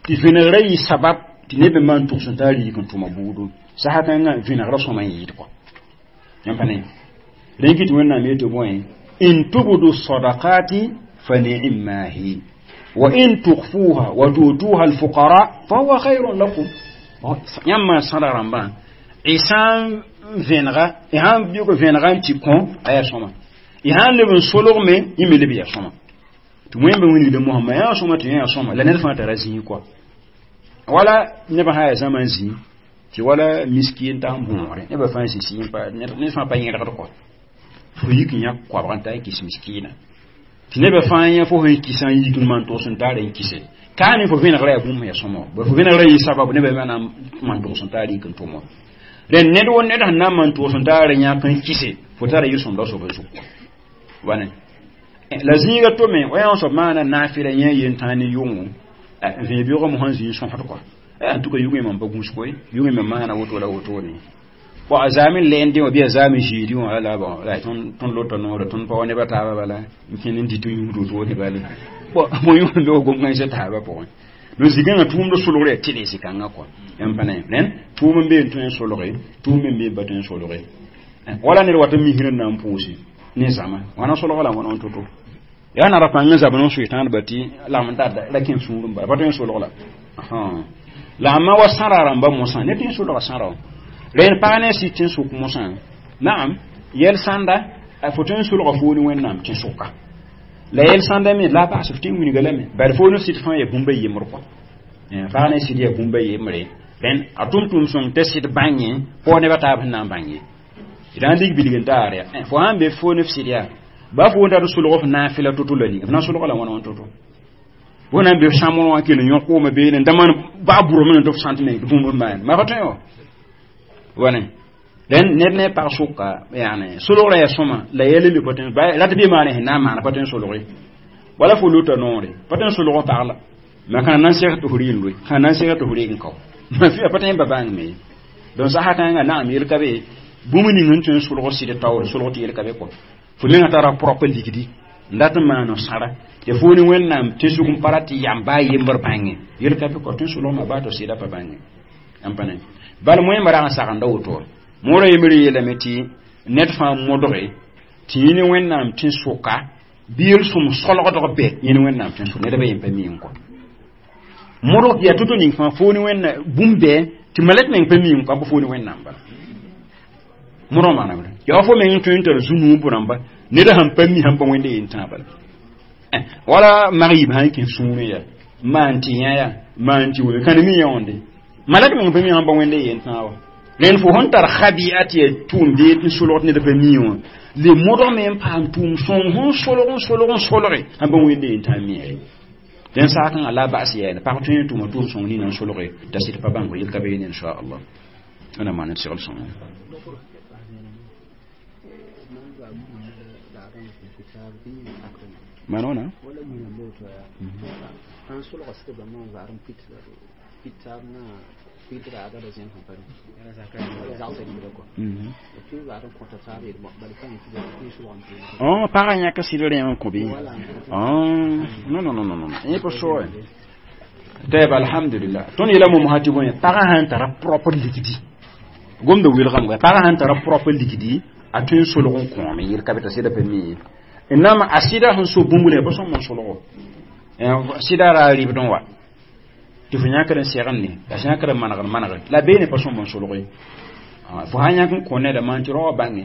tɩ vẽnegra yɩ sabab tɩ neb n maan tʋgs n taa riik n tʋma buudu sasa kãngã vẽnegra sõma n yɩɩd kɔ yãmb pa ne rẽn kɩ tɩ wẽnnaam yetɩ bõe in tubdu sadaqati fa ni'ma hi wa in tukhfuha wa tu'tuha al-fuqara fa huwa khayrun lakum yãmb maan sãda rãmbã y sã n vẽnega y sã n bɩg vẽnega n tɩ kõ a yaa sõma y sã n leb n solg me yẽ me leb yaa sõma tɩ wẽmbe wilgda mosã yaa sõma tɩ yã yaa sõma la ned fãa tara zĩig kɔa wala nebã sã yaa zãma n zĩ tɩ wala miski n ta n bõogre nebã fãa zĩ sɩ ned fãa pa yẽlgd kɔ fo yik n yãk koabg n ta n kɩs miskiina tɩ nebã fãa yã fo sẽn kɩsã n yik n maan togs n taar n kɩse kaa ne fo vẽnegra yaa bũmb yaa sõma bari fo vẽnegra yɩ sabab nebã me na n maan togs n taar yik n tʋm wã rẽnd ned wo ned sẽn na n maan togs n taar yãk n kɩse fo tara yel-sõmda soab zug wane la zĩiga tome wa yã soab maana naafɩla yẽ yen tãa ne yʋngo n vẽe beoogã mosã n zĩ n sõsd kɔa en tout cas yʋngẽ mam pa gũus koe yʋngẽ me maana woto la wotone bon a zaame n lɛɛndẽ wã bɩ a zaame ziidi wã la bon la tõnd lota noore tõnd pa wa nebã taaba bala n kẽnd n dɩt n yũud wotone bale bon mo yũud loog gom-kãensã taabã pʋgẽ donc zikãngã tʋʋmd solgr yaa tɩle zikãngã kɔa yãmb pa ne rẽnd tʋʋm n bee n tõe n solge tʋʋm me n bee n pa tõe n solge wala ned wat n misr n na n pʋʋse ne zãma wãna solga la wãna n to-to yaa nara pãng n zab n soe tãadba tɩ lagm n tar ra kẽ sũur n bala pa tõe n solg la la a ma wa sãra rãmba mosã ne tɩ n solga sãra wã rẽnd pag ne sɩd tɩ n sʋk mosã naam yɛl sãnda fo tõe n solga foo ne wẽnnaam tɩ sʋka la yɛl sãnda me la a baas f tɩ n wilga lame bari foo ne sɩd fãa yaa bũmba yembr kɔ pag ne sɩd yaa bũmba yembre rẽnd a tʋm-tʋm sõng t'a sɩd bãng pao nebã taab sẽn na n bãng ye d na n dig bilg n taar ya fo sãn be foo ne f sɩd yaa ba fo n tar solg f naafɩla to-to la ning f na n solga la wãna wã to-to fo na n be f sãmr wã kell n yõk kooma beene n da maan baa burame n tɩ f sãnt me tɩ bũmb n maan ma pa tõe wa wane rẽnd ned ne pag sʋka yaane solgrã yaa sõma la yɛl n be pa tõe rat bɩ maane sẽn na n maana pa tõe n solge wala fo lota noore pa tõe n solg pag la ma kãna na n seg tɩ f rɩ n loe kãna na n seg tɩ f rɩ n kao ma pa tõe n ba bãng me donc sasa kãngã naam yel ka be Bũmb ning n tõe n solg sɩd taoore solg tɩ yel ka be kɔ fo menga tara propre ligdi n dat n maan sãra tɩ fo ne Wẽnnaam tẽnsug n pa rat tɩ yam baa yembr bãnge yel ka be kɔ tõe n solgma baa tɩ sɩda pa bãnge n pa ne bal moẽmba rag n sagenda woto moorã yembr yeelame tɩ ned fãa modge tɩ yẽ ne Wẽnnaam tẽn-soka bɩ yel-sõm solgdg bɛ yẽ ne Wẽnnaam tẽn-sok ned ba yem pa mi n kɔ modg yaa to-to ning fãa fo ne Wẽnna bũmb bɛ tɩ malɛk meng pa mi n kɔ b fo ne Wẽnnaam bala modg maana yaa fo meng n tõe n tar zu-nuub rãmba ned sãn pa mi sãn pa wẽnde yen tãa bala wala mag yib sãn kẽ sũurẽ yaa maan tɩ yã yaa maan tɩ wee kãne mi yãonde malɛk meng pa mi sãn pa wẽnde yen tãa wa rẽnd fo sẽn tar khabi'a tɩ yaa tʋʋm dee n solgd ned pa mi wã le modg me n paam tʋʋm sõng sẽn solg n solg n solge sãn pa wẽnde yen tãa mi ye dẽn saakẽngã la bas yɛɛne pag tõe n tʋma tʋʋm sõng nina n solge t'a sɩd pa bãng yel ka be yene inchallah wẽnnaam maan d segl sõngo. Manona oh pagã yãk sɩd rẽem n kõ bɩ non non non non yẽ pa so tɛɛb alhamdulillah. Tõnd yeela mom sã tɩ bõe pagã sãn tara propre ligdi gomda wilgame pagã sãn tara propre ligdi a tõe n solg n kõome yel ka be t'a sɩda pa mi n nama a sɩda sẽn so bũmb ne pa sõm n solgo sɩda ra rɩbd n wa tɩ fo yãkd n segende la sã yãkd n manegd manegd la beene pa sõm n solg ye fo sã yãk n kõ neda maan tɩ raoã bãnge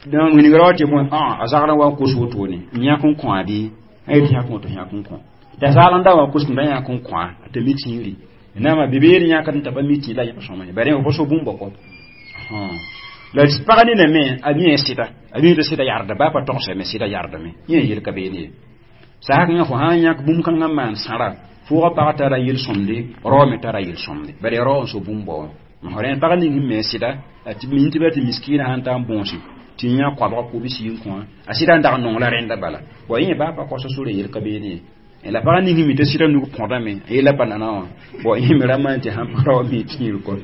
donc wilg raoã tɩ bõe a zagr n wa n kos wotone n yãk n kõa bɩ a yet yãk woto yãk n kõ t'a zagl n da wa kos tɩ yãk n kõa t'a mi tĩiri nama bebeer yãkd n t'a pa mi tĩ la yã pa sõma ye bare pa so bũmba kɔ la pag nina me a mi sɩda a mi tɩ sɩda yarda baa pa togsame sɩda yardame yẽ yel ka beene ye saakẽngã fo sã n yãk bũmb kãngã n maan sãra fʋʋga pag tara yel-sõmde rao me tara yel-sõmde bala rao n so bũmb wã rẽnd pag ning sẽn me sɩda tɩ min tɩ ba tɩ miskiinã sãn ta n bõose tɩ yã koabga kobs yĩn kõ a sɩda n dag n nong la rẽnda bala wa yẽ baa pa kosa sore yel ka beene ye la pag ning sẽn mi tɩ sɩda nug põdame a yella pa nana wã bon yẽ me ra maan tɩ sãn pa rao mi tĩir kɔ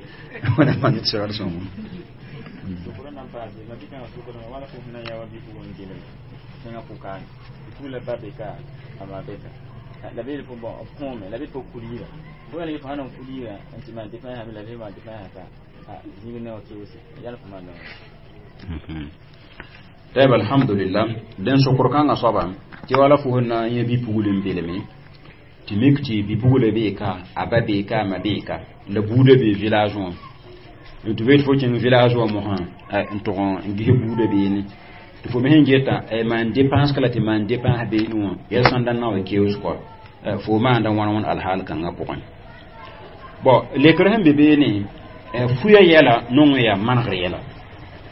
wẽna maan tɩ segd sõngo. La be fo bon kõome la be fo kulira fo yãl fo sãn kulira n tɩ maan tɩ fãa la be maan tɩ fãa ka zĩig ne wa keoose yãl fo maan. Tɛɛb alhamdulillah dẽn sokr kãngã soaba tɩ wala fo sẽn na n yẽ bi-pugl n belme tɩ mik tɩ bi-pugla bee ka a ba bee ka a ma bee ka la buudã bee village wã n tɩ fo tɩ fo kẽng village wã mosã n tʋg n ges buudã beene tɩ fo me sẽn geta maan dépense ka la tɩ maan dépense beene wã yɛl sãn da na wa keoos kɔ fo maanda wãn wãn alhaal kãngã pʋgẽ bon lekr sẽn be beene fuya yɛla nong yaa manegr yɛla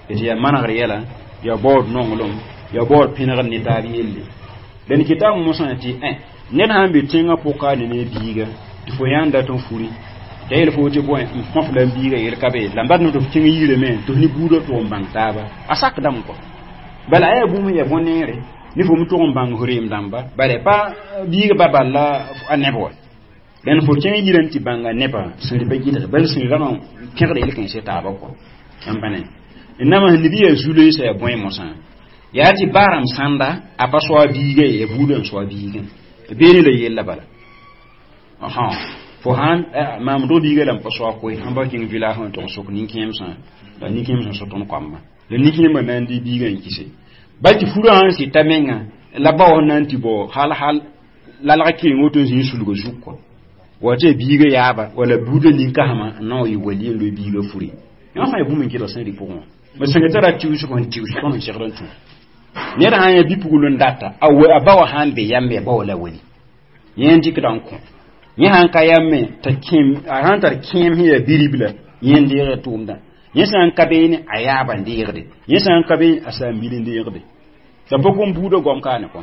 tɩ yaa manegr yɛla yaa baood nonglem yaa baood pẽnegd ne taab yelle la n kɩta mosã tɩ ned sãn be tẽngã pʋka ne ne biiga tɩ fo yãnd dat n furi t'a yel fo tɩ bõe n kõf la n biiga yel ka be la n bat tɩ f kẽng yirame tɩ f ne buudã tʋg n bãng taaba a sakdame kɔ bala a yaa bũmb n yaa bõn-neere ne fo me tʋg n bãng f reem dãmba bala pa biiga ba bal la a neb wa dẽn fo kẽng yirã n tɩ bãnga nebã sẽn pa gɩdg bal sẽn rag n pẽgd yel kãensã taaba kɔ n pa ne n nama sẽn neb yaa zu-loeesã yaa bõe mosã yaa tɩ baarame sãnda a pa soa biiga ye yaa buudã n soa biigã beene la yella bala fo sãn maam dog biiga la n pa soa koe sãn pa kẽng village n tʋg n sok nin-kẽemsã la nin-kẽemsã so tõnd koamba la nin-kẽembã na n dɩ biigã n kise bal tɩ furã sãn sɩta menga la bao sẽn na n tɩ bao hal hal lalg keng woto n zĩ n sulga zug kɔ wa tɩ biiga yaaba wala buudã nin-kasmã n na n wa yɩ wali n loe biiga furi yã fãa ya bũmb n kelg sẽn rɩ pʋgẽ wã ma sẽnga tara tiʋsg n tiʋs tõnd n segd n tũ ned sãn yaa bi-pugl n data a ba wã sãn be yambe a ba wa la wali yẽ n dɩkda n kõ yẽ sãn ka yame t'a kẽem a sãn tar kẽem sẽn yaa biribla yẽ n deegã tʋʋmdã yẽ sã n ka beene a yaaba n deegde yẽ sã n ka beene a saam-bil n deegde t'a pa gom buudã goam kaane kõ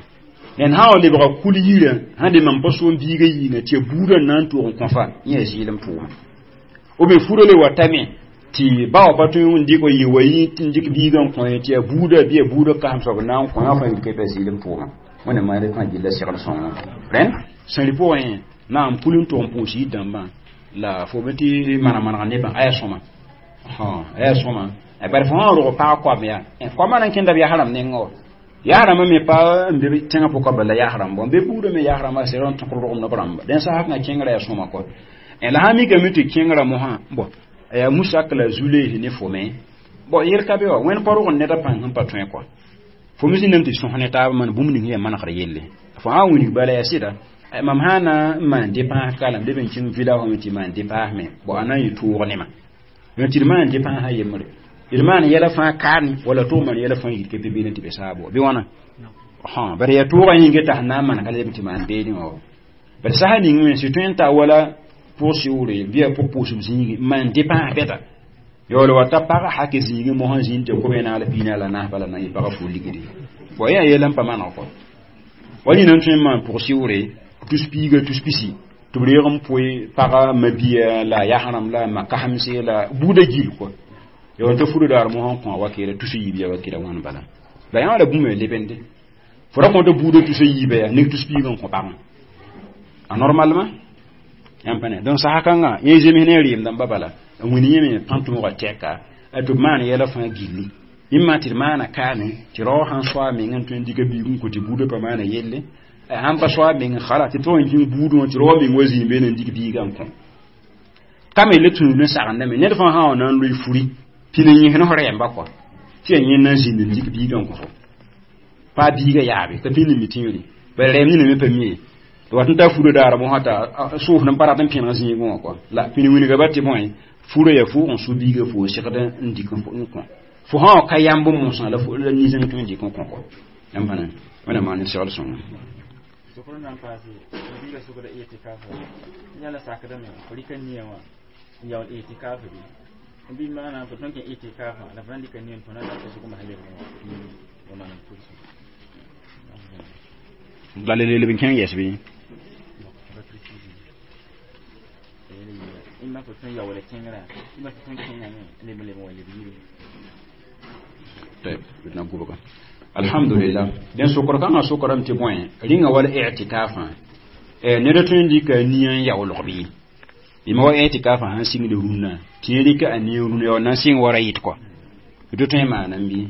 dẽn sã wa lebga kul yirã sãn de mam pa soom biigã yĩnga tɩ ya buudã n na n tʋg n kõfa yẽ yaa zɩɩlem tʋʋma b bien furã le watame tɩ ba wa pa tõe n dɩk yɩ wa yĩ tɩ n dɩk biigã n kõ tɩ yaa buudã bɩ yaa buudã kasem soab n na n kõ yã fãa yel ka pa zɩɩlem tʋʋma wẽnnaam maan fãa gilla segl sõngo rẽnd sẽn rɩ pʋgẽ na n pul n tʋg n pʋʋs yir dãmbã la fo me tɩ maneg manega nebã aya sõma Ha ya soma e bar fo ro pa ko me ya ko ma nan kinda ya haram ne ngo ya haram me pa mbe tenga po ko bala ya haram bon be budo me ya haram se ron to ro no bram den sa hak na kingra ya soma ko e la hami ga mitu kingra mo ha bo ya musa kala zule ne fo me bo yer ka be wa wen paro ne da pan pa twen ko fo mi nem ti so ne ta man bum ni man khar yelle fo ha woni bala ya sida mam hana man de pa kala de ben cin villa ho ti man de pa me bo anan yi tuur ne ma yon ti man de pa ha yemre il man yela fa kan wala to man yela fa yit ke be ne ti be sabo bi wana ha bare ya tuura yinge ta na man kala ti man be ni o bare sa ni ngwen si tun ta wala pour siure bien pour pour zingi man de pa beta yolo wata para hake zingi mo han zinte ko bena la pina la na bala na para fu ligidi bo ya yela pa man ko wali nan tun man pour siure tous piga tous pisi to breem poy para mabia la ya haram la makahamse la buda jil ko yo to furu dar mo han ko wakira tusu yibiya wakira wan bala la ya la bume lebende fora ko to buda tusu yibiya ni tusu piga ko parang anormalement yampane donc sa hakanga ye jemi ne rim dam babala nguni yeme pantu mo teka to man yela fa gilli imma tir mana kane ti ro han so mi ngan to ndiga bi ko ti buda pa mana yelle han pa so mi ngan khala ti to ngi budu ti ro mi ngozi be ne ndiga bi gam ko kame le tunu ne sa ne ne fa ha onan lui furi pine nyi heno hore yamba ko ti nyi nan zin ndiga bi gam ko pa bi ga yabe ta pine mi tinri ba re mi ne me pa mi wat ta furo dara mo hata suuf nan paratan pina zingi ko la pini wini ga batti moy furo ya fu on su biga fu shekada ndi ko ko fu ha ka yambo mo san la fu la ni zin to ndi ko ko yam bana wana ma ni sel son so ko nan pasi biga su ko da itikafa nyala sakada me ko rikan niyawa yaw itikafa bi bi mana ko tonke itikafa la fandi kan niyan to na da su kuma halin ko ma nan kursu la le le bin kan yes bi imma ko tun yawala kengra imma ko tun kenga ne le le wala bi طيب بدنا نقول الحمد لله den sokor kan a sokoram ti boy ringa wala i'tikafa e ne da tun dika niyan yawlo bi ima wa i'tikafa han sing de runna ti rika ani runna yo nan sing wara yit ko do tun ma nan bi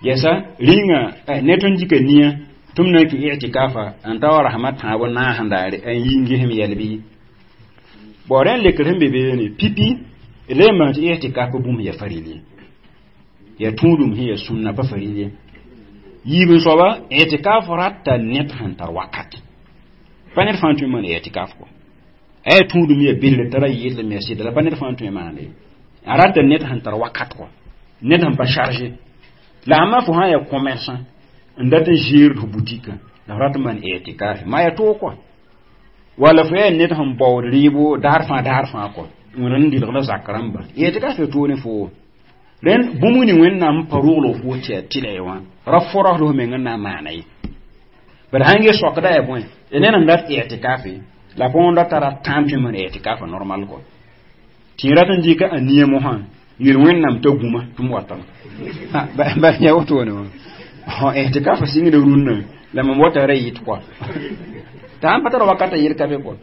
yesa ringa ne tun dika niyan tum na ki i'tikafa an tawa rahmat ha bona handare an yingi hem yalbi boren le krem bebe ne pipi le ma ti i'tikafa bum ya farili ya tudum hiya sunna ba farili yibin soba i'tikaf ratta net han tar wakat panet fantu man i'tikaf ko ay tudum ya bille tara yille me sida la panet fantu man le aratta net han tar wakat ko net han pa chargé la ma fo ha ya commerçant ndata gérer de boutique la rat man i'tikaf ma ya to ko wala fo net han baw ribo dar fa ko ngran di la zakaramba i'tikaf to ne fo ren bumuni wennam parolo fo che tilewa rafora do me ngana manai bar hange sokda e bon enen ndat i'tikafi la ponda tara tampi man i'tikafa normal ko tirata ndika aniye mo han yir wennam to guma tum watam ha ba ya woto ne ho i'tikafa singi de runna la mo wota reyit ko tam patara wakata yir kabe ko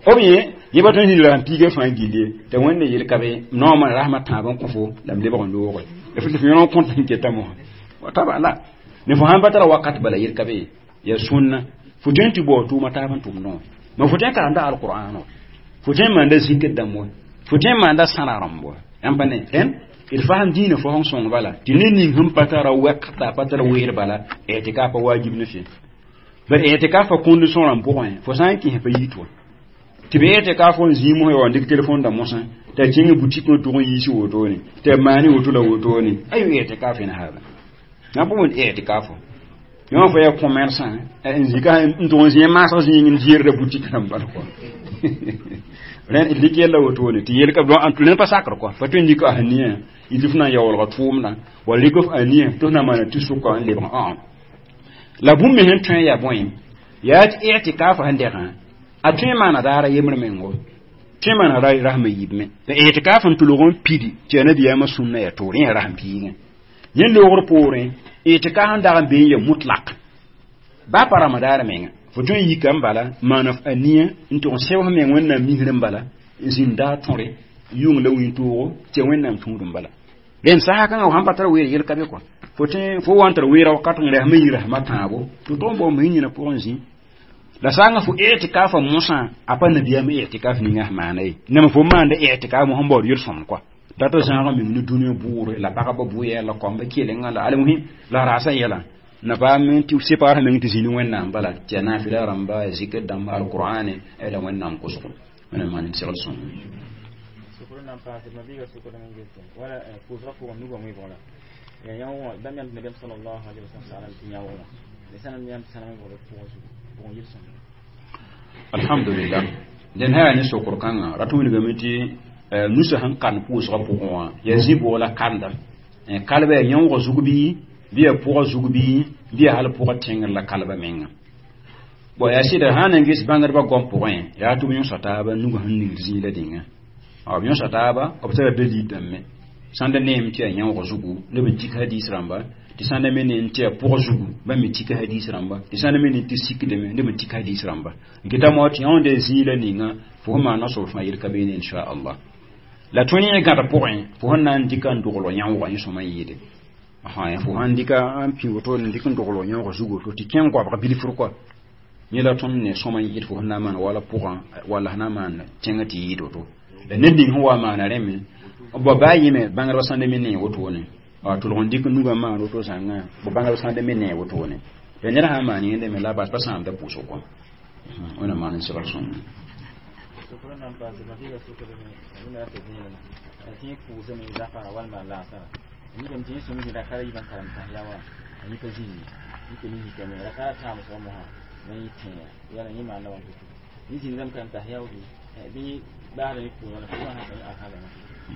obiye yeba ton hira pige fan gilie te wonne yel kabe no man rahmat ta bon ko fo lam le bon do ko e fu fi non kontan ke tamo wa taba la ne fo han batara wakat bala yel kabe ya sunna fu tenti bo tu mata ban tum no ma fu ten karanda alquran no fu ten manda zikr damo fu ten manda sanaram bo am bane ten il faham dina fo hon son bala tinni ning hum patara wakta patara wer bala i'tikafa wajib ne fi bar i'tikafa condition ram bo fo san ki he yitwa ti be i'tikaf on zimo yo ndik téléphone da mosan ta tinga boutique no to yisi woto ni te mani woto la woto ni ayu i'tikaf ina haba na bo mon i'tikaf yo fo ya commerçant en zika nto zin ma so zin ngir de boutique nam bal ko ren ilike la woto ni ti yel ka don antu len pa sakar ko fa to ndika haniya idifna yawol ga tumna wala likof aniya to na mana ti suko an le bon la bum me hen tun ya boy ya i'tikaf hande kan a tun mana dara yemr mengo tun mana rai rahma yibme da i'tikafan tulugon pidi te nabi ya masunna ya torin ya raham piinga yen logor pore i'tikafan da be ya mutlaq ba para madara menga fo tun yikam bala mana aniya nto sew men wonna mihrim bala zinda tore Yʋng la wĩntoogo tɩ Wẽnnaam tũudum bala rẽnd sasa kãngã sãn pa tar weer yel ka be kɔa fo tẽ fo wa n tar weera wakat n resmã yi rasmã tãabo tɩ tog n bao m yĩna pʋgẽ zĩ la sã n fo i'tikaafa mosã a pa nabiyaam i'tikaaf ninga sẽn maana ye nam fo maanda i'tikaaf mosã n baood yel-sõmd kɔa data zãagã meng ne dũniyã bʋʋre la pagba bʋ-yɛl la kɔmba kelenga la almuhim la raasã yɛla na paam tɩ sepaar meng tɩ zĩni Wẽnnaam bala tɩ ya naafɩla rãmba zikr dãmba alqur'ane la Wẽnnaam kosgo Wẽnnaam maan n segl sõng. Sokr nan paase mabiiga sokr n gese wala pʋʋsgã pʋgẽ nugã wẽbg la ya yão bãmb yãmb nabiyaam sallallahu alaihi wasallam tɩ yão wã la sãn yãmb sãn wẽbg pʋgẽ zugu pʋgẽ yel-sõmd. Alhamdulillah dẽn sã yaa ne sokr kãngã rat wilgame tɩ nusa sẽn kan pʋʋsgã pʋgẽ wã yaa zĩ-boog la kanda kalba yaa yãoogã zug bɩ bɩ yaa pʋgã zug bɩ bɩ yaa hal pʋgã tẽngr la kalba menga bon yaa sɩda sã n ges bãngdbã goam pʋgẽ yaa tɩ b yõsa taaba nugã sẽn ningd zĩig la dĩnga b yõsa taaba b tara dalil dãmbe sãn da neem tɩ yaa yãoogã zugu neb n tik hadis rãmba tɩ sãn da me neem tɩ yaa pʋgã zugu bãmb me tik hadis rãmba tɩ sãn da me neem tɩ sikdame neb n tik hadis rãmba n kɩta moa tɩ yãonda zĩig la ninga fo sẽn maana soab fãa yel ka beene inchallah la tõe ne gãd pʋgẽ fo sẽn na n dɩka n dogl yãoogã yẽ sõma yɩɩde fo sãn dɩka n pĩ woto n dɩk n dogl yãoogã zugu woto tɩ kẽ n goabg bilfr kɔa yẽ la tõnd ne sõma yɩɩd fo sẽn na n maan wala pʋgã walla sẽn na n maan tẽngã tɩ yɩɩd woto la ned ning sẽn wa maana rẽ me b baa yẽme bãngdbã sãn da me nee wotone tʋlg n dɩk nugã maan woto zãngã b bãngdbã sãn da me nee wotone la ned sã n maan yẽnde me la bas pa sãamda pʋʋsg kɔm Wẽnnaam maan n segl sõng. Sokr nan paase mabiiga sokr me rata zĩigã tɩ yẽ pʋʋsame zakã walma laasã yikame tɩ yẽ sõm zĩ rakara yiibã karem tãsya wã a yĩpa zĩndi yikame yikame rakara tãam soaba mosã la yẽ tẽega yala yẽ maanda wãn to yẽ zĩndame karem tãsya bɩ baasda ne pʋʋsga la fo wã sã alhala.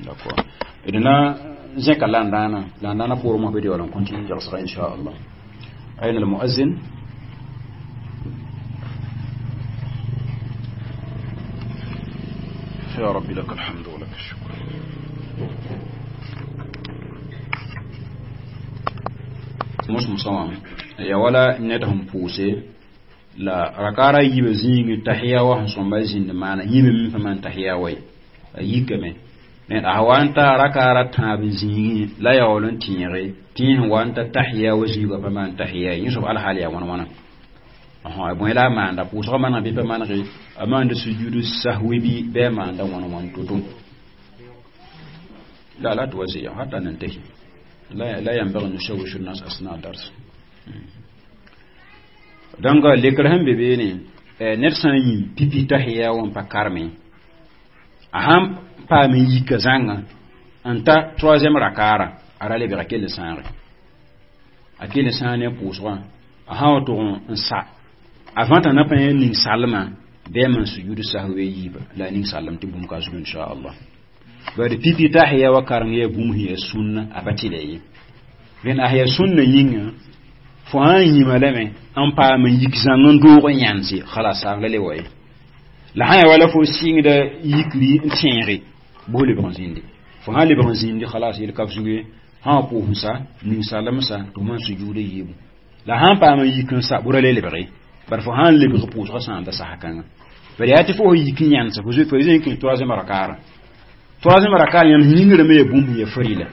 D'accord. D na zẽka landãana landãana poorẽ mosã bɩ d yaool n continue jagsga inchallah. أين المؤذن؟ يا رب لك الحمد ولك الشكر. Mos musãwã ya wala ned sẽn pʋʋse la rakara yiibã zĩig tahiya wa sẽn sõmba zĩnd maana yĩme me pa maan tahiya wa ye a yikame ned a wa n ta rakara tãab n zĩigẽ la yaool n tẽege tɩ yẽ sẽn wa n ta tahiya wa zĩigã pa maan tahiya ye yẽ soab alhaal yaa wãn wãna bõe la a maanda pʋʋsgã maneg bɩ pa manege a maanda sujudu sahwi bɩ bɩ a maanda wãn wãn to-to لا لا توزيع حتى ننتهي لا لا ينبغي أن نشوش الناس أثناء الدرس. Donc lekr sẽn be beene ned sã n yĩ pipi tahiya wã n pa karme a sãn paam n yika zãnga n ta troisième rakara a ra lebg a kell sãage a kell sãag ne pʋʋsgã a sã wa tʋg n sa avant t'a na pa yẽ ning salmã bɩ a man sujud sahwe yiiba la a ning salem tɩ bũmb ka zug inchallah bari pipi tahiya wa kareng yaa bũmb sẽn yaa sũnna a pa tɩla ye rẽnd a yaa sũnna yĩnga fo sã n yĩma lame n paam n yik zãng n doog n yãnse khalas saag la le wa ye la sã yaa wala fo sɩngda yikri n tẽege bʋs lebg n zĩndi fo sã lebg n zĩndi khalas yel ka f zug ye sã wa pʋʋs n sa ning salem sa tɩ f maan sujuuda yiibu la sã n paam n yik n sa bʋra le lebge bar fo sã n lebg pʋʋsgã sãamda sasa kãngã bari yaa tɩ fo yik n yãnsa fo zoe n kẽ troisième rakara troisième rakara yãmb yĩngrame yaa bũmb yaa farila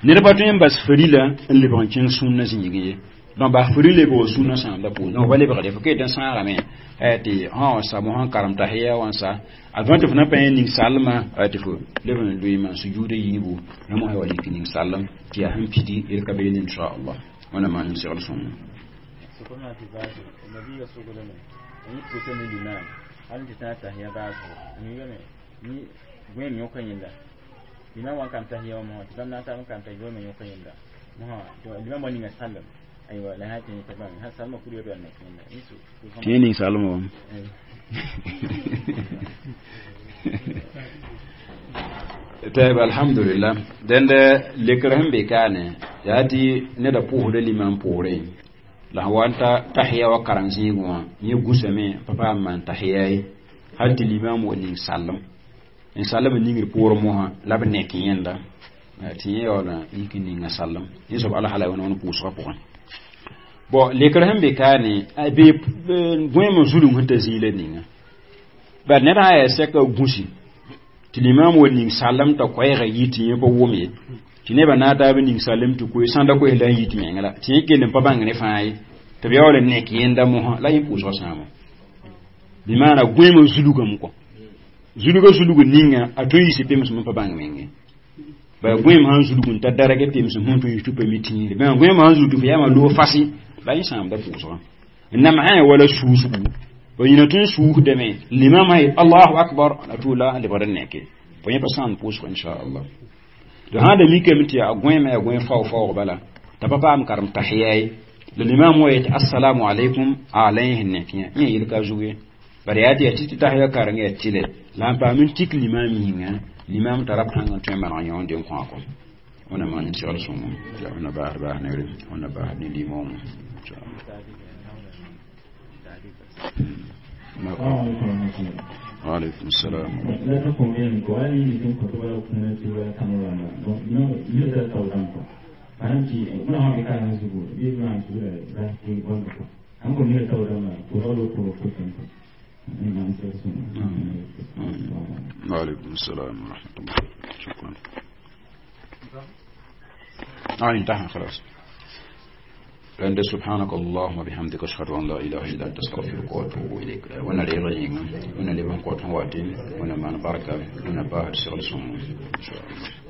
ned pa tõe n bas farila n lebg n kẽng sũnna zĩig ye donc bas farila lebg sũnna sãamda pʋʋs donc ba lebgde fo ket n sãagame tɩ sã wa sa mosã n karem tahiya wã n sa avant tɩ fo na pa yẽ ning salmã tɩ fo leb n loe maan sujuuda yiibu la mosã wa lik ning salem tɩ yaa sẽn pidi yel ka beene inchallah Wẽnnaam maan n segl sõngo. Sokr nan tɩ baase mabiiga sokdame yẽ pʋʋsame limam hal tɩ tã tahiya baasgo yĩngame gõeem yõka yẽnda limam wa n kam tahiya wã mosã tɩ bãmb na n tar n kam tahiya me yõka yẽnda mosã limam wa ninga salem aywa la sã tɩ yẽ t'a bãmb sã salmã kur ya nek yẽnda tɩ yẽ ning salmã wã tayb alhamdulillah dẽnd lekr sẽn be kaane yaa tɩ neda pʋʋsda limam poorẽ la sẽn wa n ta tahiya wa kareng zĩigẽ wã yẽ gũsame pa paam maan tahiya ye hal tɩ limam wa ning salem n salem n ningd poorẽ mosã la b nek yẽnda tɩ yẽ yaool n yik n ninga salem yẽ soab alhala wẽn wãn pʋʋsgã pʋgẽ bon lekr sẽn be kaane be gõeem zulum sẽn ta zĩig la ninga bari ned sã n yaa sɛka gũsi tɩ Tɩ limam wa ning salem t'a koɛɛgã yi tɩ yẽ pa wʋm ye. Tɩ nebã na n taab ning salem tɩ koe sãnda koes la n yit meng la. Tɩ yẽ kell n pa bãng ne fãa ye. Tɩ b yaool n nek yẽnda mosã la yẽ pʋʋsgã sãama. Bɩ maana gõeemã zulgame kɔ. Zulga zulg ninga a tõe n yiis pemsem n pa bãng menge. Bala gõeem sãn zulg n ta darg pemsem sẽn tõe n yiis tɩ pa mi tĩire. Bãmb gõeemã sãn zulg tɩ fo yaama loog fasi la yẽ sãamda pʋʋsgã. N namsã wala suusgu. Ba yĩna tõe n suusdame limamã yet allahu akbar la tʋʋla n lebgd n neke. Fo yẽ pa sãamd pʋʋsg inchallah. To sã da mikame tɩ yaa gõeemã yaa gõe fao-faoog bala t'a pa paam karem tahiya ye. La limam wa yet assalamu alaikum a la yẽ sẽn nek yã yẽ yel ka zug ye. Bara yaa tɩ yaa tɩ tɩ tahiya kareng yaa tɩlɛ la n paam n tik limam yĩnga limam tara pãng n tõe n maneg yõ n den kõ a kɔ. Wẽnna maan n segl sõngo la wẽnna baasd baas neere wẽnna baasd ne limoomã inchallah. وعليكم السلام. La ta conviene ko wani ni tun ko to kuna ti wa kamara na bon no ni ta ta dan ko panan ti muna ha ka na zugo bi ma su da ba ki bon ko an ko ni ta dan ma ko ro ko ko ko ni ma sa su. وعليكم السلام ورحمة الله. شكرا. انتهى خلاص. عند سبحانك اللهم وبحمدك اشهد ان لا اله الا انت استغفرك واتوب اليك. وانا لي وانا لي بان قوت واتين وانا ما بركه وانا باهر سغل ان شاء الله.